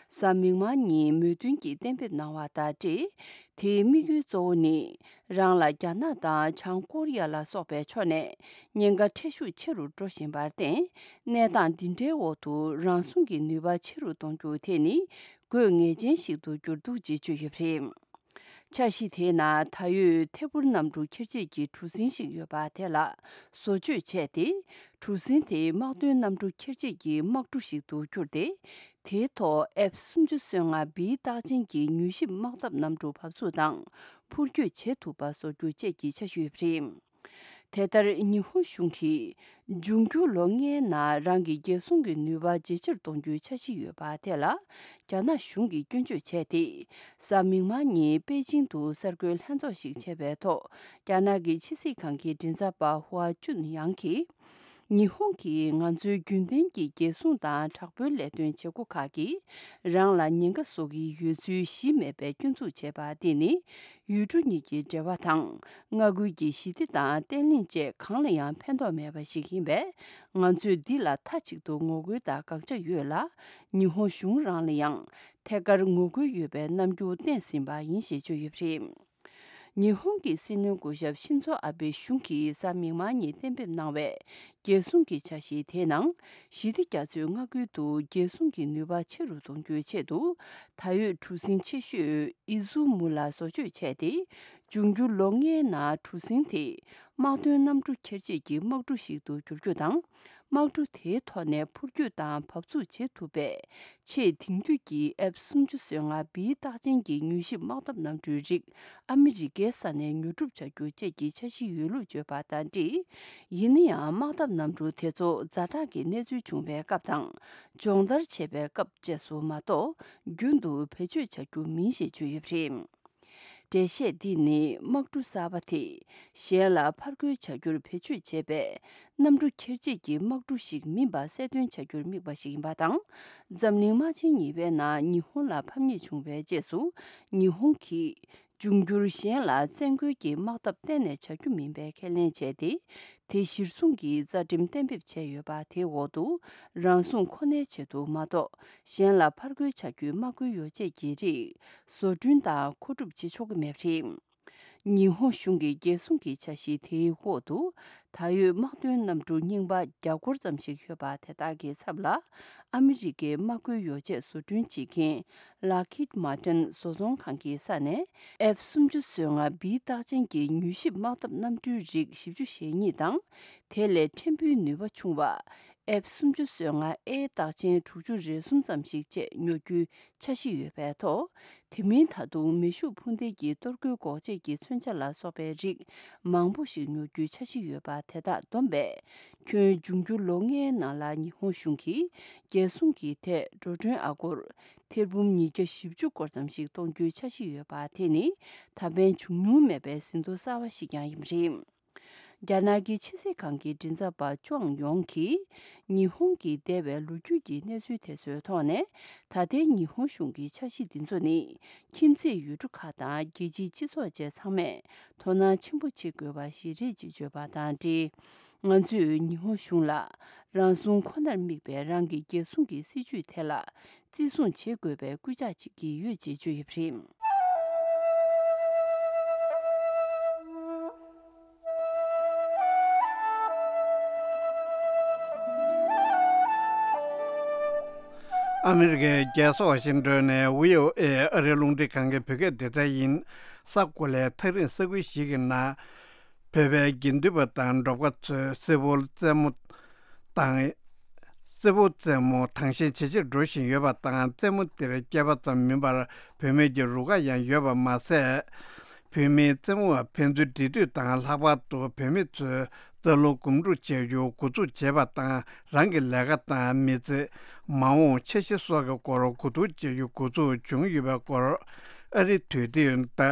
གཟའ་མིག་དམར་ཉིན་མོས་མཐུན་གྱིས་གཏན་འབེབས་གནང་བ་དང་འབྲེལ། དེའི་དམིགས་ཡུལ་གཙོ་བོ་ནི། རང་ལ་རྒྱ་ནག་དང་བྱང་ཀོ་རི་ཡ་ལ་སོགས་པའི་ཕྱོགས་ནས་ཉེན་ཁ་ཁྲལ་ཤུགས་ཆེ་རུ་འགྲོ་བཞིན་པར་བརྟེན། གནས་སྟངས་འདི་འདྲའི་འོག་ཏུ་རང་སྲུང་གི་ནུས་པ་ཆེ་རུ་གཏོང་རྒྱུ་དེ་ནི་དགོས་ངེས་ཅན་ཞིག་ཏུ་གྱུར་འདུག་ཅེས་བརྗོད་ཡོད་པ་རེད། འཆར་གཞི་དེའི་ནང་ད་ཡོད་ཐད་འཕུར་གནམ་གྲུ་འཁྱེར་བྱེད་ཀྱི་གྲུ་གཟིངས་ཤིག་ཡོད་པ་དེ་ལ་བཟོ་བཅོས་བྱས་ཏེ། གྲུ་གཟིངས་དེ་དམག་དོན་གནམ་གྲུ་འཁྱེར་བྱེད་ཀྱི་དམག་གྲུ་ཞིག་ཏུ་བསྒྱུར་ཏེ། དེའི་ཐོག་ཨེཕ་སུམ་ཅུ་སོ་ལྔ་བི་རྟགས་ཅན་གྱི་མྱུལ་ཞིབ་དམག་འཐབ་གནམ་གྲུ་བབས་ཚུགས་དང་འཕུར་སྐྱོད་བྱེད་ཐུབ་པ་བཟོ་རྒྱུ་བཅས་ཀྱི་འཆར་གཞི་ཡོད་པ་རེད། དེ་ལྟར་ཉི་ཧོང་གཞུང་གིས་འབྱུང་འགྱུར་ལོ་ལྔའི་ནང་རང་གི་རྒྱལ་སྲུང་གི་ནུས་པ་ཇེ་ཆེར་གཏོང་རྒྱུའི་འཆར་གཞི་ཡོད་པ་དེ་ལ། རྒྱ་ནག་གཞུང་གིས་སྐྱོན་བརྗོད་བྱས་ཏེ། གཟའ་མིག་དམར་ཉིན་པེ་ཅིང་དུ་གསར་འགོད་ལྷན་ཚོགས་ཤིག་བྱས་པའི་ཐོག་རྒྱ་ནག་གི་ཕྱི་སྲིད་ཁང་གི་མགྲིན་ཚབ་པ་ཧུའ་ཅུན་ཡང་གིས། ཉི་ཧོང་གིས་ང་ཚོའི་རྒྱུན་ལྡན་གྱི་རྒྱལ་སྲུང་དང་དྲག་པོའི་ལས་དོན་བྱེད་སྒོ་ཁག་གིས་རང་ལ་ཉེན་ཁ་བཟོ་གི་ཡོད་ཚུལ་གཞི་མེད་པའི་སྐྱོན་འཛུགས་བྱས་པ་འདི་ནི། ཡུལ་གྲུ་གཉིས་ཀྱི་འབྲེལ་བ་དང་མངའ་ཁུལ་གྱི་ཞི་བདེ་དང་བརྟན་ལྷིང་བཅས་གང་ལ་ཡང་ཕན་ཐོགས་མེད་པ་ཞིག་ཡིན་པས། ང་ཚོས་འདི་ལ་མཐའ་གཅིག་ཏུ་ངོ་རྒོལ་དང་དགག་བྱ་ཡོད་ལ། ཉི་ཧོང་གཞུང་རང་ལ་ཡང་ཐད་ཀར་ངོ་རྒོལ་ཡོད་པའི་རྣམ་འགྱུར་བསྟན་ཟིན་པ་ཡིན་ཞེས་བརྗོད་ཡོད་པ་རེད། ཉི་ཧོང་གི་སྲིད་བློན་སྐུ་ཞབས་ཤིན་ཛོ་ཨ་བྷེ་གཞུང་གིས་གཟའ་མིག་དམར་ཉིན་གཏན་འབེབས་གནང་བའི་རྒྱལ་སྲུང་གི་འཆར་གཞི་དེའི་ནང་། ཞི་བདེ་རྒྱ་མཚོའི་མངའ་ཁུལ་དུ་རྒྱལ་སྲུང་གི་ནུས་པ་ཆེ་རུ་གཏོང་རྒྱུའི་ཆེད་དུ། ད་ཡོད་གྲུ་གཟིངས་ཆེ་ཤོས་ཨི་ཛུ་མུ་ལ་བཟོ་བཅོས་བྱས་ཏེ། འབྱུང་འགྱུར་ལོ་ལྔའི་ནང་གྲུ་གཟིངས་དེ་དམག་དོན་གནམ་གྲུ་འཁྱེར་བྱེད་ཀྱི་དམག་གྲུ་ཞིག་ཏུ་འགྱུར་རྒྱུ་དང་། དམག་གྲུ་དེའི་ཐོག་ནས་འཕུར་སྐྱོད་དང་བབས་ཚུགས་བྱེད་ཐུབ་པའི་ཆེས་དེང་དུས་ཀྱི་ཨེཕ་སུམ་ཅུ་སོ་ལྔ་བི་རྟགས་ཅན་གྱི་མྱུལ་ཞིབ་དམག་འཐབ་གནམ་གྲུའི་རིགས་ཨ་མི་རི་ཀའི་ས་ནས་ཉོ་སྒྲུབ་བྱ་རྒྱུ་བཅས་ཀྱི་འཆར་གཞི་ཡོད་ལུགས་བརྗོད་པ་དང་འབྲེལ། ཡིན་ན་ཡང་དམག་འཐབ་གནམ་གྲུ་དེ་ཚོ་ཛ་དྲག་གི་གནས་ཚུལ་བྱུང་བའི་སྐབས་དང་། སྦྱོང་བརྡར་བྱེད་པའི་སྐབས་བཅས་སུ་མ་གཏོགས། རྒྱུན་དུ་བེད་སྤྱོད་བྱ་རྒྱུ་མིན་ཞེས་བརྗོད་ཡོད་པ་རེད། འགྲེལ་བཤད་འདི་ནི་དམག་གྲུ་གསར་པ་དེ་གཞན་ལ་ཕར་རྒོལ་བྱ་རྒྱུར་བེད་སྤྱོད་བྱེད་པའི་གནམ་གྲུ་འཁྱེར་བྱེད་ཀྱི་དམག་གྲུ་ཞིག་མིན་པ་གསལ་སྟོན་བྱ་རྒྱུར་དམིགས་པ་ཞིག་ཡིན་པ་དང་། འཛམ་གླིང་དམག་ཆེན་གཉིས་པའི་ནང་ཉི་ཧོང་ལ་ཕམ་ཉེས་བྱུང་བའི་རྗེས་སུ། ཉི་ཧོང་གིས་འབྱུང་འགྱུར་གཞན་ལ་བཙན་རྒོལ་གྱི་དམག་འཐབ་གཏན་ནས་བྱ་རྒྱུ་མིན་པའི་ཁས་ལེན་བྱས་ཏེ། དེ་གཞིར་བཟུང་གིས་རྩ་ཁྲིམས་གཏན་འབེབས་བྱས་ཡོད་པ་དེའི་འོག་ཏུ། རང་སྲུང་ཁོ་ནའི་ཆེད་དུ་མ་གཏོགས། གཞན་ལ་ཕར་རྒོལ་བྱ་རྒྱུའི་དམག་རྒོལ་ཡོ་བྱད་ཀྱི་རིགས་བཟོ་སྐྲུན་དང་མཁོ་སྒྲུབ་བྱེད་ཆོག་གི་མེད་པ་རེད། ཉི་ཧོང་གཞུང་གི་རྒྱལ་སྲུང་གི་འཆར་གཞི་དེའི་འོག་ཏུ། ད་ཡོད་དམག་དོན་གནམ་གྲུ་རྙིང་པ་བརྒྱ་སྐོར་ཙམ་ཞིག་ཡོད་པ་དེ་དག་གི་ཚབ་ལ། ཨ་མི་རི་ཀའི་དམག་རྒོལ་ཡོ་བྱད་བཟོ་སྐྲུན་བྱེད་མཁན་Lockheed Martin བཟོ་ཚོང་ཁང་གི་ས་ནས་ཨེཕ་སུམ་ཅུ་སོ་ལྔ་བི་རྟགས་ཅན་གྱི་མྱུལ་ཞིབ་དམག་འཐབ་གནམ་གྲུའི་རིགས་བཞི་བཅུ་ཞེ་གཉིས་དང་། དེ་ལས་ཕྲན་བུའི་ནུས་པ་ཆུང་བ། ཨེཕ་སུམ་ཅུ་སོ་ལྔ་ཨེ་རྟགས་ཅན་དྲུག་ཅུ་རེ་གསུམ་ཙམ་ཞིག་བཅས་ཉོ་རྒྱུའི་འཆར་གཞི་ཡོད་པའི་ཐོག་དེ་མིན་ད་དུང་མེ་ཤུགས་འཕུར་མདེལ་གྱི་གཏོར་རྒོལ་འགོག་ཆེད་ཀྱི་མཚོན་ཆ་ལ་སོགས་པའི་རིགས་མང་པོ་ཞིག་ཉོ་རྒྱུའི་འཆར་གཞི་ཡོད་པ་དེ་དག་བསྡོམས་པས། ཁྱོན་འབྱུང་འགྱུར་ལོ་ལྔའི་ནང་ལ་ཉི་ཧོང་གཞུང་གིས་རྒྱལ་སྲུང་གི་ཐད་འགྲོ་གྲོན་ཨ་སྒོར་ཐེར་འབུམ་ཉིས་བརྒྱ་བཞི་བཅུ་སྐོར་ཙམ་ཞིག་གཏོང་རྒྱུའི་འཆར་གཞི་ཡོད་པ་དེ་ནི་ད་ཕན་བྱུང་མྱོང་མེད་པའི་ཟིན་ཐོ་གསར་བ་ཞིག་ཀྱང་ཡིན་པ་རེད། རྒྱ་ནག་གི་ཕྱི་སྲིད་ཁང་གི་མགྲིན་ཚབ་པ་ཅོང་ཡོང་གིས། ཉི་ཧོང་གི་འདས་པའི་ལོ་རྒྱུས་ཀྱི་གནས་ཚུལ་དེ་ཚོའི་ཐོག་ནས། ད་ལྟའི་ཉི་ཧོང་གཞུང་གི་འཆར་གཞི་འདི་ཚོ་ནི། ཁྱིམ་མཚེས་ཡུལ་གྲུ་ཁག་དང་རྒྱལ་སྤྱིའི་སྤྱི་ཚོགས་བཅས་ཚང་མས་དོ་སྣང་ཆེན་པོ་བྱེད་དགོས་པ་ཞིག་རེད་ཅེས་བརྗོད་པ་དང་འབྲེལ། ང་ཚོས་ཉི་ཧོང་གཞུང་ལ། རང་སྲུང་ཁོ་ནར་དམིགས་པའི་རང་གི་རྒྱལ་སྲུང་གི་སྲིད་ཇུས་དེ་ལ། བརྩི་སྲུང་བྱེད་དགོས་པའི་སྐུལ་ལྕག་བྱེད་ཀྱི་ཡོད་ཅེས་བརྗོད་ཡོད་པ་རེད། ཨ་མི་རི་ཀའི་རྒྱལ་ས་ཝ་ཤིང་ཏོན་ནས་བྷི་ཨོ་ཨེ་ཨ་རིའི་རླུང་འཕྲིན་ཁང་གི་བོད་སྐད་སྡེ་ཚན་ཡིན། ས་གོ་ལའི་ཐག་རིང་ས་ཁུལ་ཞིག་གི་ནང་། བོད་པའི་དགེ་འདུན་པ་དང་འབྲོག་པ་ཚོས་སིལ་བུར་རྩེད་མོ་དང་། སིལ་བུར་རྩེད་མོ་དང་ཞེན་ཇེ་ཆེར་འགྲོ་བཞིན་ཡོད་པ་དང་། རྩེད་མོ་འདིར་སྐྱེས་པ་ཙམ་མིན་པར་བུད་མེད་ཀྱི་རུ་ཁག་ཡང་ཡོད་པ་མ་ཟད། བུད་མེད་རྩེད་མོ་བ་ཕན་ཚུན་འདྲིས་མཐུད་དང་། ལྷག་པར་དུ་བུད་མེད་ཚོས་རྩ་རླུང་སྒོམ་སྒྲུབ་བྱ་རྒྱུ་འགོ་འཛུགས་བྱས་པ་དང་། རང་གི་ལས་ཀ་དང་མི་ཚེ། མ་འོངས་འཆར་གཞི་སོགས་ཀྱི་སྐོར་གོ་བསྡུར་བྱ་རྒྱུ་འགོ་འཛུགས་བྱུང་ཡོད་པའི་སྐོར། ཨ་རིའི་དུས་དེབ་ད།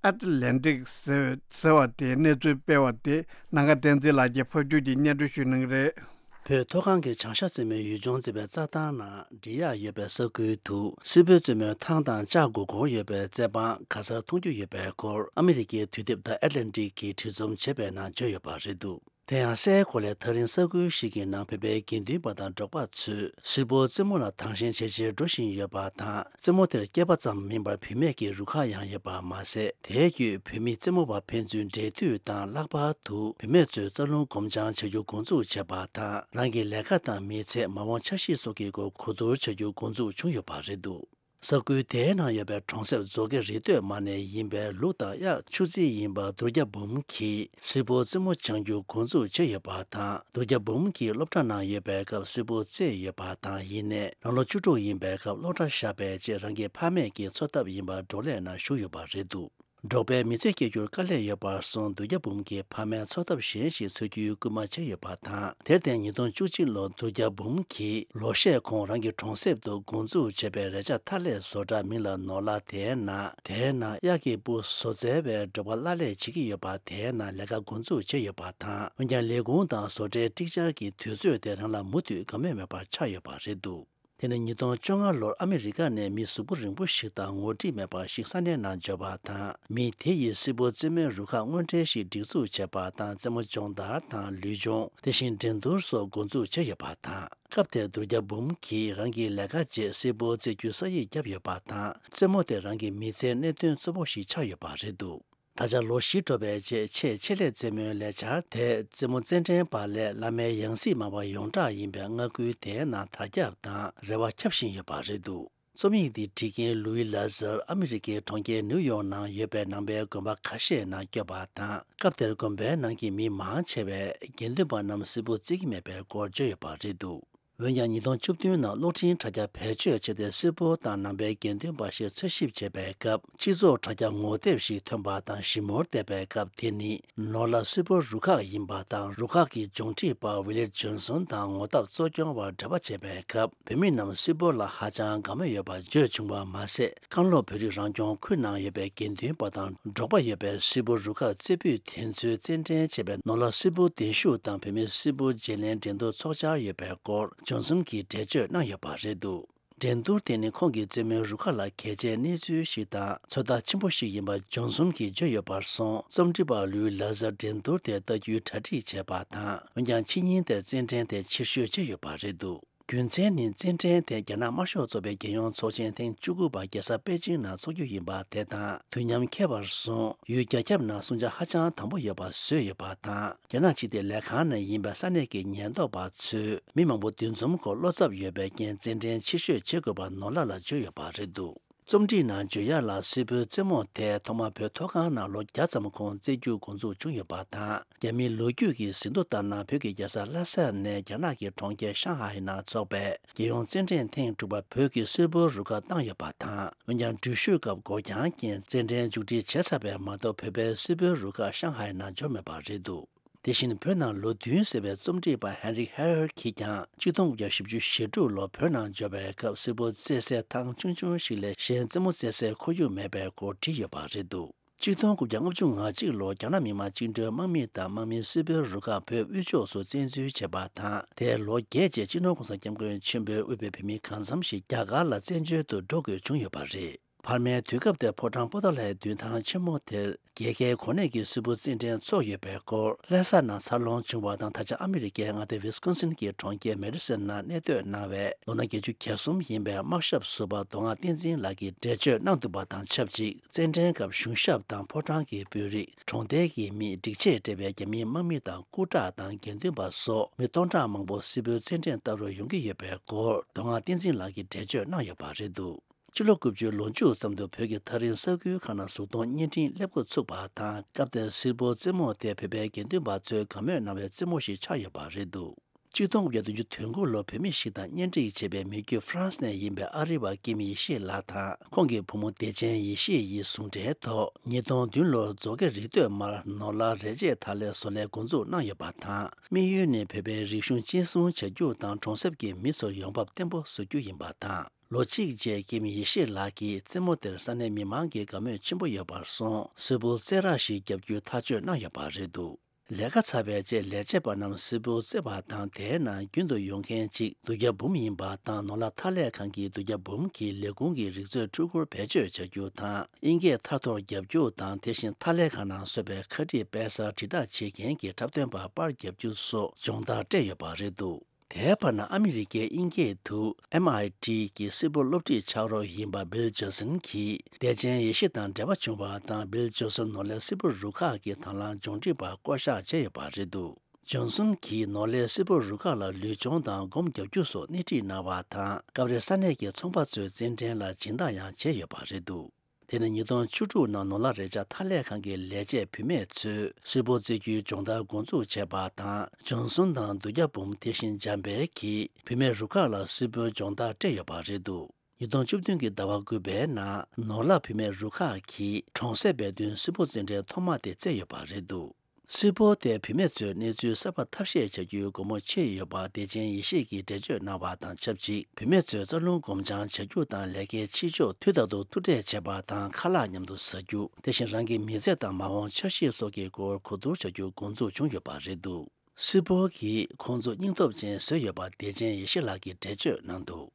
ཨེ་ཊ་ལན་ཊིག་ཟེར་བ་དེ་གནས་ཚུལ་སྤེལ་བ་དེ་ནམ་མཁའ་བསྟན་འཛིན་ལགས་ཀྱིས་ཕབ་སྒྱུར་གྱིས་སྙན་སྒྲོན་ཞུ་གནང་གི་རེད། བོད་མཐོ་སྒང་གི་བྱང་ཤར་རྩེ་མོའི་ཡུལ་ལྗོངས་གཙོས་པའི་རྩྭ་ཐང་ནང་འབྲི་གཡག་ཡོད་པའི་ས་ཁུལ་དུ་སིལ་བུར་རྩེད་མོའི་ཐང་དང་ལྕགས་སྒོར་སྒོར་ཡོད་པའི་རྩེད་པ་ག་སར་མཐོང་རྒྱུ་ཡོད་པའི་སྐོར་ཨ་མི་རི་ཀའི་དུས་དེབ་The Atlantic་གིས་འབྲི་རྩོམ་བྱས་པའི་ནང་བརྗོད་ཡོད་པ་རེད་འདུག་དེ་ཡང་སའི་གོ་ལའི་ཐག་རིང་ས་ཁུལ་ཞིག་གི་ནང་བོད་པའི་དགེ་འདུན་པ་དང་འབྲོག་པ་ཚོས་སིལ་བུར་རྩེད་མོ་ལ་དང་ཞེན་ཇེ་ཆེར་འགྲོ་བཞིན་ཡོད་པ་དང་། རྩེད་མོ་དེར་སྐྱེས་པ་ཙམ་མིན་པར་བུད་མེད་ཀྱི་རུ་ཁག་ཡང་ཡོད་པ་མ་ཟད། དེའི་བརྒྱུད་བུད་མེད་རྩེད་མོ་བ་ཕན་ཚུན་འབྲེལ་མཐུད་དང་། ལྷག་པར་དུ་བུད་མེད་ཚོས་རྩ་རླུང་སྒོམ་སྦྱང་བྱ་རྒྱུ་འགོ་འཛུགས་བྱས་པ་དང་། རང་གི་ལས་ཀ་དང་མི་ཚེ། མ་འོངས་འཆར་གཞི་སོགས་ཀྱི་སྐོར་གོ་བསྡུར་བྱ་རྒྱུ་འགོ་འཛུགས་བྱུང་ཡོད་པ་རེད་འདུག་ས་ཁུལ་དེའི་ནང་ཡོད་པའི་གྲོང་གསེབ་མཛོ་དགེ་རི་སྟོད་མ་ནས་ཡིན་པའི་ལུག་དང་གཡག་ཕྱུགས་རྫི་ཡིན་པ་གདུལ་བྱ་འབུམ་གྱིས་སིལ་བུར་རྩེད་མོ་སྦྱང་རྒྱུ་འགོ་འཛུགས་བྱས་ཡོད་པ་དང་། གདུལ་བྱ་འབུམ་གྱིས་སློབ་གྲྭ་ནང་ཡོད་པའི་སྐབས་སིལ་བུར་རྩེས་ཡོད་པ་དང་། ཡིན་ནའི་ནང་ལོ་བཅུ་དྲུག་ཡིན་པའི་སྐབས་སློབ་གྲྭ་བཞག་པའི་རྗེས་རང་གི་ཕ་མེས་ཀྱི་འཚོ་ཐབས་ཡིན་པར་འབྲོག་ལས་ནང་ཞུགས་ཡོད་པ་རེད་འདུག་འབྲོག་པའི་མི་ཚེ་སྐྱེལ་རྒྱུར་དཀའ་ལས་ཡོད་པར་སོང་། གདུལ་བྱ་འབུམ་གྱི་ཕ་མས་འཚོ་ཐབས་གཞན་ཞིག་འཚོལ་རྒྱུའི་སྐུལ་མ་བྱས་ཡོད་པ་དང་། དེར་བརྟེན་ཉིས་སྟོང་བཅུ་གཅིག་ལོར་གདུལ་བྱ་འབུམ་གྱིས་ལོ་ཤས་གོང་རང་གི་གྲོང་གསེབ་ཏུ་འགོ་འཛུགས་བྱས་པའི་རས་ཆ་ཐ་སླད་བཟོ་གྲྭ་མིང་ལ་ནོར་ལ་དེའི་ནང་། དེའི་ནང་གཡག་གི་སྤུ་བཟོ་རྩལ་བའི་འབྲོག་པ་གླ་ལས་བྱེད་ཀྱི་ཡོད་པ་དེའི་ནང་ལས་ཀ་འགོ་འཛུགས་བྱས་ཡོད་པ་དང་། འོན་ཀྱང་ལས་ཁུངས་དང་བཟོ་གྲྭའི་ཀྲིག་ཅར་གྱི་དུས་ཚོད་དེ་རང་ལ་མུ་མཐུད་དགའ་མོས་མེད་པར་ཆགས་ཡོད་པ་རེད་འདུག་དེ་ནི་ཉིས་སྟོང་བཅོ་ལྔ་ལོར་ཨ་མི་རི་ཀ་ནས་མི་གཟུགས་པོ་རིང་པོ་ཞིག་དང་ངོ་སྒྲིག་མེད་པ་ཞིག་ས་གནས་ནང་འབྱོར་བ་དང་། མི་དེ་ཡིས་སིལ་བུར་རྩེད་མོའི་རུ་ཁག་དངོས་འབྲེལ་ཞིག་སྒྲིག་འཛུགས་བྱས་པ་དང་། རྩེད་མོ་སྦྱོང་བརྡར་དང་ལུས་སྦྱོང་། དེ་བཞིན་འགྲན་བསྡུར་སོགས་འགོ་འཛུགས་བྱས་ཡོད་པ་དང་། སྐབས་དེར་གདུལ་བྱ་འབུམ་གྱིས་རང་གི་ལས་ཀ་རྗེས་སིལ་བུར་རྩེད་རྒྱུའི་ས་ཡིག་བརྒྱབ་ཡོད་པ་དང་། རྩེད་མོ་དེ་རང་གི་མི་ཚེའི་གནད་དོན་གཙོ་བོ་ཞིག་ཆགས་ཡོད་པ་རེད་འདུག་ད་ཆ་ལོ་བཞི་འགྲོ་བའི་རྗེས་ཆེས་ཆེད་ལས་རྩེད་མོའི་ལས་འཆར་དེ་རྩེད་མོ་རྩེད་འགྲན་པ་ལས་བླ་མའི་ཡང་སྲིད་མང་བ་ཡོངས་གྲགས་ཡིན་པའི་མངའ་ཁུལ་དེའི་ནང་དར་ཁྱབ་དང་རེ་བ་ཁྱབ་བཞིན་ཡོད་པ་རེད་འདུག་རྩོམ་ཡིག་འདི་བྲིས་མཁན་ལུའི་ལ་ཟར་ཨ་མི་རི་ཀའི་གྲོང་ཁྱེར་ནིའུ་ཡོག་ནང་ཡོད་པའི་ནང་པའི་དགོན་པ་ཁ་ཤས་ནང་བསྐྱོད་པ་དང་། སྐབས་དེར་དགོན་པའི་ནང་གི་མི་མང་ཆེ་བས་དགེ་འདུན་པ་རྣམས་སིལ་བུར་རྩེད་ཀྱི་མེད་པའི་སྐོར་བརྗོད་ཡོད་པ་རེད་འདུག་འོན་ཀྱང་ཉིས་སྟོང་བཅུ་བདུན་ནང་གློག་འཕྲིན་དྲ་རྒྱ་བེད་སྤྱོད་བྱས་ཏེ་སིལ་བུར་དང་ནང་པའི་དགེ་འདུན་པ་ཞེས་འཚོལ་ཞིབ་བྱས་པའི་སྐབས། སྤྱི་ཚོགས་དྲ་རྒྱ་ངོ་དེབ་ཞིག་ཐོན་པ་དང་ཞིབ་མོར་བལྟས་པའི་སྐབས། དེ་ནི་ནོར་ལ་སིལ་བུར་རུ་ཁག་ཡིན་པ་དང་། རུ་ཁག་གི་ལྗོངས་ཁྲིད་པ་ཝི་ལེད་ཇོན་སོན་དང་ངོ་ཐབས་གཙོ་སྐྱོང་བར་འབྲེལ་བ་བྱས་པའི་སྐབས། བོད་མི་རྣམས་སིལ་བུར་ལ་ཧ་ཅང་དགའ་མོས་ཡོད་པ་བརྗོད་བྱུང་བ་མ་ཟད། བཀང་ལོག་བོད་རིགས་རང་སྐྱོང་ཁུལ་ནང་ཡོད་པའི་དགེ་འདུན་པ་དང་འབྲོག་པ་ཡོད་པའི་སིལ་བུར་རུ་ཁག་རྩེ་ཕུད་དེ་ཚོའི་རྩེད་འགྲན་བྱས་པའི་ནོར་ལ་སིལ་བུར་གདན་ཞུ་དང་བོད་མིའི་སིལ་བུར་བརྗེ་ལེན་འགྲན་བསྡུར་ཚོགས་འཆར་ཡོད་པའི་སྐོར་ཇོན་སོན་གྱིས་འགྲེལ་བརྗོད་གནང་ཡོད་པ་རེད་འདུག་འགྲན་བསྡུར་དེ་ནི་ཁོང་གི་རྩེད་མོའི་རུ་ཁག་ལ་གལ་ཆེའི་གནས་ཚུལ་ཞིག་དང་ཚོད་ལྟ་ཆེན་པོ་ཞིག་ཡིན་པ་ཇོན་སོན་གྱིས་བརྗོད་ཡོད་པར་སོང་། རྩོམ་སྒྲིག་པ་ལུའི་ལ་ཟར་འགྲན་བསྡུར་དེ་ལྟ་རྒྱུའི་གྲ་སྒྲིག་བྱས་པ་དང་། འོན་ཀྱང་ཕྱི་ཉིན་དེར་རྩེད་འགྲན་དེ་ཕྱིར་བཤོལ་བྱས་ཡོད་པ་རེད་འདུག་རྒྱུ་མཚན་ནི་རྩེད་འགྲན་དེ་རྒྱ་ནག་དམར་ཤོག་ཚོགས་པའི་རྒྱལ་ཡོངས་ཚོགས་ཆེན་ཐེངས་བཅུ་དགུ་པ་རྒྱལ་ས་པེ་ཅིང་ནང་འཚོགས་རྒྱུ་ཡིན་པ་དེ་དང་དུས་མཉམ་ཁེལ་བར་སོང་། ཡུལ་རྒྱ་ཁྱབ་ནང་སྲུང་བྱ་ཧ་ཅང་དམ་པོ་ཡོད་པ་བཟོས་ཡོད་པ་དང་། རྒྱ་ནག་ཕྱི་བདེ་ལས་ཁང་ནས་ཡིན་པའི་ས་གནས་ཀྱི་ཉེན་རྟོག་པ་ཚོས་མི་མང་པོ་འདུ་འཛོམས་སྐོར་བློ་འཚབ་ཡོད་པའི་རྐྱེན་རྩེད་འགྲན་ཕྱིར་བཤོལ་བྱེད་དགོས་པ་ནོར་ལ་ལ་བརྗོད་ཡོད་པ་རེད་འདུག་རྩོམ་སྒྲིག་ནང་བརྗོད་ཡག་ལ་སིལ་བུར་རྩེད་མོ་དེ་ཐོག་མར་བོད་མཐོ་སྒང་ནང་ལོ་བརྒྱ་ཙམ་གོང་རྩེད་རྒྱུ་འགོ་འཛུགས་བྱུང་ཡོད་པ་དང་། རྒྱ་མིའི་ལོ་རྒྱུས་ཀྱི་ཟིན་ཐོ་ལྟར་ན། བོད་ཀྱི་རྒྱལ་ས་ལྷ་ས་ནས་རྒྱ་ནག་གི་གྲོང་ཁྱེར་ཤང་ཧའེ་ནང་འཚོགས་པའི་རྒྱལ་ཡོངས་རྩེད་འགྲན་ཐེངས་དྲུག་པར་བོད་ཀྱི་སིལ་བུར་རུ་ཁག་བཏང་ཡོད་པ་དང་། འོན་ཀྱང་འགྲུལ་བཞུད་སྐབས་འགོར་འགྱངས་རྐྱེན་རྩེད་འགྲན་མཇུག་སྒྲིལ་བྱས་ཚར་བས་མ་གཏོགས། བོད་པའི་སིལ་བུར་རུ་ཁག་ཤང་ཧའེ་ནང་འབྱོར་མེད་པ་རེད་འདུག་དེ་བཞིན་བོད་ནང་ལོ་བདུན་ཟེར་བའི་རྩོམ་སྒྲིག་པ་ཧན་རིག་ཧེ་ཧར་གྱིས་ཀྱང་གཅིག་སྟོང་དགུ་བརྒྱ་བཞི་བཅུ་ཞེ་དྲུག་ལོར་བོད་ནང་འབྱོར་བའི་སྐབས། སིལ་བུར་རྩེད་སའི་ཐང་ཆུང་ཆུང་ཞིག་ལས་གཞན་རྩེད་མོ་རྩེད་སའི་ཁོར་ཡུག་མེད་པའི་སྐོར་བྲིས་ཡོད་པ་རེད་འདུག་གཅིག་སྟོང་དགུ་བརྒྱ་ལྔ་བཅུ་ང་གཅིག་ལོར་རྒྱ་ནག་མི་དམངས་བཅིངས་འགྲོལ་དམག་མི་དང་དམག་མིའི་སིལ་བུའི་རུ་ཁག་བོད་དབུས་ཕྱོགས་སུ་བཙན་འཛུལ་བྱས་པ་དང་། དེའི་ལོ་བརྒྱད་རྗེས་སྤྱི་ནོར་༸གོང་ས་༸སྐྱབས་མགོན་ཆེན་པོས་དབུས་པའི་བོད་མི་གང་འཚམ་ཞིག་རྒྱ་གར་ལ་བཙན་བྱོལ་དུ་འགྲོ་དགོས་བྱུང་ཡོད་པ་རེད། བར་མའི་དུས་སྐབས་དེར་ཕོ་བྲང་པོ་ཏཱ་ལའི་མདུན་ཐང་ཆེན་མོ་དེར་རྒྱལ་ཁའི་གོ་གནས་ཀྱི་སིལ་བུ་རྩེད་འགྲན་ཚོགས་ཡོད་པའི་སྐོར། ལྷ་ས་ནང་འཚར་ལོངས་བྱུང་བ་དང་། ད་ཆ་ཨ་མི་རི་ཀའི་མངའ་སྡེ་ཝི་སི་ཀོན་སིན་གྱི་གྲོང་ཁྱེར་མེ་ཌི་སན་ནང་གནས་སྡོད་གནང་བའི་ལོ་ན་བརྒྱད་ཅུ་གྱ་གསུམ་ཡིན་པའི་དམག་ཞབས་ཟུར་པ་མདོ་སྔགས་བསྟན་འཛིན་ལགས་ཀྱིས་འགྲེལ་བརྗོད་གནང་འདུག་པ་དང་ཆབས་ཅིག་རྩེད་འགྲན་སྐབས་གཞུང་ཞབས་དང་ཕོ་བྲང་གི་དཔོན་རིགས། གྲོང་རྡལ་གྱི་མི། སྒྲིག་ཆས་སྤྲས་པའི་རྒྱ་མིའི་དམག་མི་དང་སྐུ་དྲག་དང་དགེ་འདུན་པ་སོགས་མི་སྟོང་ཕྲག་མང་པོ་སིལ་བུའི་རྩེད་འགྲན་ལྟ་རུ་ཡོང་གི་ཡོད་པའི་སྐོར་མདོ་སྔགས་བསྟན་འཛིན་ལགས་ཀྱིས་འགྲེལ་བརྗོད་གནང་ཡོད་པ་རེད་འདུག་ཕྱི་ལོ་དགུ་བཅུའི་ལོ་མཇུག་ཙམ་དུ་བོད་ཀྱི་ཐག་རིང་ས་ཁུལ་ཁག་ནང་གཟུགས་མཐོང་བརྙན་འཕྲིན་སླེབས་འགོ་ཚུགས་པ་དང་། སྐབས་དེར་སིལ་བུ་རྩེད་མོ་དེ་བོད་པའི་དགེ་འདུན་པ་ཚོས་དགའ་མོས་གནང་བའི་རྩེད་མོ་ཞིག་ཆགས་ཡོད་པ་རེད་འདུག་ཆིག་སྟོང་དགུ་བརྒྱ་བདུན་ཅུ་དོན་དགུ་ལོར་བོད་མི་ཞིག་དང་གཉེན་སྒྲིག་བྱས་པའི་མི་རྒྱུད་ཧྥ་རན་སི་ནས་ཡིན་པའི་ཨ་རི་བ་ཀིམ་ཡེ་ཤེས་ལགས་དང་ཁོང་གི་བུ་མོ་བདེ་ཆེན་ཡེ་ཤེས་ཡི་ཟུང་འབྲེལ་ཐོག་ཉིས་སྟོང་བདུན་ལོར་མཛོ་དགེ་རི་སྟོད་མར་ནོར་ལྷ་རས་ཆས་ཐག་ལས་བཟོ་ལས་འགོ་འཛུགས་གནང་ཡོད་པ་དང་། དམིགས་ཡུལ་ནི་བོད་པའི་རིག་གཞུང་གཅེས་སྲུང་བྱ་རྒྱུ་དང་གྲོང་གསེབ་ཀྱི་མི་ཚོར་ཡོང་འབབ་བརྟན་པོ་བཟོ་རྒྱུ་ཡིན་པ་དང་། ལོ་གཅིག་རྗེས་ཀིམ་ཡེ་ཤེས་ལགས་ཀྱིས་རྩེད་མོ་དེར་ས་གནས་མི་མང་གི་དགའ་མོས་ཆེན་པོ་ཡོད་པར་སོང་། སིལ་བུ་རྩེད་ར་ཞིག་བརྒྱབ་རྒྱུའི་ཐག་གཅོད་གནང་ཡོད་པ་རེད་འདུག་ལས་ཀ་ཚར་བའི་རྗེས་ལས་བྱེད་པ་རྣམས་སིལ་བུ་རྩེ་བ་དང་། དེའི་ནང་རྒྱུན་དུ་ཡོང་མཁན་གཅིག་དུ་རྒྱ་འབུམ་ཡིན་པ་དང་། ནོར་ལྷ་ཐག་ལས་ཁང་གིས་དུ་རྒྱ་འབུམ་གྱི་ལས་ཁུངས་ཀྱི་རིག་མཛོད་འཕྲུལ་འཁོར་བེད་སྤྱོད་བྱ་རྒྱུ་དང་། དབྱིན་སྐད་ཐར་ཐོར་རྒྱབ་རྒྱུ་དང་། དེ་བཞིན་ཐག་ལས་ཁང་ནང་བཟོས་པའི་ཁ་དཀྲིས་དཔལ་སར་དྲིལ་བསྒྲགས་བྱེད་མཁན་གྱི་འཁྲབ་སྟོན་པ་པར་རྒྱབ་རྒྱུ་སོགས་སྦྱོང་བརྡར་སྤྲད་ཡོད་པ་རེད་འདུག་དེའི་བར་ན་ཨ་མི་རི་ཀའི་དབྱིན་སྐད་དུ་ཨེམ་ཨའི་ཊི་གི་སིལ་བུ་སློབ་ཁྲིད་ཕྱག་རོགས་ཡིན་པ་བིལ་ཇོན་སན་གྱིས་བདེ་ཆེན་ཡེ་ཤེས་དང་འབྲེལ་བ་བྱུང་བ་དང་། བིལ་ཇོན་སན་ནོར་ལྷའི་སིལ་བུ་རུ་ཁག་གི་དང་བླངས་སྦྱོང་ཁྲིད་པར་བསྐོ་གཞག་བྱས་ཡོད་པ་རེད་འདུག་ཇོན་སན་གྱིས་ནོར་ལྷའི་སིལ་བུ་རུ་ཁག་ལ་ལུས་སྦྱོང་དང་སྒོམ་རྒྱག་རྒྱུ་སོགས་སྣེ་ཁྲིད་གནང་བ་དང་། སྐབས་རེ་ས་གནས་ཀྱི་ཚོང་པ་ཚོའི་རྩེད་འགྲན་ལ་སྦྱིན་བདག་ཡང་བྱས་ཡོད་པ་རེད་འདུག་དེ་ནི་ཉིས་སྟོང་བཅུ་དྲུག་ནང་ནོར་ལྷ་རས་ཆ་ཐག་ལས་ཁང་གི་ལས་བྱེད་བུད་མེད་ཚོས་སིལ་བུ་རྩེ་རྒྱུའི་སྦྱོང་བརྡར་འགོ་འཛུགས་བྱས་པ་དང་། ཇོན་སན་དང་དུ་རྒྱ་འབུམ་དེ་བཞིན་འཇམ་དཔལ་གྱིས་བུད་མེད་རུ་ཁག་ལ་སིལ་བུའི་སྦྱོང་བརྡར་སྤྲད་ཡོད་པ་རེད་འདུག་ཉིས་སྟོང་བཅུ་བདུན་གྱི་ཟླ་བ་དགུ་པའི་ནང་ནོར་ལྷ་བུད་མེད་རུ་ཁག་གིས་གྲོང་གསེབ་པའི་མདུན་སིལ་བུ་རྩེད་འགྲན་ཐོག་མ་དེ་རྩེས་ཡོད་པ་རེད་འདུག་སིལ་བུ་དེ་བུད་མེད་ཚོའི་གནས་ཚུལ་གསར་པ་ཐབས་ཤེས་བྱ་རྒྱུའི་སྒོ་མོ་ཕྱེ་ཡོད་པ་བདེ་ཆེན་ཡེ་ཤེས་ཀྱིས་འགྲེལ་བརྗོད་གནང་བ་དང་ཆབས་ཅིག་བུད་མེད་ཚོས་རྩ་རླུང་སྒོམ་སྦྱང་བྱ་རྒྱུ་དང་། ལས་ཀའི་ཕྱི་ཕྱོགས་དུས་རྟག་ཏུ་ཐུག་འཕྲད་བྱེད་པ་དང་། ཁ་ལག་མཉམ་དུ་ཟ་རྒྱུ། དེ་བཞིན་རང་གི་མི་ཚེ་དང་མ་འོངས་འཆར་གཞི་སོགས་ཀྱི་སྐོར་གོ་བསྡུར་བྱ་རྒྱུ་འགོ་འཛུགས་བྱུང་ཡོད་པ་རེད་འདུག་སིལ་བུ་གིས་ཁོང་ཚོ་སྙིང་སྟོབས་ཅན་བཟོས་ཡོད་པ་བདེ་ཆེན་ཡེ་ཤེས་ལགས་ཀྱིས་འགྲེལ་བརྗོད་གནང་འདུག་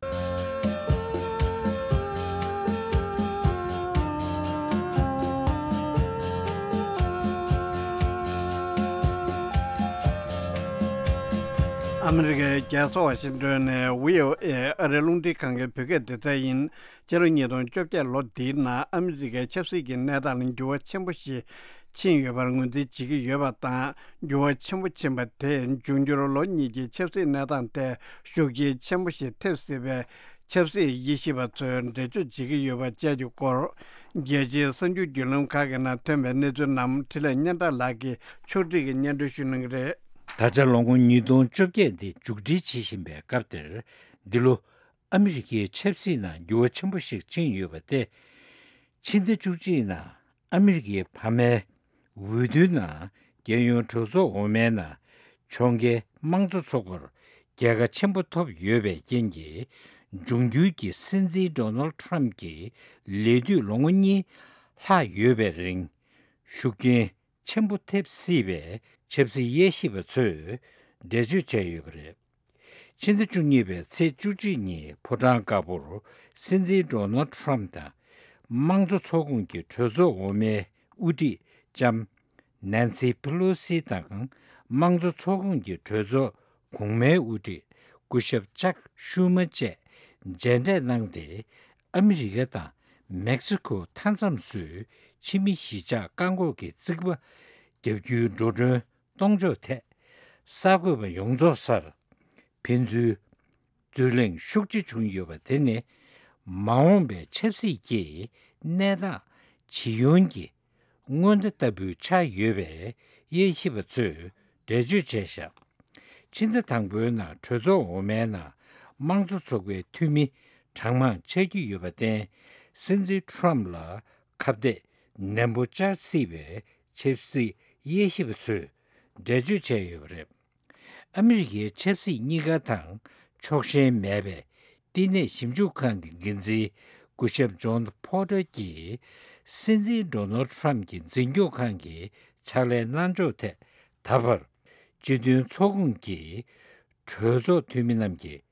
ཨ་མི་རི་ཀའི་རྒྱལ་ས་ཝ་ཤིང་ཏོན་ནས་བྷི་ཨོ་ཨེ་ཨ་རིའི་རླུང་འཕྲིན་ཁང་གི་བོད་སྐད་སྡེ་ཚན་ཡིན། ཕྱི་ལོ་ཉིས་སྟོང་བཅོ་བརྒྱད་ལོ་འདིའི་ནང་ཨ་མི་རི་ཀའི་ཆབ་སྲིད་ཀྱི་གནས་སྟངས་ལ་འགྱུར་བ་ཆེན་པོ་ཞིག་ཕྱིན་ཡོད་པར་ངོས་འཛིན་བྱེད་ཀྱི་ཡོད་པ་དང་། འགྱུར་བ་ཆེན་པོ་ཕྱིན་པ་དེས་འབྱུང་འགྱུར་ལོ་གཉིས་ཀྱི་ཆབ་སྲིད་གནས་སྟངས་ཐད་ཤུགས་རྐྱེན་ཆེན་པོ་ཞིག་ཐེབས་སྲིད་པའི་ཆབ་སྲིད་དབྱེ་ཞིབ་པ་ཚོས་འགྲེལ་བརྗོད་བྱེད་ཀྱི་ཡོད་པ་བཅས་ཀྱི་སྐོར། རྒྱལ་སྤྱིའི་གསར་འགྱུར་བརྒྱུད་ལམ་ཁག་གི་ནང་ཐོན་པའི་གནས་ཚུལ་རྣམས་འཕྲིན་ལས་སྙན་གྲགས་ལགས་ཀྱིས་ཕྱོགས་སྒྲིག་གིས་སྙན་སྒྲོན་ཞུ་གནང་གི་རེད། ད་ཆ་ལོ་ངོ་ཉིས་སྟོང་བཅོ་བརྒྱད་འདི་མཇུག་སྒྲིལ་བྱེད་བཞིན་པའི་སྐབས་འདིར། འདི་ལོ་ཨ་མི་རི་ཀའི་ཆབ་སྲིད་ནང་འགྱུར་བ་ཆེན་པོ་ཞིག་ཕྱིན་ཡོད་པ་སྟེ། ཕྱི་ཟླ་བཅུ་གཅིག་ནང་ཨ་མི་རི་ཀའི་ཕ་མའི་འོས་བསྡུའི་ནང་རྒྱལ་ཡོངས་གྲོས་ཚོགས་འོག་མའི་ནང་ཕྱོགས་འགལ་དམངས་གཙོ་ཚོགས་པར་རྒྱལ་ཁ་ཆེན་པོ་ཐོབ་ཡོད་པའི་རྐྱེན་གྱིས། འབྱུང་འགྱུར་གྱི་སྲིད་འཛིན་ཌོ་ནལ་ཊམ་གྱི་ལས་དུས་ལོ་ངོ་གཉིས་ལྷག་ཡོད་པའི་རིང་ཤུགས་རྐྱེན་ཆེན་པོ་ཐེབས་སྲིད་པའི་ཆབ་སྲིད་དབྱེ་ཞིབ་པ་ཚོས་འགྲེལ་བརྗོད་བྱས་ཡོད་པ་རེད། ཕྱི་ཟླ་བཅུ་གཉིས་པའི་ཚེས་བཅུ་གཅིག་ཉིན་ཕོ་བྲང་དཀར་པོར་སྲིད་འཛིན་ཌོ་ནལ་ཊམ་དང་དམངས་གཙོ་ཚོགས་ཁོངས་ཀྱི་གྲོས་ཚོགས་འོག་མའི་དབུ་ཁྲིད་ལྕམ་ནན་སི་ཕེ་ལོ་སི་དང་དམངས་གཙོ་ཚོགས་ཁོངས་ཀྱི་གྲོས་ཚོགས་གོང་མའི་དབུ་ཁྲིད་སྐུ་ཞབས་ཅག་ཤུ་མ་བཅས་མཇལ་འཕྲད་གནང་སྟེ། ཨ་མི་རི་ཀ་དང་མེག་སི་ཁོ་མཐའ་མཚམས་སུ་ཕྱི་མི་གཞིས་ཆགས་བཀག་འགོག་གི་རྩིག་པ་བརྒྱབ་རྒྱུའི་འགྲོ་གྲོན་གཏོང་ཕྱོགས་ཐད་གསར་འགོད་པ་ཡོངས་རྫོགས་སར་ཕན་ཚུན་རྩོད་གླེང་ཤུགས་ཆེ་བྱུང་ཡོད་པ་དེ་ནི་མ་འོངས་པའི་ཆབ་སྲིད་ཀྱི་གནས་སྟངས་ཇི་ཡོང་གི་སྔོན་བརྡ་ལྟ་བུ་ཆགས་ཡོད་པའི་དབྱེ་ཞིབ་པ་ཚོས་འགྲེལ་བརྗོད་བྱས་བཞག་ཕྱི་ཟླ་དང་པོའི་ནང་གྲོས་ཚོགས་འོག་མའི་ནང་དམངས་གཙོ་ཚོགས་པའི་འཐུས་མི་གྲངས་མང་ཆགས་ཀྱི་ཡོད་པར་བརྟེན། སྲིད་འཛིན་ཊམ་ལ་ཁ་གཏད་ནན་པོ་བཅར་སྲིད་པའི་ཆབ་སྲིད་དབྱེ་ཞིབ་པ་ཚོས་འགྲེལ་བརྗོད་བྱས་ཡོད་པ་རེད། ཨ་མི་རི་ཀའི་ཆབ་སྲིད་གཉིས་ཀ་དང་ཕྱོགས་ཞེན་མེད་པའི་བསྟི་གནས་ཞིབ་འཇུག་ཁང་གི་འགན་འཛིན་སྐུ་ཞབས་ཇོན་ཕོ་ཏར་གྱིས་ སྲིད་འཛིན་ཌོ་ནལ་ཁྲམ་གྱི་འཛིན་སྐྱོང་ཁང་གི་ཕྱག་ལས་གནང་ཕྱོགས་ཐད་ད་བར་སྤྱི་མཐུན་ཚོགས་ཁོངས་ཀྱི་གྲོས་ཚོགས་འཐུས་མི་རྣམས་ཀྱིས་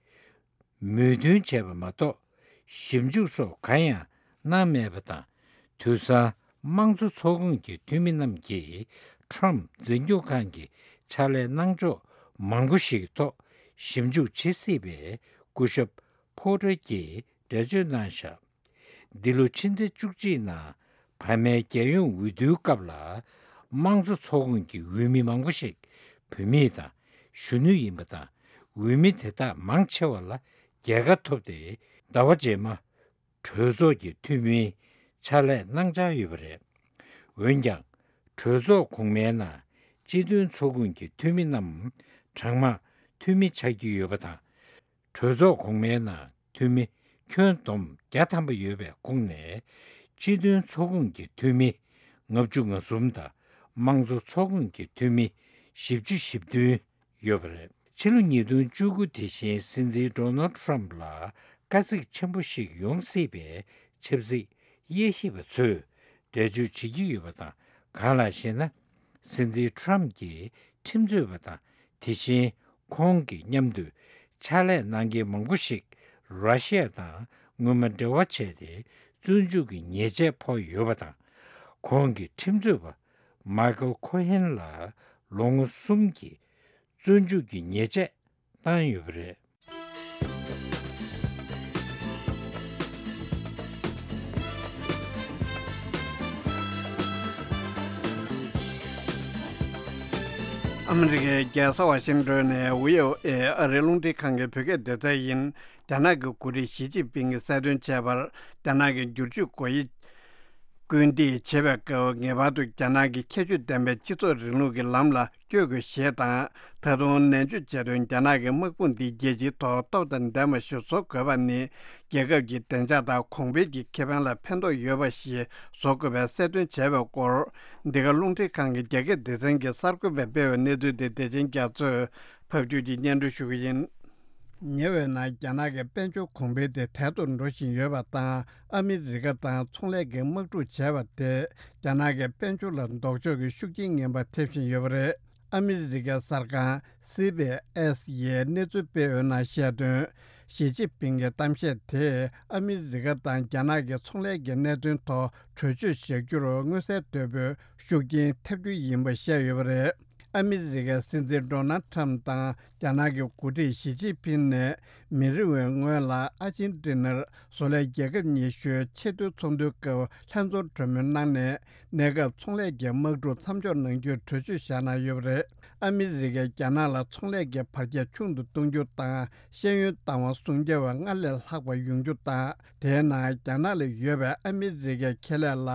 མོས་མཐུན་བྱས་པ་མ་གཏོགས་ཞིབ་འཇུག་སོགས་གང་ཡང་གནང་མེད་པ་དང་། དུས་སང་དམངས་གཙོ་ཚོགས་ཁོངས་ཀྱི་འཐུས་མི་རྣམས་ཀྱིས་ཁྲམ་འཛིན་སྐྱོང་ཁང་གི་ཕྱག་ལས་གནང་ཕྱོགས་མང་པོ་ཞིག་གི་ཐོག་ཞིབ་འཇུག་བྱེད་སྲིད་པའི་སྐུ་ཞབས་ཕོ་ཊར་གྱིས་འགྲེལ་བརྗོད་གནང་བཞག་འདི་ལོ་ཕྱི་ཟླ་བཅུ་གཅིག་ནང་བར་མའི་རྒྱལ་ཡོངས་འོས་བསྡུའི་སྐབས་ལ་དམངས་གཙོ་ཚོགས་ཁོངས་ཀྱི་འོས་མི་མང་པོ་ཞིག་བུད་མེད་དང་གཞོན་ནུ་ཡིན་པ་དང་། འོས་མི་དེ་དག་མང་ཆེ་བ་ལ་རྒྱལ་ཁ་ཐོབ་སྟེ་ཟླ་བ་རྗེས་མ་གྲོས་ཚོགས་ཀྱི་འཐུས་མིའི་ཕྱག་ལས་གནང་འཆར་ཡོད་པ་རེད། འོན་ཀྱང་གྲོས་ཚོགས་གོང་མའི་ནང་སྤྱི་མཐུན་ཚོགས་ཁོངས་ཀྱི་འཐུས་མི་རྣམས་གྲངས་མང་འཐུས་མི་ཆགས་ཀྱི་ཡོད་པ་དང་། གྲོས་ཚོགས་གོང་མའི་ནང་འཐུས་མི་ཁྱོན་བསྡོམས་བརྒྱ་ཐམ་པ་ཡོད་པའི་ཁོངས་ནས་སྤྱི་མཐུན་ཚོགས་ཁོངས་ཀྱི་འཐུས་མི་ལྔ་བཅུ་ང་གསུམ་དང་དམངས་གཙོ་ཚོགས་ཁོངས་ཀྱི་འཐུས་མི་བཞི་བཅུ་ཞེ་བདུན་ཡོད་པ་རེད། ཕྱི་ལོ་ཉིས་སྟོང་བཅུ་དགུ་དེ་བཞིན་སྲིད་འཛིན་ཌོ་ནལ་ཁྲམ་ལ་དཀའ་ཚེགས་ཆེན་པོ་ཞིག་ཡོང་སྲིད་པའི་ཆབ་སྲིད་དབྱེ་ཞིབ་པ་ཚོས་འགྲེལ་བརྗོད་བྱེད་ཀྱི་ཡོད་པ་དང་། གང་ལགས་ཤེ་ན། སྲིད་འཛིན་ཁྲམ་གྱི་ཁྲིམས་རྩོད་པ་དང་། དེ་བཞིན་ཁོང་གི་མཉམ་དུ་ཕྱག་ལས་གནང་མཁན་མང་པོ་ཞིག་ར་ཤི་ཡ་དང་སྔོན་མ་འབྲེལ་བ་བྱས་ཏེ་བཙོན་འཇུག་གི་ཉེས་ཆད་ཕོག་ཡོད་པ་དང་། ཁོང་གི་ཁྲིམས་རྩོད་པ་མའི་ཀལ་ཁོ་ཧན་ལ་ལོ་ངོ་གསུམ་གྱི་བཙོན་འཇུག་གི་ཉེས་ཆད་བཏང་ཡོད་པ་རེད། ཨ་མི་རི་ཀའི་རྒྱལ་ས་ཝ་ཤིང་ཏོན་ནས་བྷི་ཨོ་ཨེ་ཨ་རིའི་རླུང་འཕྲིན་ཁང་གི་བོད་སྐད་སྡེ་ཚན་ཡིན། རྒྱ་ནག་གི་འགོ་ཁྲིད་ཞི་ཅིན་ཕིང་གིས་གསལ་སྟོན་བྱས་པར། རྒྱ་ནག་གི་བསྒྱུར་བཅོས་སྒོ་དབྱེ་སྐུལ་འདེད་བྱེད་པའི་སྐབས། ངེས་པར་དུ་རྒྱ་ནག་གི་ཁྱད་ཆོས་ལྡན་པའི་སྤྱི་ཚོགས་རིང་ལུགས་ཀྱི་ལམ་ལ་བསྐྱོད་དགོས་ཞེས་དང་། ད་དུང་ནན་བརྗོད་བྱས་དོན། རྒྱ་ནག་གི་དམག་དཔུང་འདི་རྒྱལ་སྤྱིའི་ཐོག་སྟོབས་དང་ལྡན་པ་ཞིག་བཟོ་དགོས་པ་ནི། རྒྱལ་ཁབ་ཀྱི་བདེ་འཇགས་དང་གོང་འཕེལ་གྱི་ཁེ་ཕན་ལ་ཕན་ཐོགས་ཡོད་པ་ཞིག་བཟོ་དགོས་པའི་གསལ་སྟོན་བྱས་པའི་སྐོར། འདི་ག་རླུང་འཕྲིན་ཁང་གི་རྒྱ་སྐད་སྡེ་ཚན་གྱིས་གསར་འགོད་པས་སྤེལ་བའི་གནས་ཚུལ་དེ་བདེ་ཆེན་རྒྱ་མཚོས་ཕབ་སྒྱུར་གྱིས་སྙན་སྒྲོན་ཞུ་གི་ཡིན། ཉེ་བའི་ནང་རྒྱ་ནག་གི་དཔལ་འབྱོར་གོང་འཕེལ་དེ་དལ་དུ་འགྲོ་བཞིན་ཡོད་པ་དང་། ཨ་མི་རི་ཀ་དང་ཚོང་ལས་ཀྱི་དམག་འཁྲུག་བྱས་པ་དེས་རྒྱ་ནག་གི་དཔལ་འབྱོར་ལ་ལྡོག་ཕྱོགས་ཀྱི་ཤུགས་རྐྱེན་ངན་པ་ཐེབས་བཞིན་ཡོད་པ་རེད། ཨ་མི་རི་ཀའི་གསར་ཁང་སི་བྷི་ཨེས་ཡིས་གནས་ཚུལ་སྤེལ་ཡོད་ནང་བཤད་དོན། ཞི་ཅིན་ཕིང་གི་གཏམ་བཤད་དེས་ཨ་མི་རི་ཀ་དང་རྒྱ་ནག་གི་ཚོང་ལས་ཀྱི་གནད་དོན་ཐོག་གྲོས་ཆོད་བཞག་རྒྱུར་མངོན་གསལ་དོད་པོས་ཤུགས་རྐྱེན་ཐེབས་རྒྱུ་ཡིན་པ་བཤད་ཡོད་པ་རེད། ཨ་མི་རི་ཀའི་སྲིད་འཛིན་ཌོ་ནལ་ཁྲམ་དང་རྒྱ་ནག་གི་འགོ་ཁྲིད་ཞི་ཅིན་ཕིང་ནས་མི་རིང་བའི་སྔོན་ལ་ཨར་ཇན་ཏི་ནར་བཟོ་ལས་རྒྱལ་ཁབ་ཉི་ཤུའི་ཆེས་མཐོའི་ཚོགས་འདུའི་སྐབས་ལྷན་འཛོམས་གྲོས་མོལ་གནང་ནས། གནས་སྐབས་ཚོང་ལས་ཀྱི་དམག་འཁྲུག་མཚམས་འཇོག་གནང་རྒྱུའི་གྲོས་ཆོད་བཞག་གནང་ཡོད་པ་རེད། ཨ་མི་རི་ཀས་རྒྱ་ནག་ལ་ཚོང་ལས་ཀྱི་བར་ཁྱད་ཆུང་དུ་གཏོང་རྒྱུ་དང་། ཤེས་ཡོན་བཏང་བ་སྲུང་རྒྱ་བ་སྔར་ལས་ལྷག་པ་ཡོང་རྒྱུ་དང་། དེའི་ནང་རྒྱ་ནག་ལ་ཡོད་པའི་ཨ་མི་རི་ཀའི་ཁེ་ལས་ལ་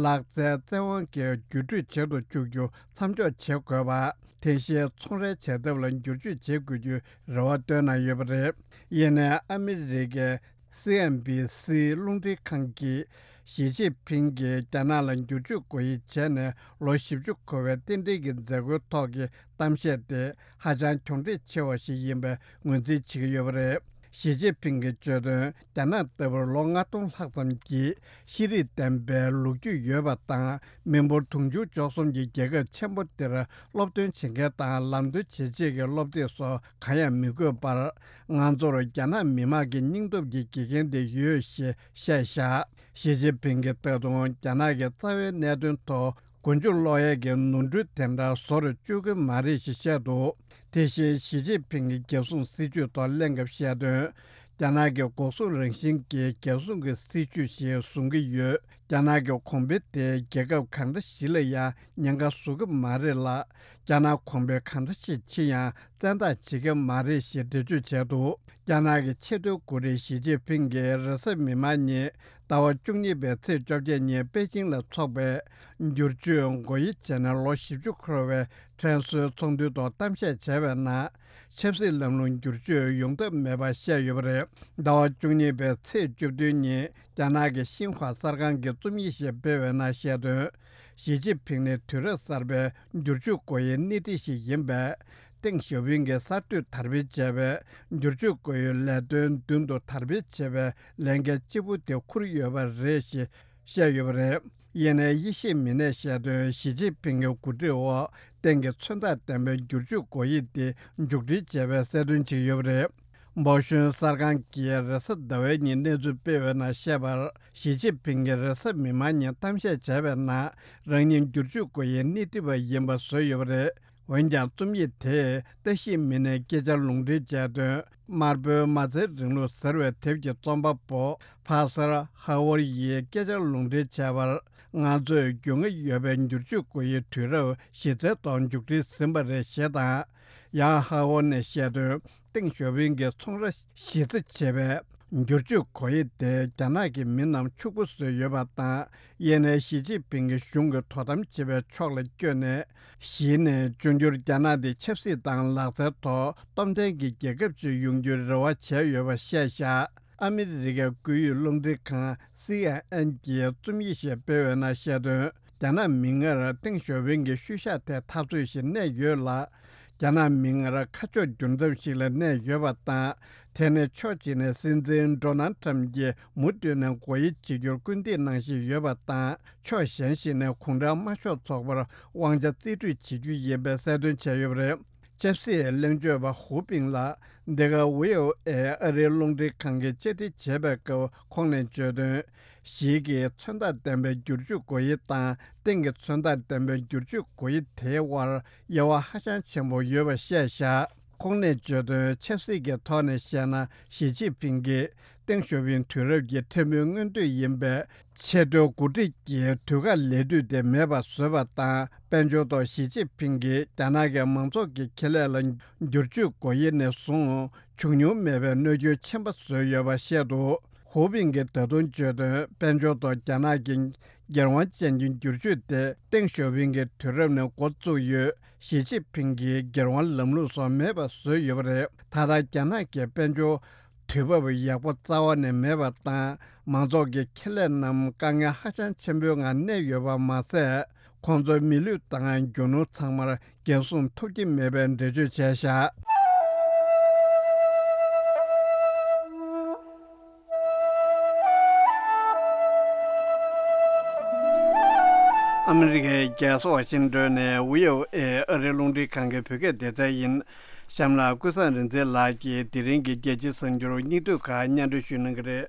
ལག་རྩལ་བཙན་དབང་གིས་བརྒྱུད་སྤྲོད་བྱེད་དུ་བཅུག་རྒྱུ་མཚམས་འཇོག་བྱེད་དགོས་པ། དེ་བཞིན་ཚོང་རའི་བྱ་ཐབས་ལ་བསྒྱུར་བཅོས་བྱེད་དགོས་རྒྱུའི་རེ་བ་བཏོན་གནང་ཡོད་པ་རེད། ཡིན་ནའི་ཨ་མི་རི་ཀའི་སི་ཨེན་བྷི་སི་རླུང་འཕྲིན་ཁང་གིས་ཞི་ཅིན་ཕིང་གིས་རྒྱ་ནག་ལ་བསྒྱུར་བཅོས་སྒོ་དབྱེ་བྱས་ནས་ལོ་བཞི་བཅུ་འཁོར་བའི་རྟེན་འབྲེལ་གྱི་མཛད་སྒོའི་ཐོག་གི་གཏམ་བཤད་དེ་ཧ་ཅང་གྱོང་འཕྲད་ཆེ་བ་ཞིག་ཡིན་པའི་ངོས་འཛིན་བྱེད་ཀྱི་ཡོད་པ་རེད། ཞི་ཅིན་ཕིང་གིས་བརྗོད་དོན། རྒྱ་ནག་ལྟ་བུར་ལོ་ལྔ་སྟོང་ལྷག་ཙམ་གྱི་ཤེས་རིག་ལྡན་པའི་ལོ་རྒྱུས་ཡོད་པ་དང་། མི་འབོར་དུང་ཕྱུར་བཅུ་གསུམ་གྱི་རྒྱལ་ཁབ་ཆེན་པོ་འདིར་སློབ་སྟོན་བྱེད་མཁན་དང་ལམ་སྟོན་བྱེད་ཆེད་ཀྱི་སློབ་དེབ་སོགས་གང་ཡང་མི་དགོས་པར། ང་ཚོར་རྒྱ་ནག་མི་དམངས་ཀྱི་སྙིང་སྟོབས་ཀྱི་དགེ་རྒན་དེ་ཡོད་ཞེས་བཤད་བཞག་ཞི་ཅིན་ཕིང་གིས་ད་དུང་རྒྱ་ནག་གི་རྩ་བའི་གནད་དོན་ཐོག་མགོ་མཇུག་སློག་ཡས་ཀྱི་ནོར་འཁྲུལ་དེ་འདྲ་བཟོ་རུ་བཅུག་གི་མ་རེད་ཞེས་བཤད་འདུག་དེ་བཞིན་ཞི་ཅིན་ཕིང་གིས་རྒྱལ་སྲུང་སྲིད་ཇུས་ཐོག་གླེང་སྐབས་བཤད་དོན། རྒྱ་ནག་གི་འགོག་སྲུང་རང་བཞིན་གྱི་རྒྱལ་སྲུང་གི་སྲིད་ཇུས་ཤིག་བཟུང་གི་ཡོད། རྒྱ་ནག་གི་གོང་འཕེལ་དེ་རྒྱལ་ཁབ་གང་འདྲ་ཞིག་ལ་ཡང་ཉེན་ཁ་བཟོ་གི་མ་རེད་ལ། རྒྱ་ནག་གོང་འཕེལ་གང་འདྲ་ཞིག་ཕྱིན་ཡང་བཙན་ཐབས་བྱེད་ཀྱི་མ་རེད་ཞེས་འགྲེལ་བརྗོད་བྱས་འདུག་རྒྱ་ནག་གི་ཆེས་མཐོའི་འགོ་ཁྲིད་ཞི་ཅིན་ཕིང་གིས་རེས་གཟའ་མིག་དམར་ཉིན་ཟླ་བ་བཅུ་གཉིས་པའི་ཚེས་བཅོ་བརྒྱད་ཉིན་པེ་ཅིང་ལ་འཚོགས་པའི་བསྒྱུར་བཅོས་སྒོ་དབྱེ་བྱས་ནས་ལོ་བཞི་བཅུ་འཁོར་བའི་དྲན་གསོའི་ཚོགས་འདུའི་ཐོག་གཏམ་བཤད་བྱས་པའི་ནང་། ཆབ་སྲིད་ལམ་ལུགས་བསྒྱུར་བཅོས་ཡོང་ཐབས་མེད་པ་བཤད་ཡོད་པ་རེད། ཟླ་བ་བཅུ་གཉིས་པའི་ཚེས་བཅུ་བདུན་ཉིན་རྒྱ་ནག་གི་ཤིན་ཧྭ་གསར་ཁང་གིས་རྩོམ་ཡིག་ཞིག་སྤེལ་བའི་ནང་བཤད་དོན། ཞི་ཅིན་ཕིང་ནི་དུས་རབས་གསར་པའི་བསྒྱུར་བཅོས་སྒོ་དབྱེའི་སྣེ་ཁྲིད་ཞིག་ཡིན་པས། ཏེང་ཞའོ་ཕིང་གིས་གསར་གཏོད་དར་སྤེལ་བྱས་པའི་བསྒྱུར་བཅོས་སྒོ་དབྱེའི་ལས་དོན་མདུན་དུ་དར་སྤེལ་བྱེད་པའི་ལས་འགན་ལྕི་པོ་དེ་འཁུར་ཡོད་པ་རེད་ཞེས་བཤད་ཡོད་པ་རེད། ཡེ་ནས་ཡེ་ཤེས་མི་ནས་བཤད་དོན། ཞི་ཅིན་ཕིང་གི་འགོ་ཁྲིད་འོག་ཏང་གི་མཚོན་རྟགས་ལྡན་པའི་བསྒྱུར་བཅོས་སྒོ་དབྱེ་དེ་མཇུག་སྒྲིལ་བྱས་པའི་གསལ་སྟོན་བྱས་ཡོད་པ་རེད། འབའོ་ཞུན་གསར་ཁང་གིས་རེས་གཟའ་ཟླ་བའི་ཉིན་གནས་ཚུལ་སྤེལ་བའི་ནང་བཤད་པར། ཞི་ཅིན་ཕིང་གིས་རེས་གཟའ་མིག་དམར་ཉིན་གཏམ་བཤད་བྱས་པའི་ནང་། རང་ཉིད་བསྒྱུར་བཅོས་སྒོ་དབྱེའི་སྣེ་ཁྲིད་པ་ཡིན་པ་བཟོས་ཡོད་པ་རེད། འོན་ཀྱང་རྩོམ་ཡིག་དེས་བཀྲ་ཤིས་མི་ནས་སྐད་ཆར་ལུང་འདྲེན་བྱས་དོན། དམར་པོའི་མ་རྩའི་རིང་ལུགས་ཟེར་བའི་དེབ་ཀྱི་རྩོམ་པ་པོ་ཕ་སར་ཧ་ཝར་ཡིས་སྐད་ཆར་ལུང་འདྲེན་བྱས་པར། ང་ཚོས་རྒྱུས་མངའ་ཡོད་པའི་བསྒྱུར་བཅོས་སྒོ་དབྱེའི་དུས་རབས་གཞི་རྩའི་ཐོག་མཇུག་སྒྲིལ་ཟིན་པ་རེད་ཞེས་དང་། ཡང་ཧ་ཝར་ནས་བཤད་དོན། ཏེང་ཞའོ་ཕིང་གིས་ཚོང་ར་གཞི་རྩ་བྱས་པའеть་བསྒྱུར་བཅོས་སྒོ་དབྱེ་དེས་རྒྱ་ནག་གི་མི་རྣམས་ཕྱུག་པོ་བཟོས་ཡོད་པ་དང་། ཡེ་ནས་ཞི་ཅིན་ཕིང་གིས་གཞུང་གི་དོ་དམ་བྱེད་པའི་ཕྱོགས་ལ་བསྐྱོད་ནས། གཞི་ནས་འབྱུང་འགྱུར་རྒྱ་ནག་དེ་ཆབ་སྲིད་དང་ལག་རྩལ་ཐོག་སྟོབས་ལྡན་གྱི་རྒྱལ་ཁབ་ཅིག་ཡོང་རྒྱུའི་རེ་བ་བྱས་ཡོད་པ་བཤད་བཞག་ཨ་མི་རི་ཀའི་བཀོད་ཡིག་རླུང་འཕྲིན་ཁང་སི་ཨེན་ཨེན་གྱིས་རྩོམ་ཡིག་ཞིག་སྤེལ་བའི་ནང་བཤད་དོན། རྒྱ་ནག་མིག་སྔར་ཏེང་ཞའོ་ཕིང་གི་ཤུལ་བཞག་དེ་འཐབ་རྩོད་ཞིག་གནས་ཡོད་ལ། རྒྱ་ནག་མིག་སྔར་ཁ་ཕྱོགས་འགྱུར་མཚམས་ཤིག་ལ་གནས་ཡོད་པ་དང་། དེ་ནི་ཕྱོགས་གཅིག་ནས་སྲིད་འཛིན་ཌོ་ནལ་ཊམ་གྱིས་མུ་མཐུད་ནས་སྒོ་དབྱེ་བྱེད་རྒྱུར་སྐུལ་འདེད་གནང་བཞིན་ཡོད་པ་དང་། ཕྱོགས་གཞན་ཞིག་ནས་གུང་ཁྲན་དམར་ཤོག་ཚོགས་པར་དབང་ཆ་རྩིས་སྤྲོད་བྱེད་རྒྱུ་ཡིན་པའི་གསལ་སྟོན་བྱས་ཡོད་པ་རེད། ཆབ་སྲིད་གླེང་བརྗོད་པ་ཧུའུ་པིང་ལགས་འདི་ག་ཝི་ཨོ་ཨེ་ཨ་རིའི་རླུང་འཕྲིན་ཁང་གིས་བཅར་འདྲི་བྱས་པའི་སྐབས་ཁོང་ནས་བརྗོད་དོན། ཞིག་གིས་མཚོན་རྟགས་ལྡན་པའི་བསྒྱུར་བཅོས་སྒོ་དབྱེ་དང་ཏེང་གི་མཚོན་རྟགས་ལྡན་པའི་བསྒྱུར་བཅོས་སྒོ་དབྱེ་དེའི་དབར་དབྱེ་བ་ཧ་ཅང་ཆེན་པོ་ཡོད་པ་བཤད་བཞག་ཁོང་ནས་བརྗོད་དོན། ཆབ་སྲིད་ཀྱི་ཐོག་ནས་བཤད་ན། ཞི་ཅིན་ཕིང་གིས་ཏེང་ཞའོ་ཕིང་དུས་རབས་ཀྱི་ཕྲན་བུའི་མངོན་འདོད་ཡིན་པའི་ཆེས་མཐོའི་འགོ་ཁྲིད་ཀྱི་དུས་བཀག་ལས་དུས་དེ་མེད་པར་བཟོས་པ་དང་། དཔལ་འབྱོར་ཐོག་ཞི་ཅིན་ཕིང་གིས་རྒྱ་ནག་གི་མང་ཚོགས་ཀྱི་ཁེ་ལས་ལ་བསྒྱུར་བཅོས་སྒོ་དབྱེ་ནས་བཟུང་བྱུང་མྱོང་མེད་པའི་གནོད་སྐྱོན་ཆེན་པོ་བཟོས་ཡོད་པ་བཤད་འདུག་ཧུའུ་པིང་གིས་ད་དུང་བརྗོད་དོན། དཔལ་འབྱོར་ཐོག་རྒྱ་ནག་གི་སྒེར་དབང་ཅན་གྱི་བསྒྱུར་བཅོས་དེ་ཏེང་ཞའོ་ཕིང་གི་དུས་རབས་ནས་འགོ་བཙུགས་ཡོད། ཞི་ཅིན་ཕིང་གིས་སྒེར་དབང་ལམ་ལུགས་སོགས་མེད་པ་བཟོས་ཡོད་པ་རེད། ད་ལྟ་རྒྱ་ནག་གི་དཔལ་འབྱོར་དུས་བབ་ཡག་པོ་རྩ་བ་ནས་མེད་པ་དང་། མང་ཚོགས་ཀྱི་ཁེ་ལས་རྣམས་དཀའ་ངལ་ཧ་ཅང་ཆེན་པོའི་ངང་གནས་ཡོད་པ་མ་ཟད། ཁོང་ཚོའི་མི་ལུས་དང་རྒྱུ་ནོར་ཚང་མར་འགན་སྲུང་ཐུབ་ཀྱི་མེད་པའི་འགྲེལ་བརྗོད་བྱས་བཞག་ཨ་མི་རི་ཀའི་རྒྱལ་ས་ཝ་ཤིང་ཏོན་ནས་ཝི་ཨོ་ཨེ་ཨ་རིའི་རླུང་འཕྲིན་ཁང་གི་བོད་སྐད་སྡེ་ཚན་ཡིན། གཤམ་ལ་ཀུན་བཟང་རིག་འཛིན་ལགས་ཀྱིས་དེ་རིང་གི་རྒྱལ་སྤྱིའི་གསར་འགྱུར་སྙིང་བསྡུས་ཁག་སྙན་སྒྲོན་ཞུ་གནང་གི་རེད།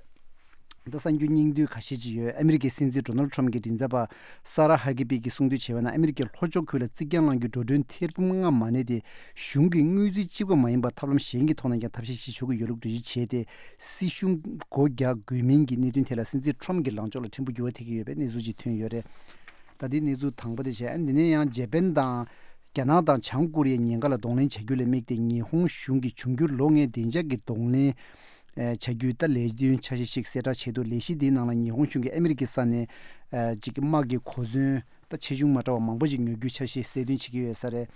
ད་གསར་འགྱུར་སྙིང་བསྡུས་ཁ་ཤས་ཅིག་ཡོད། ཨ་མི་རི་ཀའི་སྲིད་འཛིན་ཌོ་ནལ་ཊམ་གྱི་མགྲིན་ཚབ་པ་ས་ར་ཧ་ཀི་པི་གིས་གསུངས་དོན་བྱས་པ་ན། ཨ་མི་རི་ཀའི་ལྷོ་ཕྱོགས་ཁུལ་ལ་རྩིག་གྱང་ལངས་རྒྱུའི་འགྲོ་གྲོན་ཐེར་འབུམ་ལྔ་མ་གནས་ཏེ། གཞུང་གིས་དངུལ་རྩིས་གཅིག་པ་མ་ཡིན་པར་ཐབས་ལམ་གཞན་གྱི་ཐོག་ནས་ཀྱང་ཐབས་ཤེས་ཤིག་འཇོག་གི་ཡོད་ལུགས་འགྲེལ་བརྗོད་བྱས་ཏེ། སྲིད་གཞུང་སྒོ་རྒྱག་དགོས་མིན་གྱི་གནད་དོན་ཐད་ལ་སྲིད་འཛིན་ཊམ་གྱི་ལངས་ཕྱོགས་ལ་ཕྲན་བུ་འགྱུར་བ་ཐེབས་ཀྱི་ཡོད་པའི་གནས་ཚུལ་ཅིག་ཐོན་ཡོད་རེད། ད་ལྟའི་གནས་ཚུལ་དང་པོ་དེ་བྱས། འདི་ནས་ཡང་ཇེ་པན་དང་། རྒྱ་ནག་དང་བྱང་ཀོ་རི་ཡའི་ཉེན་ཁ་ལ་གདོང་ལེན་བྱ་རྒྱུ་ལ་དམིགས་ཏེ། ཉི་ཧོང་གཞུང་གིས་འབྱུང་འགྱུར་ལོ་ལྔའི་བདེ་འཇགས་ཀྱི་གདོང་ལེན་ཨ་བྱ་རྒྱུའི་ད་ལས་དོན་འཆར་གཞི་ཞིག་གསལ་བསྒྲགས་བྱས་འདུག་ལས་གཞི་འདིའི་ནང་ལ་ཉི་ཧོང་གཞུང་གིས་ཨ་མི་རི་ཀའི་ས་ནས་ཨ་ཅིག་དམག་གི་གོ་མཚོན་ད་ཆེ་ཆུང་མ་འདྲ་བ་མང་པོ་ཞིག་ཉོ་རྒྱུའི་འཆར་གཞི་གསལ་སྟོན་བྱེད་ཀྱི་ཡོད་ས་རེད།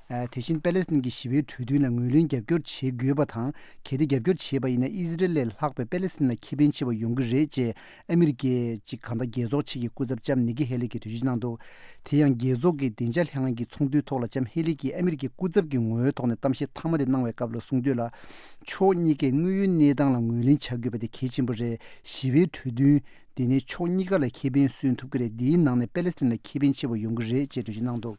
ཨ་དེ་བཞིན་པེ་ལེ་སི་ཐན་གྱི་ཞི་བའི་གྲོས་མཐུན་ལ་ངོས་ལེན་རྒྱབ་སྐྱོར་བྱེད་དགོས་པ་དང་། གལ་ཏེ་རྒྱབ་སྐྱོར་བྱས་པ་ཡིན་ན། ཨི་ཟི་རེལ་ལས་ལྷག་པའི་པེ་ལེ་སི་ཐན་ལ་ཁེ་ཕན་ཆེ་བ་ཡོང་གི་རེད་ཅེས་ཨ་མི་རི་ཀའི་ཅིག་གང་ལྟར་རྒྱལ་ཚོགས་ཆེད་ཀྱི་སྐུ་ཚབ་ལྕམ་ནི་ཀི་ཧེ་ལི་གིས་འགྲེལ་བརྗོད་གནང་འདུག་དེ་ཡང་རྒྱལ་ཚོགས་ཀྱི་བདེ་འཇགས་ལྷན་ཁང་གི་ཚོགས་འདུའི་ཐོག་ལ་ལྕམ་ཧེ་ལི་གིས་ཨ་མི་རི་ཀའི་སྐུ་ཚབ་ཀྱི་ངོ་བོའི་ཐོག་ནས་གཏམ་བཤད་མཐའ་མ་དེ་གནང་བའི་སྐབས་ལ་གསུངས་དོན་ལ། ཕྱོགས་གཉིས་ཀས་དངོས་ཡོད་གནས་སྟངས་ལ་ངོས་ལེན་བྱ་དགོས་པ་དེ་གལ་ཆེན་པོ་རེད། ཞི་བའི་གྲོས་མཐུན་དེ་ནི་ཕྱོགས་གཉིས་ཀ་ལ་ཁེ་ཕན་སོན་ཐུབ་ཀྱི་རེད། འདིའི་ནང་ནས་པེ་ལེ་སི་ཐན་ལ་ཁེ་ཕན་ཆེ་བ་ཡོང་གི་རེད་ཅེས་འགྲེལ་བརྗོད་གནང་འདུག་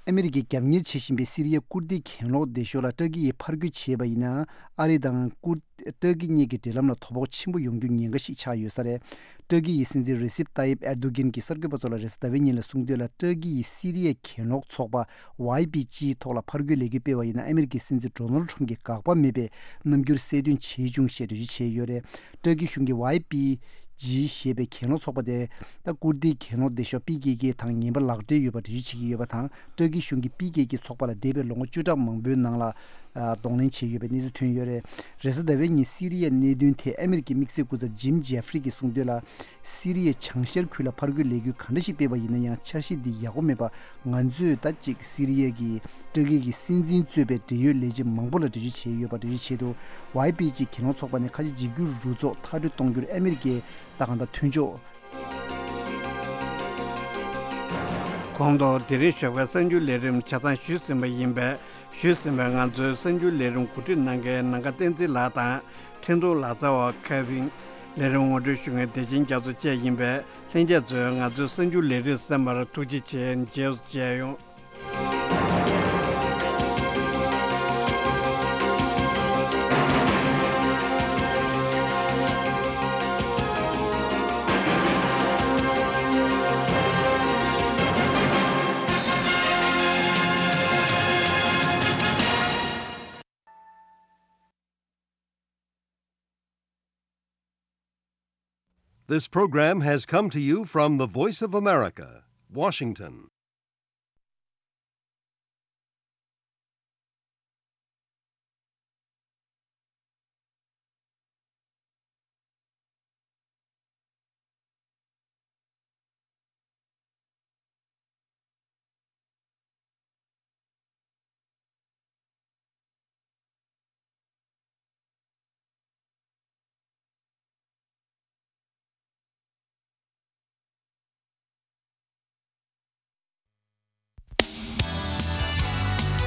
ཨ་མི་རི་ཀས་རྒྱབ་གཉེར་བྱེད་བཞིན་པའི་སི་རི་ཡའི་ཀུར་དིའི་གྱེན་ལོག་སྡེ་ཤོག་ལ་ཏུར་ཀི་ཡིས་ཕར་རྒོལ་བྱས་པ་ཡིན་ན། ཨ་རི་དང་ཀུར་ཏུར་ཀི་གཉིས་ཀྱི་འབྲེལ་ལམ་ལ་དོ་ཕོག་ཆེན་པོ་ཡོང་རྒྱུའི་ཉེན་ཁ་ཞིག་ཆགས་ཡོད་ས་རེད། ཏུར་ཀི་ཡི་སྲིད་འཛིན་རེ་སིབ་ཏཱ་ཡིབ་ཨེར་དོ་གྷན་གྱིས་གསར་འགོད་པ་ཚོ་ལ་རེས་གཟའ་ཟླ་བའི་ཉིན་ལ་གསུངས་དོན་ལ། ཏུར་ཀི་ཡིས་སི་རི་ཡའི་གྱེན་ལོག་ཚོགས་པ་ཝའི་པི་ཇིའི་ཐོག་ལ་ཕར་རྒོལ་ལས་འགུལ་སྤེལ་བ་ཡིན་ན། ཨ་མི་རི་ཀའི་སྲིད་འཛིན་ཌོ་ནལ་ཁྲོམ་གྱིས་དགག་པ་མེད་པའི་རྣམ་འགྱུར་གསལ་སྟོན་བྱས་བྱུང་ཞེས་འགྲེལ་བརྗོད་བྱས་ཡོད་རེད། ཏུར་ཀི་གཞུང་གིས་ཝའི་པི་ཇི་ཞེས་པའི་གྱེན་ལོག་ཚོགས་པ་དེ། ད་ཀུར་དིའི་གྱེན་ལོག་སྡེ་ཤོག་པི་ཀེ་ཀེ་དང་ངན་པ་ལག་འབྲེལ་ཡོད་པ་འགྲེལ་བརྗོད་བྱེད་ཀྱི་ཡོད་པ་དང་། ཏུར་ཀི་གཞུང་གིས་པི་ཀེ་ཀེ་ཚོགས་པ་ལ་འདས་པའི་ལོ་ངོ་བཅུ་ཕྲག་མང་པོའི་ནང་ལ་ཨ་གདོང་ལེན་བྱས་ཡོད་པའི་གནས་ཚུལ་ཐོན་ཡོད་རེད། རེས་གཟའ་ཟླ་བའི་ཉིན་སི་རི་ཡའི་གནད་དོན་ཐད་ཨ་མི་རི་ཀའི་དམིགས་བསལ་སྐུ་ཚབ་ཇིམ་ཇེ་ཧྥ་རི་གིས་གསུངས་དོན་ལ། སི་རི་ཡའི་བྱང་ཤར་ཁུལ་ལ་ཕར་རྒོལ་ལས་འགུལ་ག་འདྲ་ཞིག་སྤེལ་བ་ཡིན་ན་ཡང་། འཆར་གཞི་འདི་ཡག་པོ་མེད་པ། ང་ཚོས་ད་ཅིག་སི་རི་ཡ་གི་ཏུར་ཀི་གི་སྲིད་འཛིན་གཙོས་པའི་འབྲེལ་ཡོད་ལས་བྱེད་མང་པོ་ལ་འགྲེལ་བརྗོད་བྱས་ཡོད་པ་འགྲེལ་བརྗོད་བྱས་འདུག་ཝའི་པི་ཇི་གྱེན་ལོག་ཚོགས་པ་ནི་ཁ་ཆེ་འཇིགས་སྐུལ་རུ་ཚོགས་མཐར་སྐྲོད་གཏོང་རྒྱུར་ཨ་མི་རི་ཀའི་ད་གང་ལྟར་མཐུན་ཕྱོགས། གོང་དུ་དེ་རིང་ཞོགས་པའི་གསར་འགྱུར་ལས་རིམ་ཆ་ཚང་ཞུས་ཟིན་པ་ཡིན་པས། ཞུས་ཟིན་པའི་ང་ཚོའི་གསར་འགྱུར་ལས་རིམ་གོ་སྒྲིག་གནང་མཁན་ནམ་མཁའ་བསྟན་འཛིན་ལགས་དང་། འཕྲིན་གཏོང་ལག་རྩལ་བ་ཁེ་ཝིན། ལས་རིམ་ངོ་སྤྲོད་ཞུ་མཁན་བདེ་ཆེན་རྒྱ་མཚོ་བཅས་ཡིན་པས། ལྷན་རྒྱས་ཚོས་ང་ཚོའི་གསར་འགྱུར་ལས་རིམ་གསན་པར་ཐུགས་རྗེ་ཆེ། མཇལ་མཇལ་ཡོང་། This program has come to you from the Voice of America, Washington.